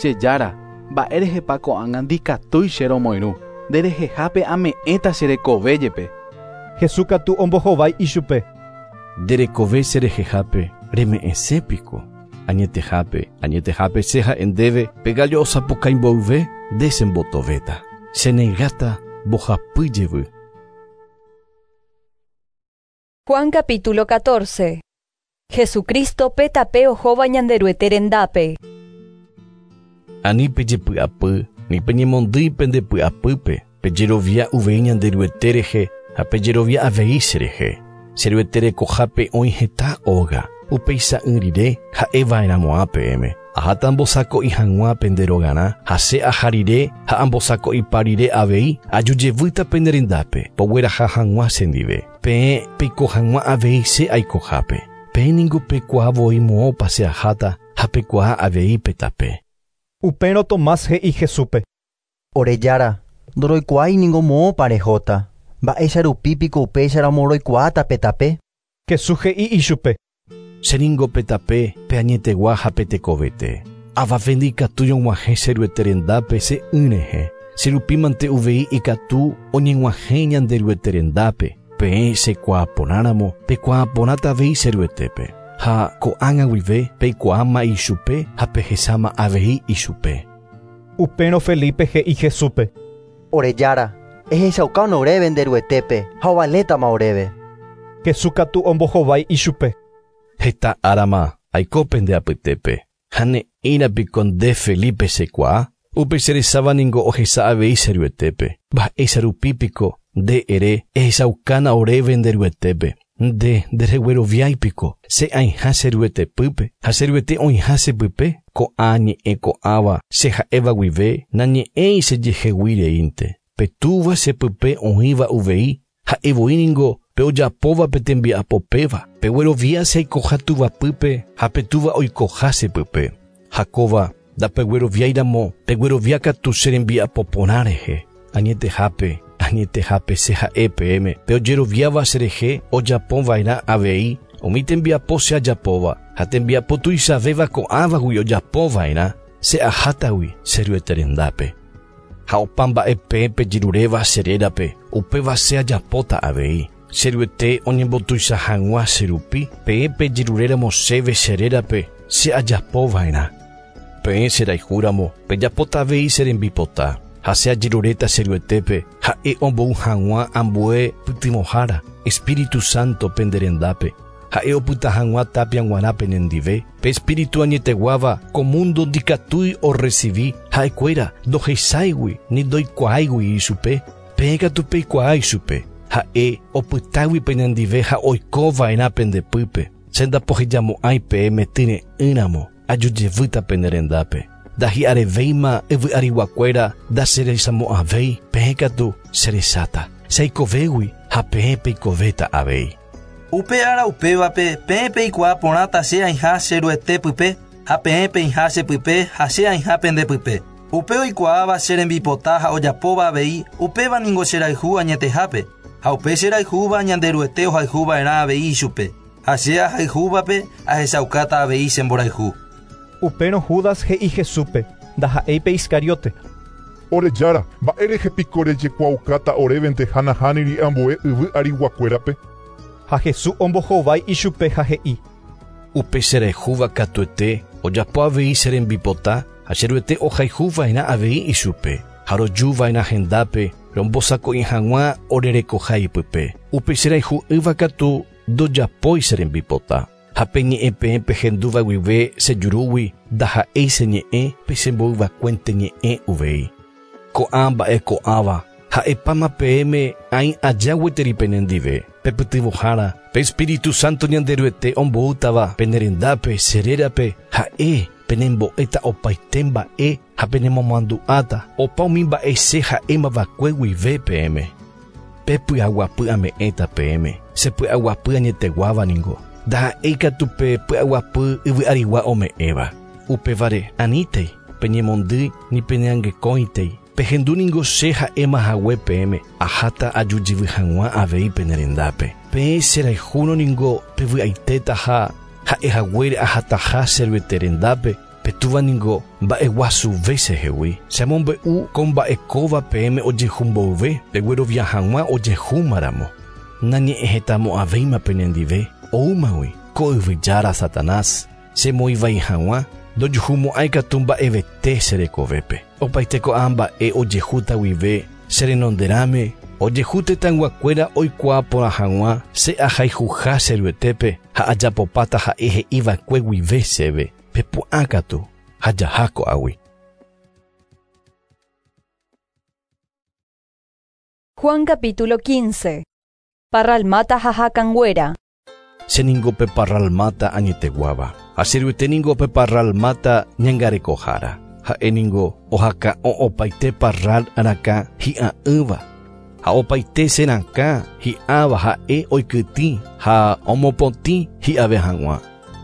Che Jára, mba'e rehépa ko'ág̃a ndikatúi che romoirũ. Nderehehápe ame'ẽta che rekove jepe. Jesús katu ombohovái ichupe. Nderekove che rehehápe reme'ẽse piko. Añetehápe, añetehápe che ha'e ndéve pe gallo osapukái mboyve nde chembotovéta. Chenegáta mbohapy jevy. Juan capítulo catorce. Jesucristo pe tape ohóva Ñanderuete rendápe. Ani pejepy'apy, ni peñemondýi pendepy'apýpe, pejerovia uvei Ñanderuete rehe ha pejerovia avei che rehe. Che Ruete rekohápe oĩ heta óga, upeicha'ỹ rire ha'eva'erãmo'ã peẽme. Aháta ambosako'i hag̃ua pende rogarã ha che aha rire ha ambosako'ipa rire avei ajujevýta pende rendápe pogueraha hag̃ua chendive. Peẽ peiko hag̃ua avei che aikohápe. Peẽ ningo peikuaa voi moõpa che aháta ha peikuaa avei pe tape. Upérõ Tomás he'i Jesúspe. Ore Jára, ndoroikuaái ningo moõpa rehóta. Mba'éicha rupi piko upéicharamo roikuaáta pe tape? Jesús he'i ichupe. Che ningo pe tape pe añetegua ha pe tekovete. Avave ndikatúi og̃uahẽ che Ruete rendápe che'ỹ rehe. Che rupímante uvei ikatu oñeg̃uahẽ Ñanderuete rendápe. Peẽ chekuaaporãramo peikuaaporãta avei che Ruetépe. Ha ko'ág̃a guive peikuaáma ichupe ha pehecháma avei ichupe. Upérõ Felipe he'i Jesúspe. Ore Jára, ehechaukána oréve nde Ruetépe ha ovalétama oréve. Jesús katu ombohovái ichupe. Heta árama aiko pende apytépe. Ha ne'ĩra piko nde Felipe chekuaa. Upe cherecháva ningo ohecha avei che Ruetépe. Mba'éicha rupi piko Nde ere ehechaukana oréve nderuetépe. Nde nderegueroviáipiko che aĩha che ruetepýpe ha che ruete oĩha chepype ko'ã ñe'ẽ ko'ãva che ha'éva guive nañe'ẽi chejehegui reínte. Pe túva chepype oĩva uvei ha'evoi ningo pe ojapóva pe tembiapopéva peguerovia che aikoha tuvapýpe ha pe túva oikoha chepype. Ha kóva ndapegueroviáiramo pegueroviákatu che rembiapo porã rehe. Añetehápe añetehápe che ha'e peẽme pe ojeroviáva cherehe ojapova'erã avei umi tembiapo che ajapóva ha tembiapo tuichavéva ko'ãvagui ojapova'erã che ahátagui che ruete rendápe. Ha opa mba'e peẽ pejeruréva che rérape upéva che ajapóta avei. Che ruete oñembotuicha hag̃ua che rupi peẽ pejeruréramo chéve che rérape che ajapova'erã. Peẽ cherayhúramo pejapóta avei che rembipota. Ha che ajeruréta che ruetépe ha'e ombou hag̃ua ambue pytyvõhára Espíritu Santo pende rendápe. Ha'e opyta hag̃ua tapia g̃uarã penendive. Pe Espíritu añeteguáva ko mundo ndikatúi orrecibi ha'ekuéra ndohechaigui ni ndoikuaáigui ichupe. Peẽ katu peikuaa ichupe. Ha'e opytágui penendive ha oikova'erã pendepýpe. Che ndapohejamo'ãi peẽme tyre'ỹramo ajujevýta pene rendápe. Ndahi'arevéima yvy'ariguakuéra ndacherechamo'ãvéi peẽ katu cherecháta. Che aikovégui ha peẽ peikovéta avei. Upe ára upévape peẽ peikuaa porãta che aĩha che ruetépype ha peẽ peĩha chepype ha che aĩha pendepype. Upe oikuaáva che rembipota ha ojapóva avei upéva ningo cherayhu añetehápe ha upe cherayhúva Ñanderuete ohayhuva'erã avei ichupe. Ha che ahayhúvape ahechaukáta avei chemborayhu. Upérõ Judas he'i Jesúspe ndaha'éi pe Iscariote. Ore jára, mba'érehe piko rejekuaaukáta orévente ha nahániri ambue yvy ariguakuérape. Ha Jesús ombohovái ichupe ha he'i. Upe cherayhúva katuete ojapo avei che rembipota ha che ruete ohayhuva'erã avei ichupe. Ha rojuva'erã hendápe rombosako'i hag̃ua orerekoha ipype. Upe cherayhu'ỹva katu ndojapói che rembipota. Ha pe ñe'ẽ peẽ pehendúva guive che jurúgui ndaha'éi che ñe'ẽ pe chemboyvakuénte ñe'ẽ uvei. Ko'ã mba'e ko'ãva ha'epáma peẽme aĩ aja gueteri penendive. Pepytyvõhára pe Espíritu Santo Ñanderuete omboútava pene rendápe che rérape ha'e penembo'éta opaite mba'e ha penemomandu'áta opa umi mba'e che ha'émavakue guive peẽme. Pe py'aguapy ame'ẽta peẽme che py'aguapy añeteguáva ningo ndaha'éi katu pe py'aguapy yvy'arigua ome'ẽva. Upévare anítei peñemondýi ni peneangekóitei. Pehendu ningo che ha'éma hague peẽme aháta ajujyvy hag̃ua avei pene rendápe. Peẽ cherayhúrõ ningo pevy'aitéta ha ha'ehaguére ahataha che ruete rendápe pe túva ningo mba'eguasuve chehegui. Che amombe'u ko mba'ekóva peẽme ojehumboyve peguerovia hag̃ua ojehúmaramo. Nañe'ẽhetamo'ãvéima penendive oúmagui ko yvyjára Satanás chemoĩvai hag̃ua ndojuhumo'ãi katu mba'evete che rekovépe. Opaite ko'ã mba'e ojehúta guive che renonderãme ojehu tetãyguakuéra oikuaa porã hag̃ua che ahayhuha che ruetépe ha ajapopáta ha'e he'iva'ekue guive chéve. Pepu'ã katu ha jaha ko'águi. Juan capítulo quince. Parralmata ha hakãnguéra. Che ningo pe parralmata añeteguáva. Ha che ruete ningo pe parralmata ñangarekohára. Ha'e ningo ohakã'o opaite parral arakã hi'a'ỹva. Ha opaite che rakã hi'ãva ha'e oikytĩ ha omopotĩ hi'ave hag̃ua.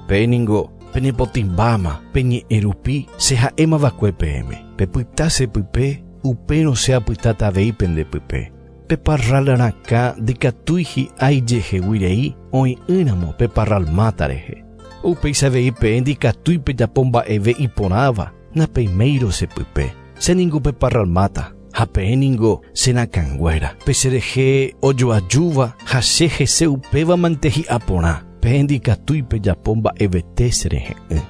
Peẽ ningo penepotĩmbáma peñe'ẽ rupi che ha'émavakue peẽme. Pepyta chepype upérõ che apytáta avei pendepype. Pe parral rakã ndikatúi hi'ã ijehegui rei oĩ'ỹramo pe parralmata rehe. Upéicha avei peẽ ndikatúi pejapo mba'eve iporãva napeiméirõ chepype. Che ningo pe parralmata ha peẽ ningo che rakãnguéra. Pe cherehe ojoajúva ha che hese upévamante hi'a porã. Peẽ ndikatúi pejapo mba'evete cherehe'ỹ.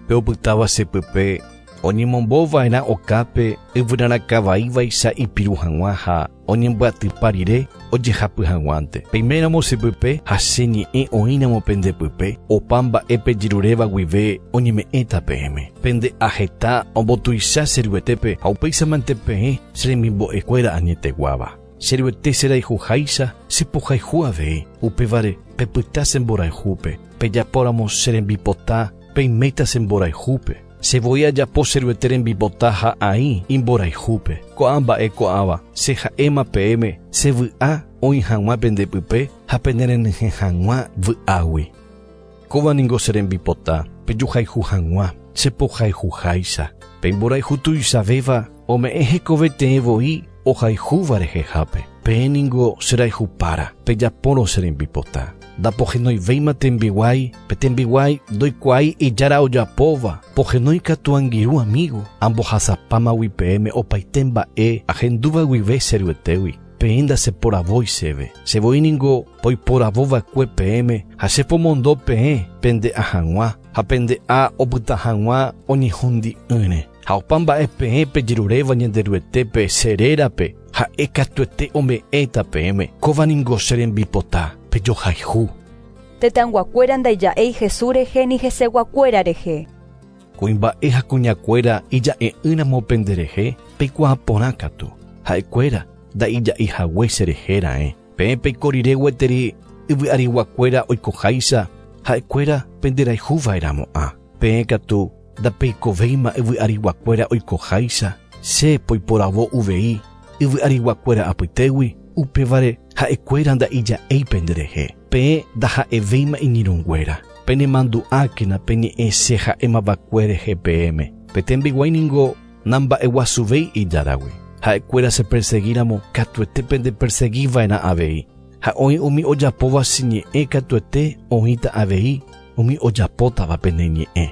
Pe opytáva chepype oñemombova'erã okápe yvyrarakavaívaicha ipiru hag̃ua ha oñembyatypa rire ojehapy hag̃uánte. Peiméramo chepype ha che ñe'ẽ oĩramo pendepype opa mba'e pejeruréva guive oñeme'ẽta peẽme. Pende aheta ombotuicha che ruetépe ha upéichamante peẽ che remimbo'ekuéra añeteguáva. Che Ruete cherayhuháicha chepohayhu avei. Upévare pepyta che mborayhúpe. Pejapóramo che rembipota, peiméta che mborayhúpe. Che voi ajapo che Ruete rembipota ha aĩ imborayhúpe. Ko'ã mba'e ko'ãva che ha'éma peẽme che vy'a oĩ hag̃ua pendepype ha penerenyhẽ hag̃ua vy'águi. Kóva ningo che rembipota pejuhayhu hag̃ua chepohayhuháicha. Pe imborayhu tuichavéva ome'ẽ hekove teẽ voi ohayhúva rehehápe. Peẽ ningo cherayhupára pejapórõ che rembipota. Ndapohenoivéima tembiguái, pe tembiguái ndoikuaái ijára ojapóva, pohenói katu angirũ amigo, ambohasapámagui peẽme opaite mba'e ahendúva guive che Ruetégui. Peẽ ndacheporavói chéve. Che voi ningo poiporavóva'ekue peẽme ha chepomondo peẽ pende'a hag̃ua ha pende'a opyta hag̃ua oñehundi'ỹre. Ha opa mba'e peẽ pejeruréva Ñanderuetépe che rérape ha'e katuete ome'ẽta peẽme. Kóva ningo che rembipota pejohayhu. Tetãyguakuéra ndaija'éi Jesús rehe ni heseguakuéra rehe. Kuimba'e ha kuñakuéra ija'e'ỹramo penderehe peikuaa porã katu. Ha'ekuéra ndaija'eihague cherehe ra'e. Peẽ peiko rire gueteri yvy'ariguakuéra oikoháicha ha'ekuéra penderayhuva'erãmo'ã. Peẽ katu ndapeikovéima yvy'ariguakuéra oikoháicha che poiporavo uvei yvy'ariguakuéra apytégui upévare ha'ekuéra ndaija'éi penderehe. Peẽ ndaha'evéima iñirũnguéra. Penemandu'ákena peñe'ẽ che ha'émava'ekue rehe peẽme. Pe tembiguái ningo namba'eguasuvéi ijáragui. Ha'ekuéra cheperseguíramo katuete pendeperseguiva'erã avei. Ha oĩ umi ojapóva che ñe'ẽ katuete oĩta avei umi ojapótava pene ñe'ẽ.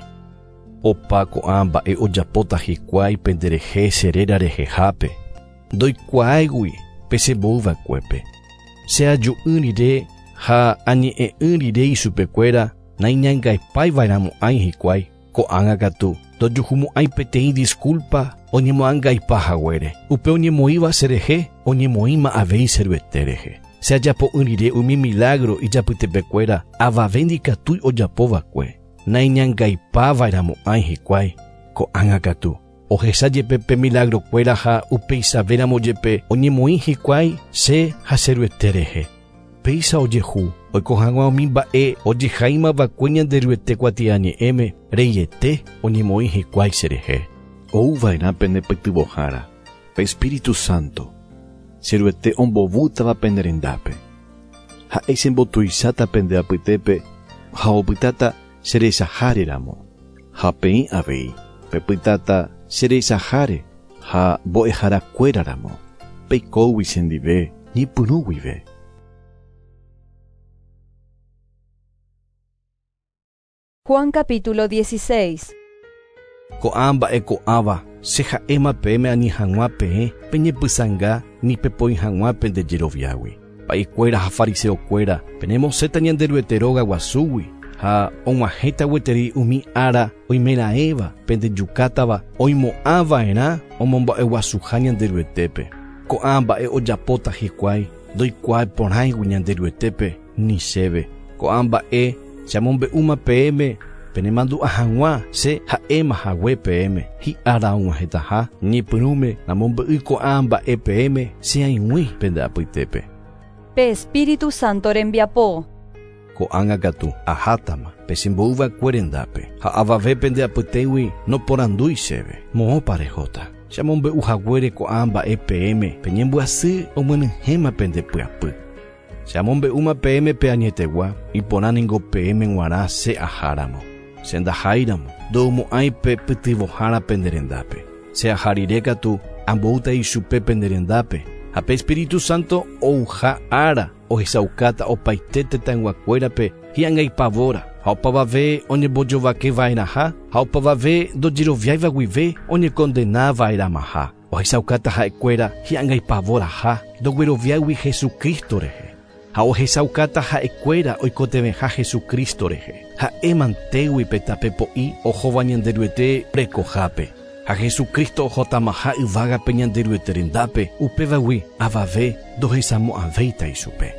Opa ko'ã mba'e ojapóta hikuái penderehe che réra rehehápe. Ndoikuaáigui pe chemboyva'ekuépe. Che aju'ỹ rire ha añe'ẽ'ỹ rire ichupekuéra naiñangaipáiva'erãmo'ãi hikuái. Ko'ág̃a katu ndojuhumo'ãi peteĩ disculpa oñemoangaipa haguére. Upe oñemoĩva cherehe oñemoĩma avei che Ruete rehe. Che ajapo'ỹ rire umi milagro ijapytepekuéra avave ndikatúi ojapova'ekue. Naiñangaipáva'erãmo'ãi hikuái. Ko'ág̃a katu ohecha jepe pe milagrokuéra ha upeichavéramo jepe oñemoĩ hikuái che ha che Ruete rehe. Péicha ojehu oiko hag̃ua umi mba'e ojehaímava'ekue Ñanderuete kuatiañe'ẽme reiete oñemoĩ hikuái cherehe. Ouva'erã pende pytyvõhára, pe Espíritu Santo, che Ruete ombovútava pende rendápe. Ha'e chembotuicháta pende apytépe ha opytáta cherechaháreramo. Ha peẽ avei pepytáta cherechaháre ha mbo'eharakuéraramo. Peikógui chendive ñepyrũ guive. Juan capítulo dieciséis. Ko'ã mba'e ko'ãva che ha'éma peẽme ani hag̃ua peẽ peñepysãnga ni pepoi hag̃ua pendejeroviágui. Pa'ikuéra ha fariseokuéra penemosẽta Ñanderuete róga guasúgui ha og̃uahẽta gueteri umi ára oimeraẽva pendejukátava oimo'ãva'erã omomba'eguasuha Ñanderuetépe. Ko'ã mba'e ojapóta hikuái ndoikuaaporãigui Ñanderuetépe ni chéve. Ko'ã mba'e che amombe'úma peẽme penemandu'a hag̃ua che ha'éma hague peẽme hi'ára og̃uahẽtaha ñepyrũme namombe'y ko'ã mba'e peẽme che aig̃ui pende apytépe. Pe Espíritu Santo rembiapo. Ko'ág̃a katu ahátama pechemboyva'ekue rendápe ha avave pende apytégui noporandúi chéve moõpa rehóta. Che amombe'u haguére ko'ã mba'e peẽme peñembyasy omyenyhẽma pende pyapy. Che amombe'úma peẽme pe añetegua iporã ningo peẽme g̃uarã che aháramo. Che ndaháiramo ndo'umo'ãi pe pytyvõhára pende rendápe. Che aha rire katu amboúta ichupe pende rendápe ha pe Espíritu Santo ouha ára ohechaukáta opaite tetãyguakuérape hi'angaipavóra ha opavave oñembojovakeva'erãha ha opavave ndojeroviáiva guive oñekondenava'erãmaha. Ohechaukáta ha'ekuéra hi'angaipavoraha ndogueroviáigui Jesucristo rehe. Ha ohechaukáta ha'ekuéra oikotevẽha Jesucristo rehe. Ha'e mantégui pe tape po'i ohóva Ñanderuete rekohápe. Ha Jesucristo ohotamaha yvágape Ñanderuete rendápe upévagui avave ndohechamo'ãvéita ichupe.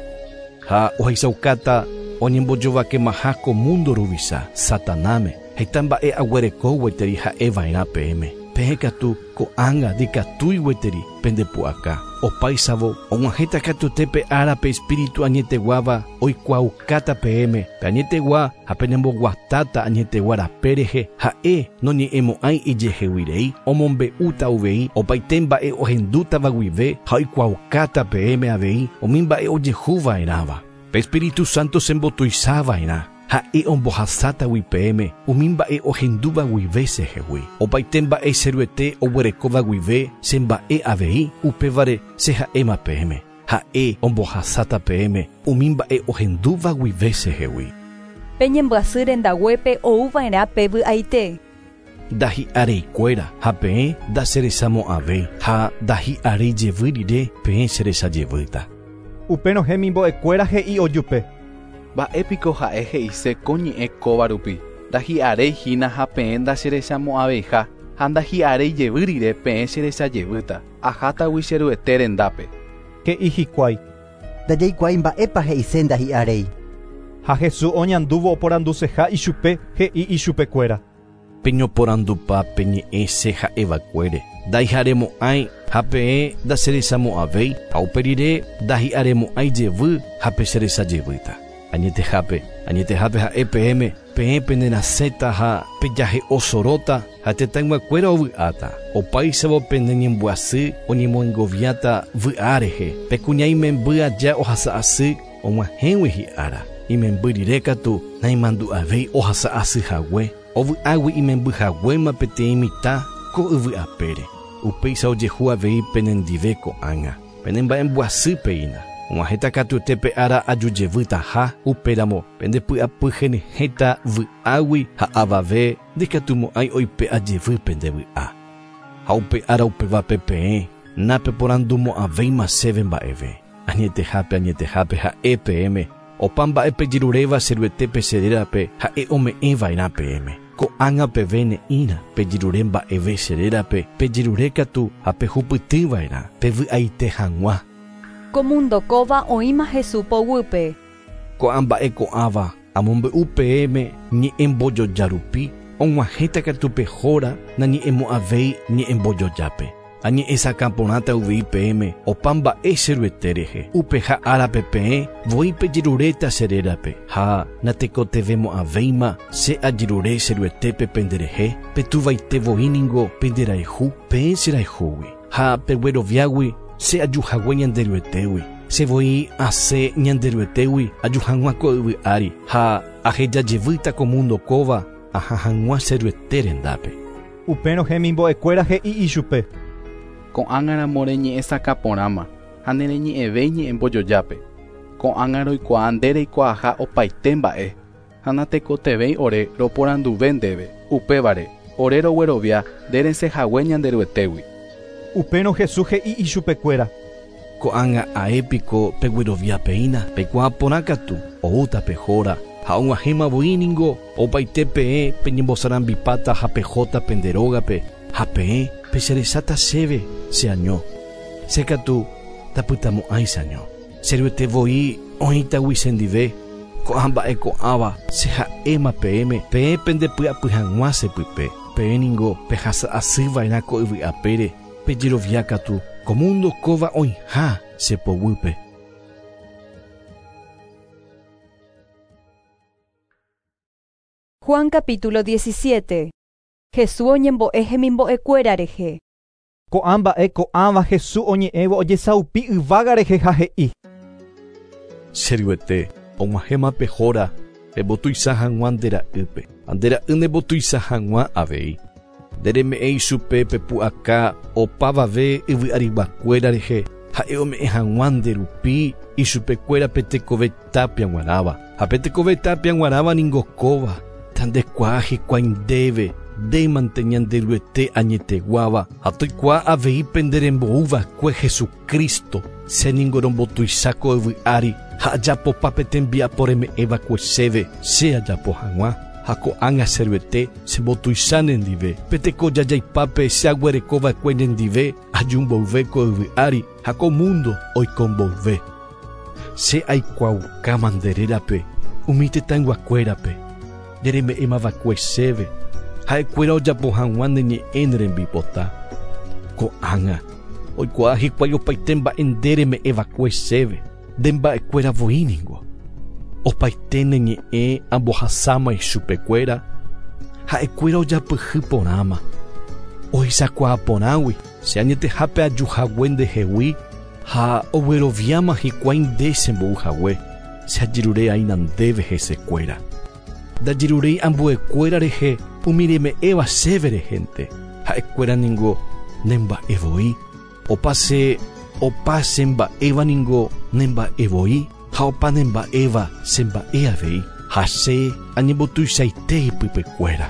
Ha ohechaukáta oñembojovakemaha ko mundo ruvicha Satanáme heta mba'e aguereko gueteri ha'eva'erã peẽme. Peẽ katu ko'ág̃a ndikatúi gueteri pendepu'aka. Opáisavo og̃uahẽta katuete pe ára pe Espíritu añeteguáva oikuaaukáta peẽme pe añetegua ha penemboguatáta añetegua rape rehe ha'e noñe'ẽmo'ãi ijeheguirei omombe'úta uvei opaite mba'e ohendútava guive ha oikuaaukáta peẽme avei umi mba'e ojehuva'erãva. Pe Espíritu Santo sembotuichava'erã ha'e ombohasátagui peẽme umi mba'e ohendúva guive chehegui. Opaite mba'e che Ruete oguerekóva guive che mba'e avei upévare che ha'éma peẽme. Ha'e ombohasáta peẽme umi mba'e ohendúva guive chehegui. Peñembyasy rendaguépe ouva'erã pe vy'aite. Ndahi'areikuéra ha peẽ ndacherechamo'ãvéi ha ndahi'aréi jevy rire peẽ cherechajevýta. Upérõ hemimbo'ekuéra he'i ojupe. Mba'épiko ha'e he'ise ko ñe'ẽ kóva rupi. Ndahi'aréi hína ha peẽ ndacherechamo'ãveiha ha ndahi'aréi jevy rire peẽ cherechajevýta. Ahátagui che Ruete rendápe. He'i hikuái. Ndajaikuaái mba'épa he'ise ndahi'aréi. Ha Jesús oñandúvo oporanduseha ichupe he'i ichupekuéra. Peñoporandupa peñe'ẽ che ha'evakuére. Ndaiharemo'ãi ha peẽ ndacherechamo'ãvéi ha upe rire ndahi'aremo'ãi jevy ha pecherechajevýta. Añetehápe, añetehápe ha'e peẽme, peẽ penerasẽta ha pejahe'osoróta ha tetãyguakuéra ovy'áta. Opáichavo peneñembyasy oñemoengoviáta vy'a rehe. Pe kuña imemby aja ohasa'asy og̃uahẽgui hi'ára. Imemby rire katu naimandu'avéi ohasa'asy hague. Ovy'águi imemby haguéma peteĩ mitã ko yvy'apére. Upéicha ojehu avei penendive ko'ág̃a. Penemba'embyasýpeína. Og̃uahẽta katuete pe ára ajujevýtaha upéramo pendepy'apy henyhẽta vy'águi ha avave ndikatumo'ãi oipe'ajevy pende vy'a. Ha upe ára upévape peẽ napeporandumo'ãvéima chéve mba'eve. Añetehápe añetehápe ha'e peẽme opa mba'e pejeruréva che Ruetépe che rérape ha'e ome'ẽva'erã peẽme. Ko'ág̃a peve ne'ĩra pejerure mba'eve che rérape pejerure katu ha pehupytýva'erã pevy'aite hag̃ua. Ko mundo kóva oĩma Jesús poguýpe. Ko'ã mba'e ko'ãva amombe'u peẽme ñe'ẽmbojoja rupi og̃uahẽta katu pehóra nañe'ẽmo'ãvéi ñe'ẽmbojojápe. Añe'ẽsakã porãta uvei peẽme opa mba'e che Ruete rehe. Upeha árape peẽ voi pejeruréta che rérape ha natekotevẽmo'ãvéima che ajerure che Ruetépe penderehe petuvaite voi ningo penderayhu peẽ cherayhúgui ha pegueroviágui che ajuhague Ñanderuetégui. Che voi asẽ Ñanderuetégui aju hag̃ua ko yvy ári ha ahejajevýta ko mundo kóva aha hag̃ua che Ruete rendápe. Upérõ hemimbo'ekuéra he'i ichupe. Ko'ág̃aramo reñe'ẽsakã porãma ha nereñe'ẽvéi ñe'ẽmbojojápe. Ko'ág̃a roikuaa nde reikuaaha opaite mba'e ha natekotevẽi ore roporanduve ndéve. Upévare ore roguerovia nde resẽhague Ñanderuetégui. Upérõ Jesús he'i ichupekuéra. Ko'ág̃a aépiko pegueroviapeína peikuaa porã katu oúta pehóra ha og̃uahẽma voi ningo opaite peẽ peñembosarambipáta ha pehóta pende rógape ha peẽ pecherecháta chéve cheaño. Che katu tapytamo'ãi cheaño. Che Ruete voi oĩtagui chendive ko'ã mba'e ko'ãva che ha'éma peẽme peẽ pendepy'apy hag̃ua chepype. Peẽ ningo pehasa'asýva'erã ko yvy'apére pejerovia katu ko mundo kóva oĩha che poguýpe. Juan capítulo diecisiete. Jesús oñembo'e hemimbo'ekuéra rehe. Ko'ã mba'e ko'ãva Jesús oñe'ẽvo ojesaupi yvága rehe ha he'i. Che Ruete, og̃uahẽma pehóra embotuicha hag̃ua nde ra'ýpe ha nde ra'y nembotuicha hag̃ua avei. Ndereme'ẽ ichupe pepu'aka opavave yvy'ariguakuéra rehe ha'e ome'ẽ hag̃ua nde rupi ichupekuéra pe tekove tapia g̃uarãva. Ha pe tekove tapia g̃uarãva ningo kóva tandekuaa hikuái ndéve ndémante Ñanderuete añeteguáva ha toikuaa avei penderemboúva'ekue Jesucristo che ningo rombotuicha ko yvy ári ha ajapopa pe tembiapo reme'ẽva'ekue chéve che ajapo hag̃ua. Ha ko'ág̃a che Ruete chembotuicha nendive pe tekojajaipápe che aguerekova'ekue nendive aju mboyve ko yvy ári ha ko mundo oiko mboyve. Che aikuaaukáma nde rérape umi tetãyguakuérape ndereme'ẽmava'ekue chéve ha'ekuéra ojapo hag̃ua ne ñe'ẽ ne rembipota. Ko'ág̃a Oikuaa hikuái opaite mba'e nde reme'ẽva'ekue chéve, nde mba'ekuéra voi ningo. Opaite ne ñe'ẽ ambohasáma ichupekuéra, ha'ekuéra ojapyhy porãma. Ohechakuaa porãgui che añetehápe ajuhague ndehegui ha ogueroviáma hikuái nde chembouhague, che ajerure'aína ndéve hesekuéra. Ndajeruréi ambuekuéra rehe umi reme'ẽva chéve rehente, ha'ekuéra ningo nemba'e voi. Opa che opa chemba'éva ningo nemba'e voi ha opa nemba'éva chemba'e avei, ha che añembotuichaite ipypekuéra.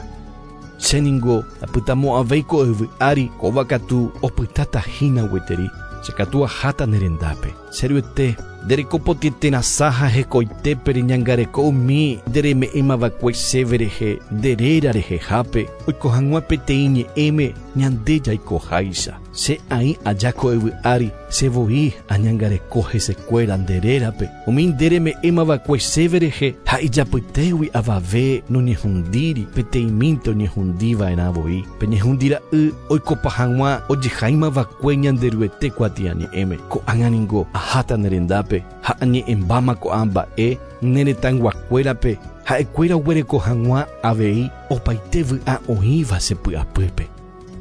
Che ningo apytamo'ãvéi ko yvy ári, kóva katu opytáta hína gueteri, che katu aháta ne rendápe. Che Ruete, nderekopotĩeterasã ha hekoitépe reñangareko umi ndereme'ẽmava'ekue chéve rehe nde réra rehehápe, oiko hag̃ua peteĩ ñe'ẽme ñande jaikoháicha. Che aĩ aja ko yvy ári, che voi añangareko hesekuéra nde rérape, umi ndereme'ẽmava'ekue chéve rehe ha ijapytégui avave noñehundíri, peteĩmínte oñehundiva'erã voi. Pe ñehundira'y oikopa hag̃ua ojehaimava'ekue Ñanderuete kuatiañe'ẽme. Ko'ág̃a ningo aháta ne rendápe ha añe'ẽmbáma ko'ã mba'e ne retãyguakuérape, ha'ekuéra oguereko hag̃ua avei opaite vy'a oĩva che py'apýpe.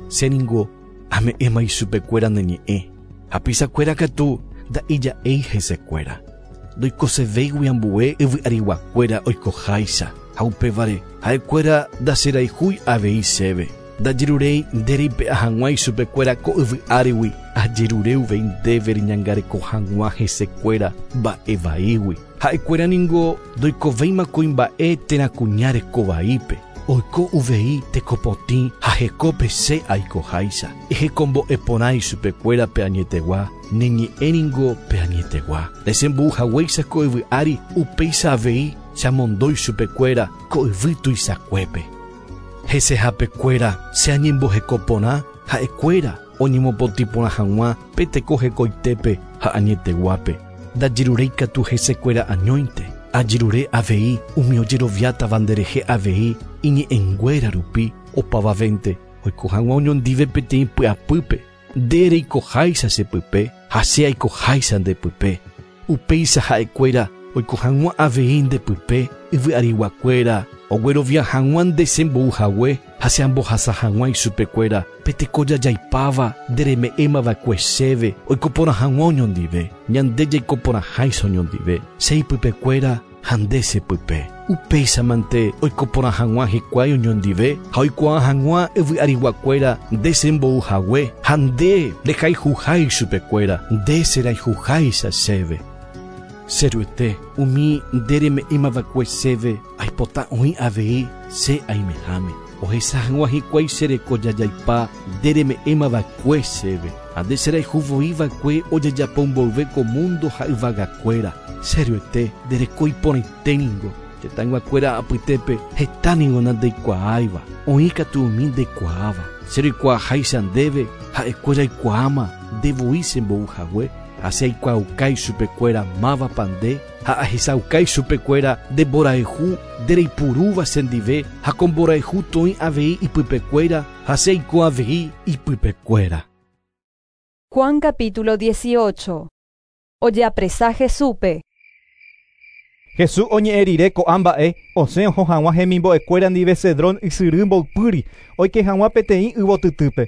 Che ningo ame'ẽma ichupekuéra ne ñe'ẽ, hapichakuéra katu nda'ija'éi hesekuéra. Ndoikosevéigui ambue yvy'ariguakuéra oikoháicha, ha upévare ha'ekuéra ndacherayhúi avei chéve. Ndajeruréi nde reipe'a hag̃ua ichupekuéra ko yvy árigui, ajerure uvei ndéve reñangareko hag̃ua hesekuéra mba'e vaígui. Ha'ekuéra ningo ndoikovéima kuimba'e térã kuña rekovaípe, oiko uvei tekopotĩ ha hekópe che aikoháicha. Ehekombo'e porã ichupekuéra pe añetegua, ne ñe'ẽ ningo pe añetegua. Ndechembo'uhaguéicha ko yvy ári, upéicha avei chamondói chupekuéra ko yvy tuichakuépe. Hesehapekuéra che añemboheko porã, ha'ekuéra oñemopotĩ porã hag̃ua pe teko hekoitépe ha añeteguápe. Ndajeruréi katu hesekuéra añóinte, ajerure avei umi ojeroviátava nderehe avei iñe'ẽnguéra rupi opavavénte oiko hag̃ua oñondive peteĩ py'apýpe, nde reikoháicha che pype ha che aikoháicha nde pype. Upéicha ha'ekuéra oiko hag̃ua avei nde pype yvy'ariguakuéra oguerovia hag̃ua nde chembouhague ha che ambohasa hag̃ua ichupekuéra pe teko jajaipáva nde reme'ẽmava'ekue chéve oiko porã hag̃ua oñondive, ñande jaiko porãháicha oñondive, che ipypekuéra ha nde che pype. Upéichamante oiko porã hag̃ua hikuái oñondive ha oikuaa hag̃ua yvy'ariguakuéra nde chembouhague ha nde rehayhuha ichupekuéra, nde cherayhuháicha chéve. Che Ruete, umi nde reme'ẽmava'ekue chéve aipota oĩ avei che aimeháme. Ohecha hag̃ua hikuái che reko jajaipa nde reme'ẽmava'ekue chéve, ha nde cherayhuvoiva'ekue ojejapo mboyve ko mundo ha yvagakuéra. Che Ruete, nde reko iporãite ningo, tetãyguakuéra apytépe heta ningo nandeikuaáiva, oĩ katu umi ndekuaáva. Che roikuaaháicha ndéve ha'ekuéra oikuaáma nde voi chembouhague, ha che aikuaauka ichupekuéra mávapa nde ha ahechauka ichupekuéra nde mborayhu nde reipurúva chendive ha ko mborayhu toĩ avei ipypekuéra ha che aiko avei ipypekuéra. Juan capítulo dieciocho. Ojeapresa Jesúspe. Jesús oñe'ẽ rire ko'ã mba'e osẽ oho hag̃ua hemimbo'ekuéra ndive Cedrón ysyry mboypýri oike hag̃ua peteĩ yvotytýpe.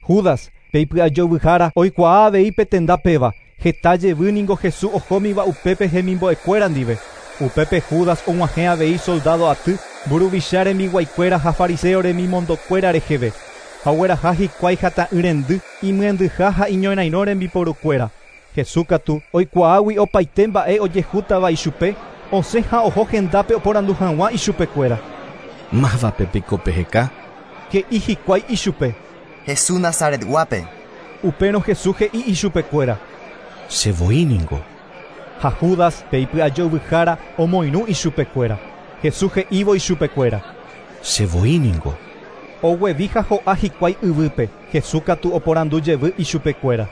Judas, pe ipy'ajovyhára, oikuaa avei pe tenda péva. Heta jevy ningo Jesús ohómiva upépe hemimbo'ekuéra ndive. Upépe Judas og̃uahẽ avei soldado aty, mburuvicha rembiguaikuéra ha fariseo remimondokuéra reheve. Ha ogueraha hikuái hata'ỹ rendy, imyendyha ha iñorairõ rembiporukuéra. Jesús katu oikuaágui opaite mba'e ojehútava ichupe, osẽ ha oho hendápe oporandu hag̃ua ichupekuéra. Mávape piko peheka? He'i hikuái ichupe. Jesús Nazaretguápe. Upérõ Jesús he'i ichupekuéra. Che voi ningo. Ha Judas pe ipy'ajovyhára omoirũ ichupekuéra. Jesús he'ívo ichupekuéra. Che voi ningo. Oguevi ha ho'a hikuái yvýpe. Jesús katu oporandu jevy ichupekuéra.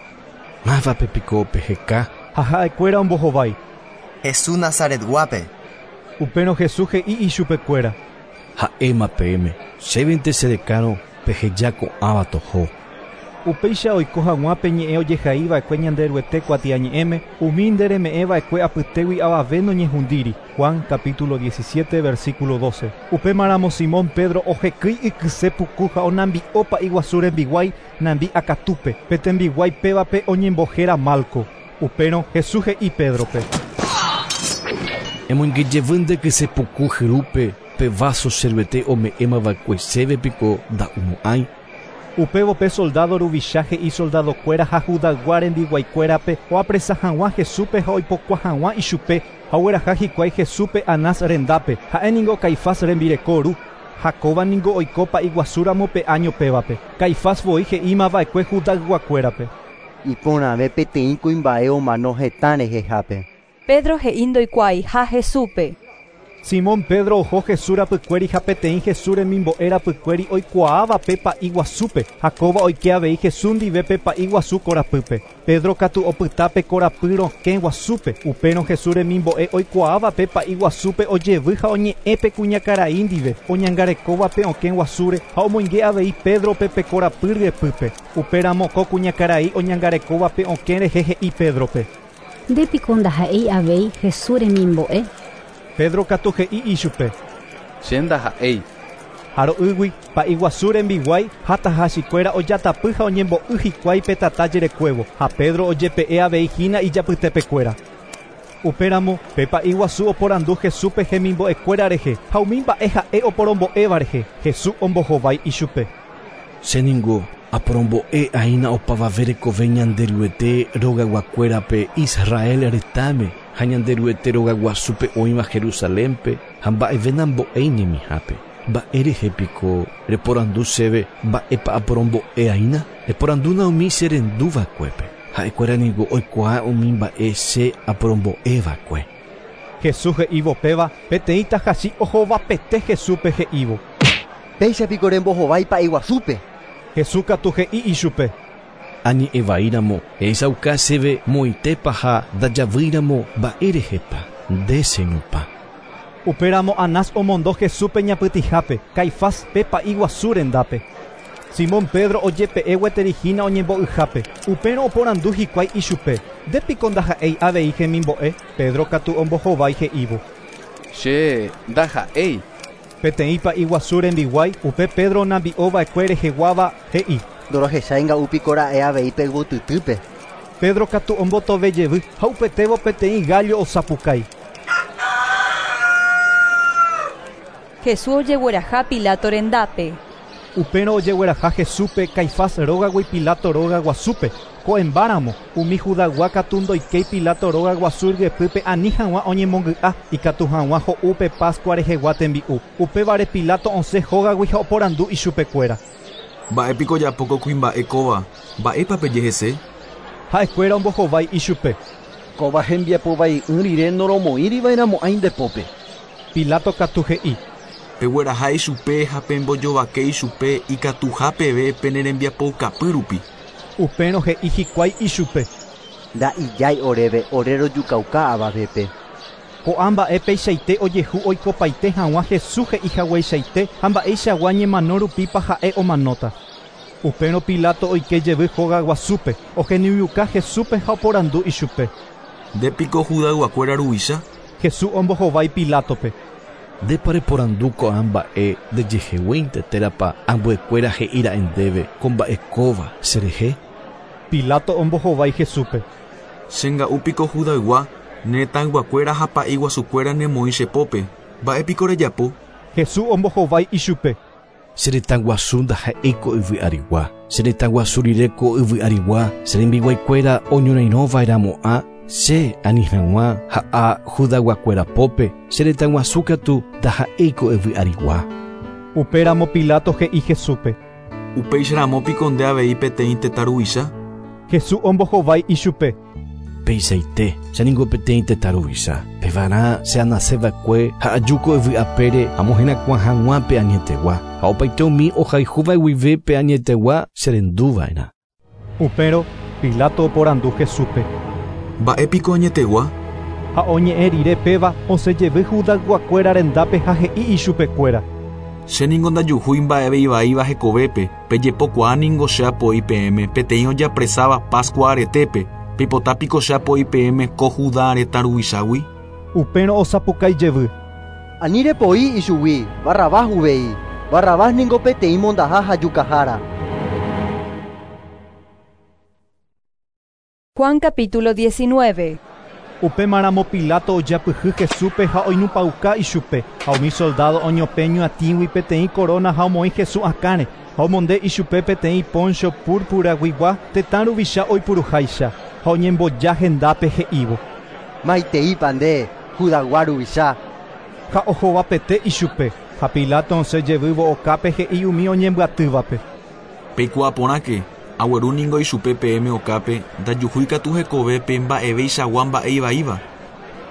Mávape piko peheka? Ha ha'ekuéra ombohovái. Jesús Nazaretguápe. Upérõ Jesús he'i ichupekuéra. Ha'éma peẽme, chévente cherekárõ peheja ko'ãva toho. Upéicha oiko hag̃ua pe ñe'ẽ ojehaiva'ekue Ñanderuete kuatiañe'ẽme, umi ndereme'ẽva'ekue apytégui avave noñehundíri. Juan capítulo diecisiete versículo doce. Upémaramo Simón Pedro ohekýi ikyse puku ha onambi'o pa'i guasu rembiguái nambi akatúpe. Pe tembiguái pévape oñembohéra Malco. Upérõ Jesús he'i Pédrope: Emoingejevy nde kyse puku hyrúpe pe vaso che Ruete ome'ẽmava'ekue chéve piko nda'umo'ãi. Upévo pe soldado ruvicha he'i soldadokuéra ha Judaygua rembiguaikuérape oapresa hag̃ua Jesúspe ha oipokua hag̃ua ichupe ha ogueraha hikuái Jesúspe Anás rendápe, ha'éningo Caifás rembireko ru. Ha kóva ningo oiko pa'i guasúramo pe año pévape. Caifás voi he'ímava'ekue Judayguakuérape: Iporãve peteĩ kuimba'e omano hetã rehehápe. Pedro he'i ndoikuaaiha Jesúspe. Simón Pedro oho Jesús rapykuéri ha peteĩ Jesús remimbo'e rapykuéri oikuaáva pe pa'i guasúpe ha kóva oike avei Jesús ndive pe pa'i guasu korapýpe. Pedro katu opyta pe korapy rokẽ guasúpe. Upérõ Jesús remimbo'e oikuaáva pe pa'i guasúpe ojevy ha oñe'ẽ pe kuñakarai ndive oñangarekóva pe okẽ guasúre ha omoinge avei Pédrope pe korapy ryepýpe. Upéramo ko kuñakarai oñangarekóva pe okẽ rehe he'i Pédrope: Ndépiko ndaha'éi avei Jesús remimbo'e. Pedro katu he'i ichupe: Che ndaha'éi. Ha ro'ýgui pa'i guasu rembiguái ha tahachikuéra ojatapy ha oñembo'y hikuái pe tata jerekuévo ha Pedro ojepe'e avei hína ijapytepekuéra. Upéramo pe pa'i guasu oporandu Jesúspe hemimbo'ekuéra rehe ha umi mba'e ha'e oporombo'éva rehe. Jesús ombohovái ichupe: Che ningo aporombo'e aína opavave rekove Ñanderuete rogaguakuérape Israel retãme ha Ñanderuete rogaguasúpe oĩva Jerusalénpe ha mba'eve nambo'éi ñemihápe. Mba'e rehe piko reporandu chéve mba'épa aporombo'e aína? Eporandúna umi cherenduva'ekuépe. Ha'ekuéra niko oikuaa umi mba'e che aporombo'eva'ekue. Jesús he'ívo péva peteĩ tahachi ohovapete Jesúspe he'ívo: Péicha piko rembohovái pa'i guasúpe. Jesús katu he'i ichupe: Añe'ẽvaíramo ehechauka chéve moitépa ha ndajavýiramo mba'e rehépa nde cheñupa. Upéramo Anás omondo Jesúspe ñapytĩhápe Caifás pe pa'i guasu rendápe. Simón Pedro ojepe'e gueteri hína oñembo'yhápe. Upérõ oporandu hikuái ichupe: Ndépiko ndaha'éi avei hemimbo'e. Pedro katu ombohovái he'ívo: Che ndaha'éi. Peteĩ pa'i guasu rembiguái upe Pedro nambi'ova'ekue reheguáva he'i: Ndorohechái nga'úpiko ra'e avei pe yvotytýpe. Pedro katu ombotove jevy ha upetévo peteĩ gallo osapukái. Jesús ojegueraha Pilato rendápe. Upérõ ojegueraha Jesúspe Caifás rógagui Pilato róga guasúpe. Ko'ẽmbáramo umi Judaygua katu ndoikéi Pilato róga guasu ryepýpe ani hag̃ua oñemongy'a ikatu hag̃ua ho'u pe Pascua rehegua tembi'u. Upévare Pilato osẽ hógagui ha oporandu ichupekuéra: Mba'épiko ojapo ko kuimba'e kóva? Mba'épa peje hese? Ha'ekuéra ombohovái ichupe: Kóva hembiapovai'ỹ rire noromoĩriva'erãmo'ãi ndepópe. Pilato katu he'i: Pegueraha ichupe ha pembojovake ichupe ikatuha peve pene rembiapoukapy rupi. Upérõ he'i hikuái ichupe: Nda'ijái oréve ore rojukauka avavépe. Ko'ã mba'e peichaite ojehu oikopaite hag̃ua Jesús he'ihagueichaite ha mba'eichagua ñemano rupípa ha'e omanóta. Upérõ Pilato oike jevy hóga guasúpe, ohenóiuka Jesúspe ha oporandu ichupe: Ndépiko Judayguakuéra ruvicha? Jesús ombohovái Pilátope: Ndépa reporandu ko'ã mba'e ndejeheguínte térãpa ambuekuéra he'íra'e ndéve ko mba'e kóva cherehe. Pilato ombohovái Jesúspe: Chenga'úpiko Judaygua, ne retãyguakuéra ha pa'i guasukuéra nemoĩ chepópe. Mba'épiko rejapo? Jesús ombohovái ichupe: Che retãguasu ndaha'éi ko yvy arigua. Che retãguasu rire ko yvy arigua, che rembiguaikuéra oñorairõva'erãmo'ã che ani hag̃ua ha'a Judayguakuéra pópe, che retãguasu katu ndaha'éi ko yvy arigua. Upéramo Pilato he'i Jesúspe: Upéicharamo piko nde avei peteĩ tetã ruvicha? Jesús ombohovái ichupe: Peichaite, che ningo peteĩ tetã ruvicha. Pevarã che anaseva'ekue ha aju ko yvy apére amoherakuã hag̃ua pe añetegua ha opaite umi ohayhúva guive pe añetegua cherenduva'erã. Upérõ Pilato oporandu Jesúspe: Mba'épiko añetegua? Ha oñe'ẽ rire péva osẽ jevy Judayguakuéra rendápe ha he'i ichupekuéra: Che ningo ndajuhúi mba'eve ivaíva hekovépe, pejepokuaa ningo che apoi peẽme peteĩ ojapresáva Pascua aretépe, peipota piko che apoi peẽme ko Judá retã ruvichágui. Upérõ osapukái jevy. Ani repoi ichugui, Barrabás uvei. Barrabás ningo peteĩ mondaha ha jukahára. Juan capítulo diecinueve. Upémaramo Pilato ojapyhy Jesúspe ha oinupãuka ichupe, ha umi soldado oñopẽ ñuatĩgui peteĩ corona ha omoĩ Jesús akãre, ha omonde ichupe peteĩ poncho púrpuraguigua tetã ruvicha oipuruháicha, ha oñemboja hendápe he'ívo. Maiteípa nde, Judagua ruvicha. Ha ohovapete ichupe, ha Pilato osẽ jevývo okápe he'i umi oñembyatývape. Peikuaa porãke, agueru ningo ichupe peẽme okápe, ndajuhúi katu hekovépe mba'eveichagua mba'e ivaíva.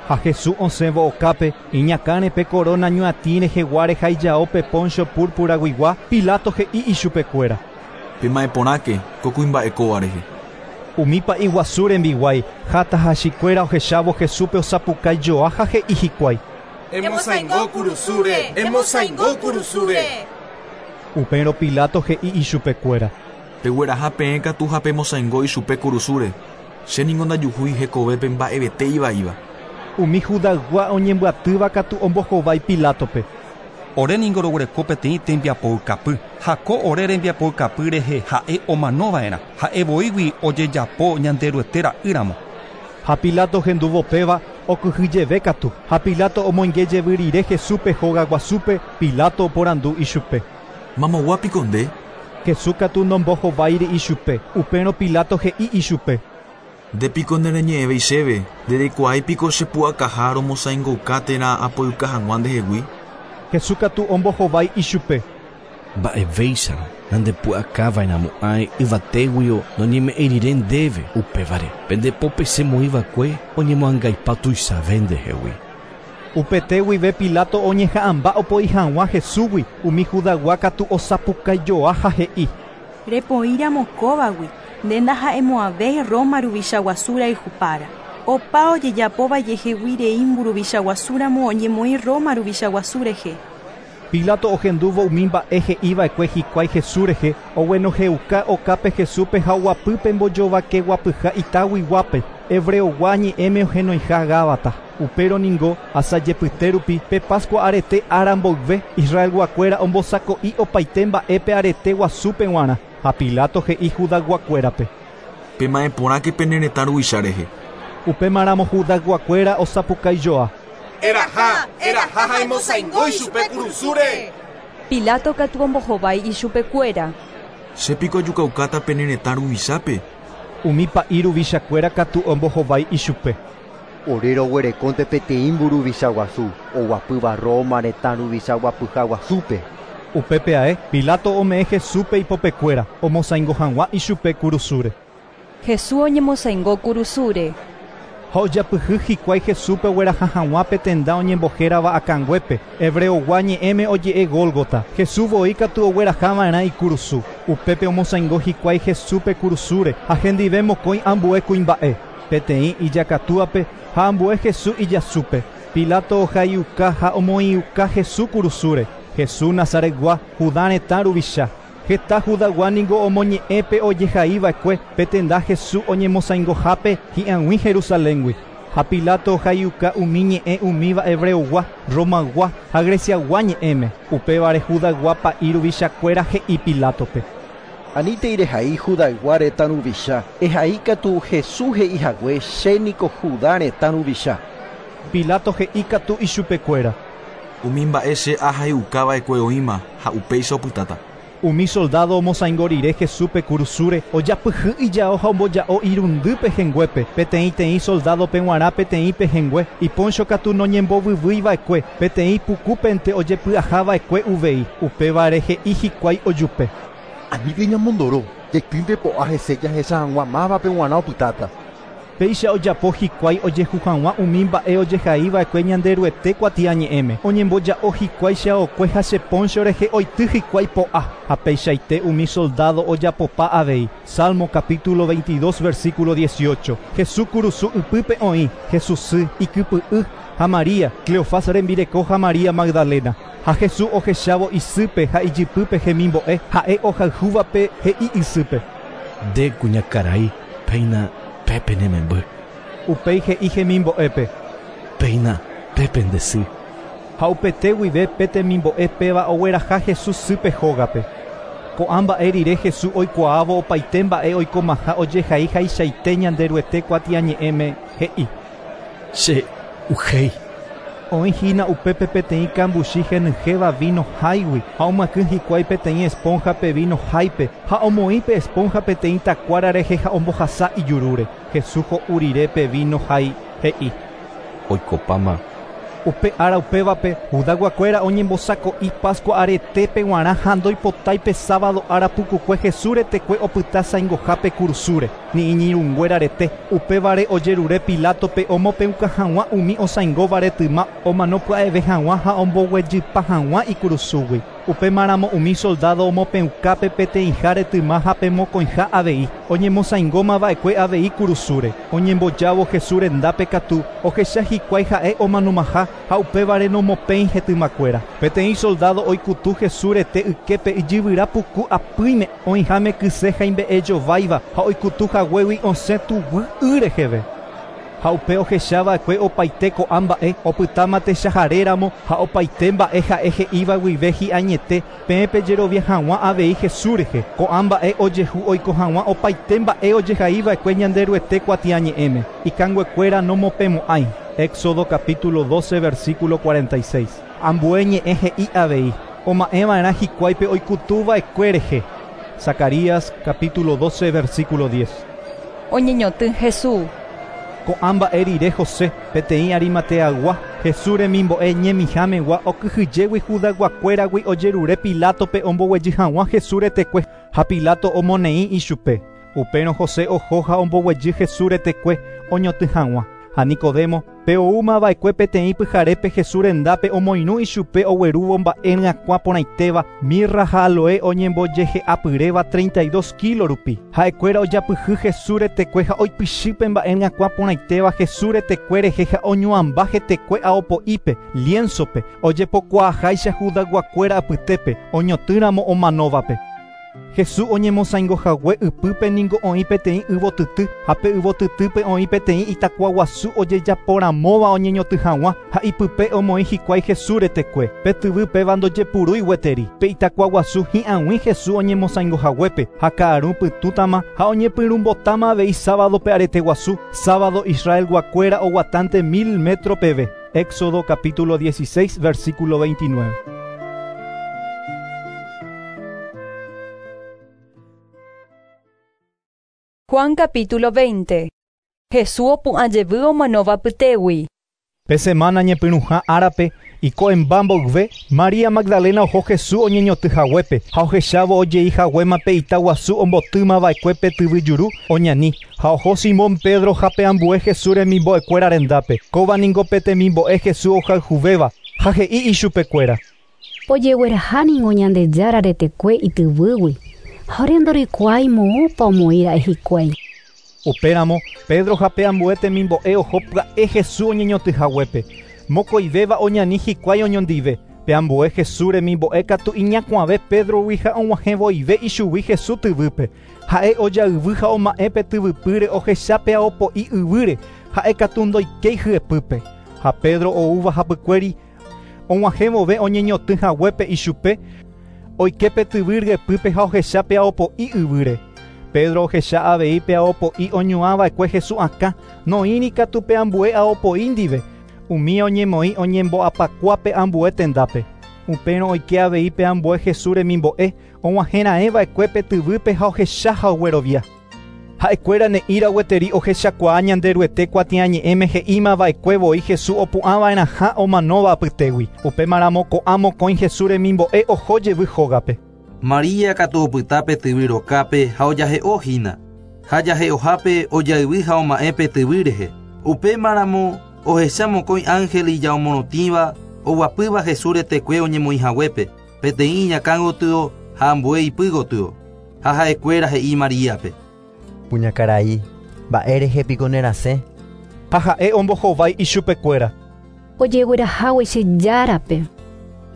Ha Jesús osẽvo okápe, iñakãre pe corona ñuatĩ reheguáre ha ijao pe poncho púrpuraguigua, Pilato he'i ichupekuéra. Pema'ẽ porãke ko kuimba'e kóva rehe. Umi pa'i guasu rembiguái ha tahachikuéra ohechávo Jesúspe osapukái joa ha he'i hikuái. Emosaingo kurusúre, emosaingo kurusúre. Upérõ Pilato he'i ichupekuéra. Pegueraha peẽ katu ha pemosaingo ichupe kurusúre, che ningo ndajuhúi hekovépe mba'evete ivaíva. Umi Judaygua oñembyatýva katu ombohovái Pilátope. Ore ningo roguereko peteĩ tembiapoukapy, ha ko ore rembiapoukapy rehe ha'e omanova'erã, ha'e voígui ojejapo Ñanderuete ra'ýramo. Ha Pilato hendúvo péva okyhyjeve katu, ha Pilato omoinge jevy rire Jesúspe hogaguasúpe, Pilato oporandu ichupe. Mamogua piko nde? Jesús katu nombohováiri ichupe, upérõ Pilato he'i ichupe. Nde piko nereñe'ẽvéi chéve, ndereikuaái piko chepu'akaha romosaingouka térã apoyka hag̃ua ndehegui. Jesús katu ombohovái ichupe. Mba'evéicharõ nandepu'akava'erãmo'ãi yvatéguio noñeme'ẽi rire ndéve upévare, pendepópe chemoĩva'ekue oñemoangaipa tuichave ndehegui. Upete guive Pilato oñeha'ãmba opoi hag̃ua Jesúsgui, umi Judaygua katu osapukái joa ha he'i. Repoíramo kóvagui, nde ndaha'emo'ãvéi Roma ruvicha guasu rayhupára. Opa ojejapóva jehegui rei mburuvicha guasúramo oñemoĩ Roma ruvicha guasu rehe. Pilato ohendúvo umi mba'e he'iva'ekue hikuái Jesús rehe, oguenohẽuka okápe Jesúspe ha oguapýpe mbojovakeguapyha itáguiguápe, hebreogua ñe'ẽme ohenoiha Gábata. Upérõ ningo asajepyte rupi pe Pascua arete ára mboyve, Israelguakuéra ombosako'i opaite mba'épe arete guasúpe g̃uarã, ha Pilato he'i Judayguakuérape. Pema'ẽ porãke pene retã ruvicha rehe. Upémaramo Judayguakuéra osapukái joa. Eraha, eraha ha emosaingo ichupe kurusúre. Pilato katu ombohovái ichupekuéra. Che piko ajukaukáta pene retã ruvichápe. Umi pa'i ruvichakuéra katu ombohovái ichupe. Ore roguerekónte peteĩ mburuvicha guasu, oguapýva Roma retã ruvicha guapyha guasúpe. Upépe ae, Pilato ome'ẽ Jesúspe ipopekuéra, omosaingo hag̃ua ichupe kurusúre. Jesús oñemosaingo kurusúre. Ha ojapyhy hikuái Jesúspe ogueraha hag̃ua pe tenda oñembohérava akãnguépe, hebreogua ñe'ẽme oje'e Gólgota. Jesús voi katu oguerahava'erã ikurusu. Upépe omosaingo hikuái Jesúspe kurusúre ha hendive mokõi ambue kuimba'e, peteĩ ijakatúape ha ambue Jesús ijasúpe. Pilato ohaiuka ha omoĩuka Jesús kurusúre. Jesús Nazaretgua, Judá retã ruvicha. Heta Judaygua ningo omoñe'ẽpe ojehaiva'ekue pe tenda Jesús oñemosaingohápe hi'ag̃ui Jerusaléngui. Ha Pilato ohaiuka umi ñe'ẽ umíva hebreogua, Romaygua ha Greciaygua ñe'ẽme. Upévare Judaygua pa'i ruvichakuéra he'i Pilátope. Anítei rehai Judaygua retã ruvicha, ehai katu Jesús he'ihague che niko Judá retã ruvicha. Pilato he'i katu ichupekuéra. Umi mba'e che ahaiukava'ekue oĩma ha upéicha opytáta. Umi soldado omosaingo rire Jesúspe kurusúre, ojapyhy ijao ha omboja'o irundy pehẽnguépe, peteĩteĩ soldadope g̃uarã peteĩ pehẽngue, iponcho katu noñembovyvýiva'ekue, peteĩ pukúpente ojepy'ahava'ekue uvei, upévare he'i hikuái ojupe. Aníke ñamondoro, jaitýnte po'a hese jahecha hag̃ua mávape g̃uarã opytáta. Péicha ojapo hikuái ojehu hag̃ua umi mba'e ojehaiva'ekue Ñanderuete kuatiañe'ẽme. Oñemboja'o hikuái cheaokue ha che poncho rehe oity hikuái po'a, ha peichaite umi soldado ojapopa avei. Salmo capítulo veintidós versículo dieciocho. Jesús kurusu ypýpe oĩ, Jesús sy ikypy'y ha María, Cleofás rembireko ha María Magdalena. Ha Jesús ohechávo isýpe ha ijypýpe hemimbo'e ha'e ohayhúvape he'i isýpe. Nde kuñakarai, péina pépe ne memby. Upéi he'i hemimbo'épe. Péina pépe nde sy. Ha upete guive pe temimbo'e péva ogueraha Jesús sýpe hógape. Ko'ã mba'e rire Jesús oikuaávo opaite mba'e oikomaha ojehai haichaite Ñanderuete kuatiañe'ẽme he'i. Che uhéi. Oĩ hína upépe peteĩ kambuchi henyhẽva vino háigui ha omyakỹ hikuái peteĩ esponja-pe vino háipe ha omoĩ pe esponja peteĩ takuára rehe ha ombohasa ijurúre. Jesús ho'u rire pe vino hái he'i. Oikopáma. Upe ára upévape Judayguakuéra oñembosako'i Pascua aretépe g̃uarã ha ndoipotái sábado ára pukukue Jesús retekue opyta saingohápe kurusúre ni iñirũnguéra rete. Upévare ojerure Pilatope omopẽuka hag̃ua umi osãingóva retyma omano pya'eve hag̃ua ha omboguejypa hag̃ua ikurusúgui. Upémaramo umi soldado omopẽukápe peteĩha retyma ha pe mokõiha avei oñemosãingómava'ekue avei kurusúre. Oñembojávo Jesús rendápe katu ohecha hikuái ha'e omanomaha ha upévare nomopẽi hetymakuéra. Peteĩ soldado oikutu Jesús rete yképe ijyvyra puku apýime oĩháme kyse haimbe'ejováiva ha oikutu haguégui osẽ tuguy y reheve. Ha upe ohechava'ekue opaite ko'ã mba'e opytáma techaharéramo ha opaite mba'e ha'e he'íva guive hi'añete peẽ pejerovia hag̃ua avei Jesús rehe. Ko'ã mba'e ojehu oiko hag̃ua opaite mba'e ojehaiva'ekue Ñanderuete kuatiañe'ẽme. Ikanguekuéra nomopẽmo'ãi. Éxodo capítulo doce versículo cuarenta y seis. Ambue ñe'ẽ he'i avei oma'ẽva'erã hikuáipe oikutuva'ekue rehe. Zacarías capítulo doce versículo diez. Oñeñotỹ Jesús. Ko'ã mba'e rire José peteĩ Arimateagua Jesús remimbo'e ñemihámegua okyhyjégui Judayguakuéragui ojerure Pilatope omboguejy hag̃ua Jesús retekue ha Pilato omoneĩ ichupe. Upérõ José oho ha omboguejy Jesús retekue oñotỹ hag̃ua. Ha Nicodemo pe oúmava'ekue peteĩ pyharépe Jesús rendápe omoirũ ichupe oguerúvo mba'e ryakuã porãitéva mirra ha aloe oñembojehe'apyréva treinta y dos kilo rupi. Ha'ekuéra ojapyhy Jesús retekue ha oipychýpe mba'e ryakuã porãitéva Jesús retekue rehe ha oñuãmba hetekue aopo'ípe lienzope ojepokuaaháicha Judayguakuéra apytépe oñotỹramo omanóvape. Jesús oñemosãingohague ypýpe ningo oĩ peteĩ yvotyty ha pe yvotytýpe oĩ peteĩ itakuaguasu ojejaporamóva oñeñotỹ hag̃ua ha ipype omoĩ hikuái Jesús retekue. Pe tyvy péva ndojepurúi gueteri. Pe itakuaguasu hi'ag̃ui Jesús oñemosãingohaguépe ha ka'aru pytũtama ha oñepyrũmbotáma avei sábadope arete guasu. Sábado Israelguakuéra oguatánte mil metro peve. Éxodo capítulo dieciséis versículo veintinueve. Juan capítulo veinte. Jesús opu'ã jevy omanóva pytégui. Pe semana ñepyrũha árape iko'ẽmba mboyve María Magdalena oho Jesús oñeñotỹhaguépe ha ohechávo ojeihaguéma pe itaguasu ombotýmava'ekue pe tyvyjuru oñani ha oho Simón Pedro ha pe ambue Jesús remimbo'ekuéra rendápe. Kóva ningo pe temimbo'e Jesús ohayhuvéva ha he'i ichupekuéra. Ojegueraha ningo Ñandejára retekue ityvýgui. Ha ore ndorikuaái moõpa omoĩra'e hikuái. Upéramo Pedro ha pe ambue temimbo'e oho pya'e Jesús oñeñotỹhaguépe. Mokõivéva oñani hikuái oñondive. Pe ambue Jesús remimbo'e katu iñakuãve Pedrogui ha og̃uahẽvoive ichugui Jesús tyvýpe. Ha'e ojayvy ha oma'ẽ pe tyvypýre ohecha pe aopo'i yvýre ha'e katu ndoikéi hyepýpe. Ha Pedro oúva hapykuéri og̃uahẽvove oñeñotỹhaguépe ichupe oike pe tyvy ryepýpe ha ohecha pe aopo'i yvýre. Pedro ohecha avei pe aopo'i oñuãva'ekue Jesús akã noĩri katu pe ambue aopo'i ndive. Umi oñemoĩ oñembo'apakua pe ambue tendápe. Upérõ oike avei pe ambue Jesús remimbo'e og̃uahẽraẽva'ekue pe tyvýpe ha ohecha ha oguerovia. Ha'ekuéra ne'ĩra gueteri ohechakuaa Ñanderuete kuatiañe'ẽme he'ímava'ekue voi Jesús opu'ãva'erãha omanóva apytégui. Upémaramo ko'ã mokõi Jesús remimbo'e oho jevy hógape. María katu opyta pe tyvy rokápe ha ojahe'o hína. Ha jahe'ohápe ojayvy ha oma'ẽ pe tyvy rehe. Upémaramo ohecha mokõi ángel ijaomorotĩva oguapýva Jesús retekue oñemoĩhaguépe peteĩ iñakã gotyo ha ambue ipy gotyo. Ha ha'ekuéra he'i Maríape. Kuñakarai, mba'e rehe piko nerasẽ. Ha ha'e ombohovái ichupekuéra. Ojeguerahágui che járape.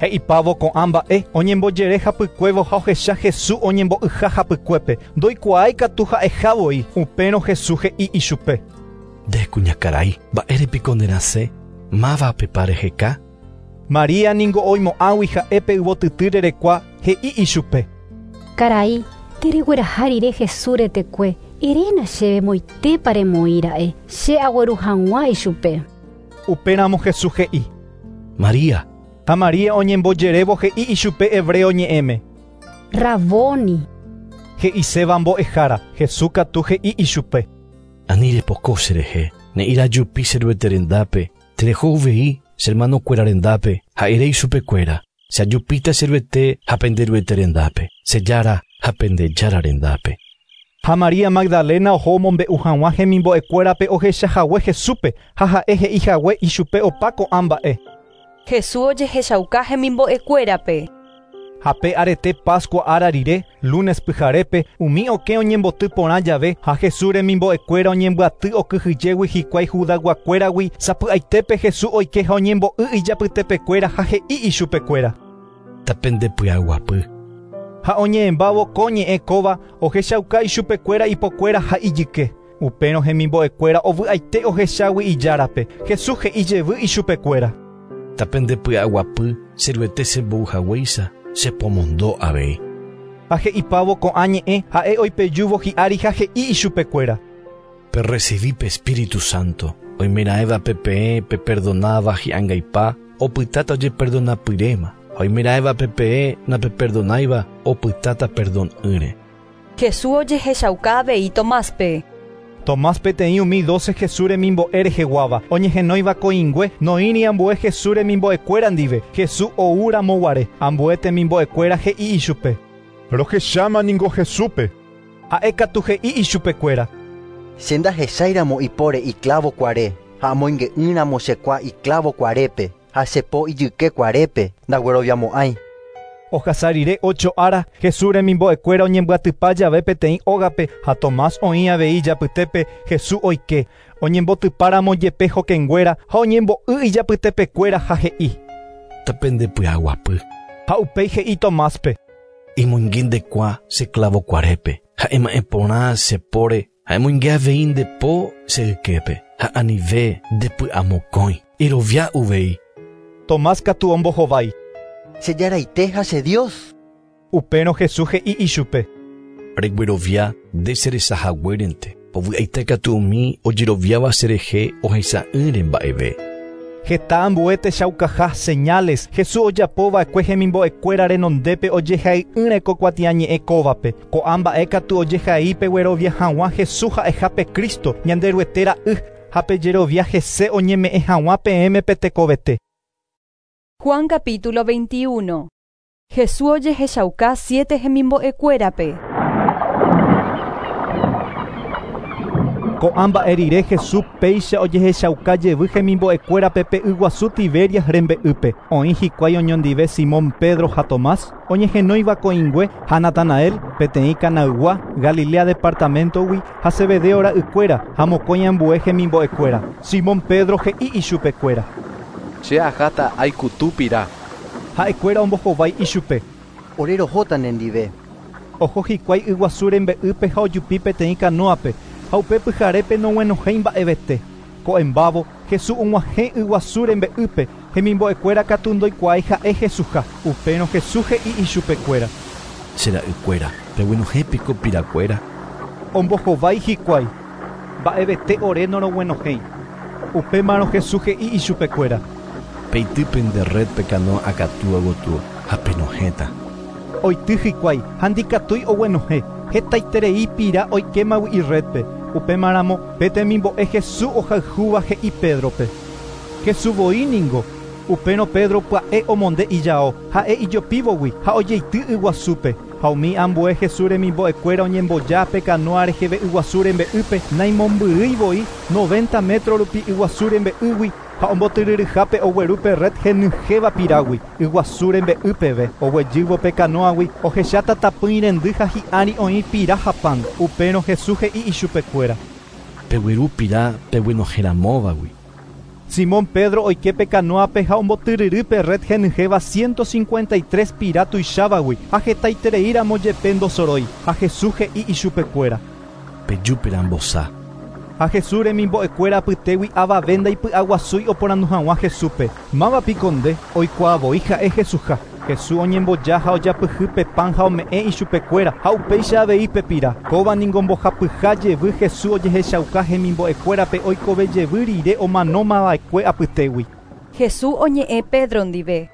He'ipávo ko'ã mba'e oñembojere hapykuévo ha ohecha Jesús oñembo'yha hapykuépe. Ndoikuaái katu ha'eha voi. Upérõ Jesús he'i ichupe. Nde kuñakarai, mba'érepiko nerasẽ? Mávapepa reheka? María ningo oimo'ãgui ha'épe yvotyty rerekua he'i ichupe. Karai, teregueraha rire Jesús retekue, eréna chéve moitépa remoĩra'e, che agueru hag̃ua ichupe. Upéramo Jesús he'i. María. Ha María oñembojerévo he'i ichupe hebreo ñe'ẽme. Raboni. He'iséva mbo'ehára. Jesús katu he'i ichupe. Ani repoko cherehe, ne'ĩra jupi che Ruete rendápe, tereho uvei che hermanokuéra rendápe, ha ere ichupekuéra, che ajupíta che Ruete ha pende Ruete rendápe, che Jára ha pende Jára rendápe. Ha María Magdalena oho omombe'u hag̃ua hemimbo'ekuérape ohechahague Jesúspe ha ha'e he'ihague ichupe opa ko'ã mba'e. Jesús ojehechauka hemimbo'ekuérape. Ha pe arete Pascua ára rire, lunes pyharépe, umi okẽ oñemboty porã jave ha Jesús remimbo'ekuéra oñembyaty okyhyjégui hikuái Judaguakuéragui, sapy'aitépe Jesús oike ha oñembo'y ijapytepekuéra ha he'i ichupekuéra. Tapendepy'aguapy. Ha oñe'ẽmbávo ko ñe'ẽ kóva ohechauka ichupekuéra ipokuéra ha ijyke. Upérõ hemimbo'ekuéra ovy'aite ohechágui ijárape. Jesús he'i jevy ichupekuéra. Tapendepy'aguapy che Ruete chembouhaguéicha, chepomondo avei. Ha he'ipávo ko'ã ñe'ẽ ha'e oipejúvo hi'ári ha he'i ichupekuéra. Perrecibí pe Espíritu Santo. Oimeraẽvape peẽ peperdonáva hi'angaipa, opytáta ojeperdonapyréma. Oimeraẽvape peẽ napeperdonáiva, opytáta perdon'ỹre. Jesús ojehechauka avei Tomáspe. Tomás peteĩ umi doce Jesús remimbo'e reheguáva, oñehenóiva ko'ĩngue, noĩri ambue Jesús remimbo'ekuéra ndive. Jesús oúramo guare, ambue temimbo'ekuéra he'i ichupe. Rohecháma ningo Jesúspe. Ha'e katu he'i ichupekuéra. Che ndahecháiramo ipóre iclavo kuare, ha amoinge'ỹramo chekua iclavo kuarépe, ha chepo ijyke kuarépe, ndagueroviamo'ãi. Ohasa rire ocho ára, Jesús remimbo'ekuéra oñembyatypa jave peteĩ ógape ha Tomás oĩ avei ijapytépe Jesús oike. Oñembotypáramo jepe hokẽnguéra ha oñembo'y ijapytepekuéra ha he'i. Tapendepy'aguapy. Ha upéi he'i Tomáspe. Imoinge ndekua che clavo kuarépe, ha ema'ẽ porã che póre, ha emoinge avei nde po che yképe, ha anive ndepy'amokõi, erovia uvei. Tomás katu ombohovái. Che Jaraite ha che Dios. Upérõ Jesús he'i ichupe. Reguerovia nde cherechahaguérente, ovy'aite katu umi ojeroviáva cherehe ohecha'ỹre mba'eve. Heta ambue techaukaha señales Jesús ojapova'ekue hemimbo'ekuéra renondépe ojehai'ỹre ko kuatiañe'ẽ kóvape. Ko'ã mba'e katu ojehai peguerovia hag̃ua Jesús ha'ehápe Cristo, Ñanderuete ra'y, ha pejerovia hese oñeme'ẽ hag̃ua peẽme pe tekovete. Juan capítulo veintiuno. Jesús ojehechauka siete hemimbo'ekuérape. Ko'ã mba'e rire Jesús péicha ojehechauka jevy hemimbo'ekuérape pe yguasu Tiberias rembe'ýpe. Oĩ hikuái oñondive Simón Pedro ha Tomás, oñehenóiva ko'ĩngue ha Natanael, peteĩ Canaygua, Galilea departamentogui, ha Zebedeo ra'ykuéra ha mokõi ambue hemimbo'ekuéra. Simón Pedro he'i ichupekuéra. Che aháta aikutu pira. Ha'ekuéra ombohovái ichupe. Ore rohóta nendive. Oho hikuái yguasu rembe'ýpe ha ojupi peteĩ canoape, ha upe pyharépe noguenohẽi mba'evete. Ko'ẽmbávo, Jesús og̃uahẽ yguasu rembe'ýpe, hemimbo'ekuéra katu ndoikuaái ha'e Jesúsha. Upérõ Jesús he'i ichupekuéra. Che ra'ykuéra, peguenohẽ piko pirakuéra. Ombohovái hikuái. Mba'evete ore noroguenohẽi. Upémarõ Jesús he'i ichupekuéra. Peity pende red pe canoa akatúa gotyo ha penohẽta. Oity hikuái ha ndikatúi oguenohẽ, hetaiterei pira oikémagui irredpe. Upémaramo pe temimbo'e Jesús ohayhúva he'i Pedrope. Jesús voi ningo. Upérõ Pedro pya'e omonde ijao, ha'e ijopívogui ha ojeity yguasúpe. Ha umi ambue Jesús remimbo'ekuéra oñemboja pe canoa reheve yguasu rembe'ýpe, naimombyrýi voi noventa metro rupi yguasu rembe'ýgui ha ombotyryryhápe ogueru pe red henyhẽva pirágui yguasu rembe'ýpeve. Oguejývo pe canoagui ohecháta tapỹi rendy ha hi'ári oĩ pira ha pan. Upérõ Jesús he'i ichupekuéra. Pegueru pira peguenohẽramóvagui. Simón Pedro oike pe canoape ha ombotyryry pe red henyhẽva ciento cincuenta y tres pira tuichávaguy ha hetaitereíramo jepe ndosorói. Ha Jesús he'i ichupekuéra. Pejúpera mbosa. Ha Jesús remimbo'ekuéra apytégui avave ndaipy'aguasúi oporandu hag̃ua Jesúspe. Mávapiko nde oikuaavoi ha'e Jesúsha. Jesús oñemboja ha ojapyhy pe pan ha ome'ẽ ichupekuéra ha upéicha avei pe pira. Kóva ningo mbohapyha jevy Jesús ojehechauka hemimbo'ekuérape oikove jevy rire omanómava'ekue apytégui. Jesús oñe'ẽ Pedro ndive.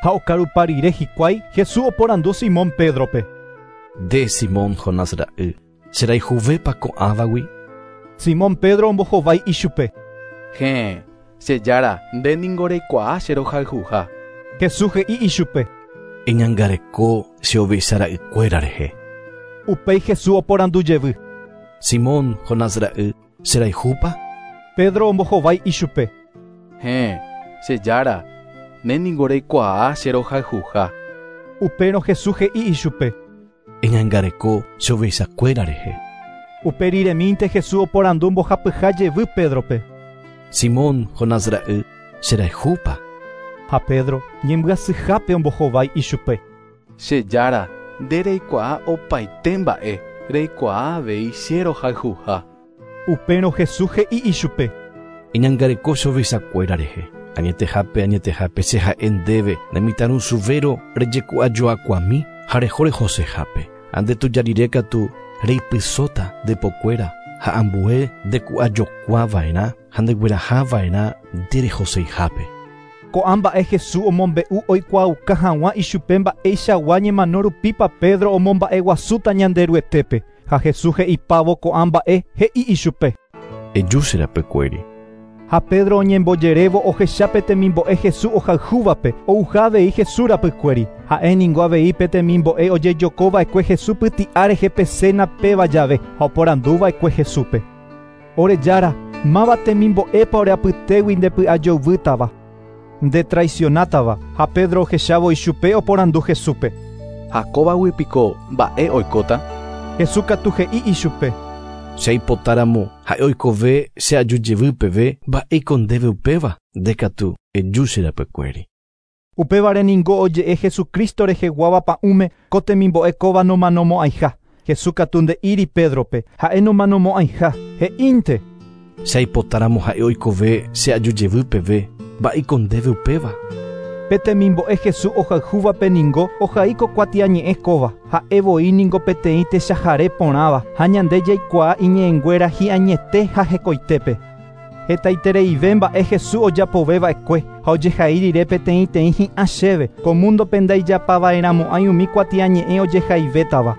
Ha okarupa rire hikuái, Jesús oporandu Simón Pedrope. Nde Simón Jonás ra'y, cherayhuvépa ko'ãvagui? Simón Pedro ombohovái ichupe. Héẽ, che jára, nde ningo reikuaa che rohayhuha. Jesús he'i ichupe. Eñangareko che ovecha ra'ykuéra rehe. Upéi Jesús oporandu jevy. Simón Jonás ra'y, cherayhúpa? Pedro ombohovái ichupe. Héẽ, che jára, nde ningo reikuaa che rohayhuha. Upérõ Jesús he'i ichupe. Eñangareko che ovechakuéra rehe. Upe riremínte Jesús oporandu mbohapyha jevy Pedrope. Simón Jonás ra'y, cherayhúpa? Ha Pedro ñembyasyhápe ombohovái ichupe. Che jára, nde reikuaa opaite mba'e, reikuaa avei che rohayhuha. Upérõ Jesús he'i ichupe. Eñangareko che ovechakuéra rehe. Añetehápe, añetehápe che ha'e ndéve nemitãrusuvéro rejeku'ajoakuami ha reho rehosehápe. Ha ndetuja katu reipysóta ndepokuéra ha ambue ndeku'ajokuava'erã ha ndeguerahava'erã nde rehoseihápe. Ko'ã mba'e Jesús omombe'u oikuaauka hag̃ua ichupe mba'eichagua ñemano rupípa Pedro omomba'eguasúta Ñanderuetépe. Ha Jesús he'ipávo ko'ã mba'e he'i ichupe. Eju che rapykuéri. Ha Pedro oñembojerévo ohecha pe temimbo'e Jesús ohayhúvape ouha avei Jesús rapykuéri. Ha'e ningo avei pe temimbo'e ojejokova'ekue Jesús pyti'a rehe pe cena péva jave ha oporanduva'ekue Jesúspe. Ore jára, máva temimbo'épa ore apytégui ndepy'ajoyvýtava, nde traicionátava. Ha Pedro ohechávo ichupe oporandu Jesúspe. Ha kóvagui piko mba'e oikóta? Jesús katu he'i ichupe. Che aipotáramo ha'e oikove che aju jevy peve mba'éiko ndéve upéva, nde katu eju che rapykuéri. Upévare ningo oje'e Jesucristo reheguáva pa'ũme ko temimbo'e kóva nomanomo'ãiha. Jesús katu nde'íri Pedrope ha'e nomanomo'ãiha, he'ínte. Che aipotáramo ha'e oikove che aju jevy peve mba'éiko ndéve upéva. Pe temimbo'e Jesús ohayhúvape ningo ohaíko kuatiañe'ẽ kóva, ha'e voi ningo peteĩ techahare porãva ha ñande jaikuaa iñe'ẽnguéra hi'añete ha hekoitépe. Hetaitereive mba'e Jesús ojapoveva'ekue ha ojehai rire peteĩteĩ hi'ã chéve ko mundope ndaijapava'erãmo'ãi umi kuatiañe'ẽ ojehaivétava.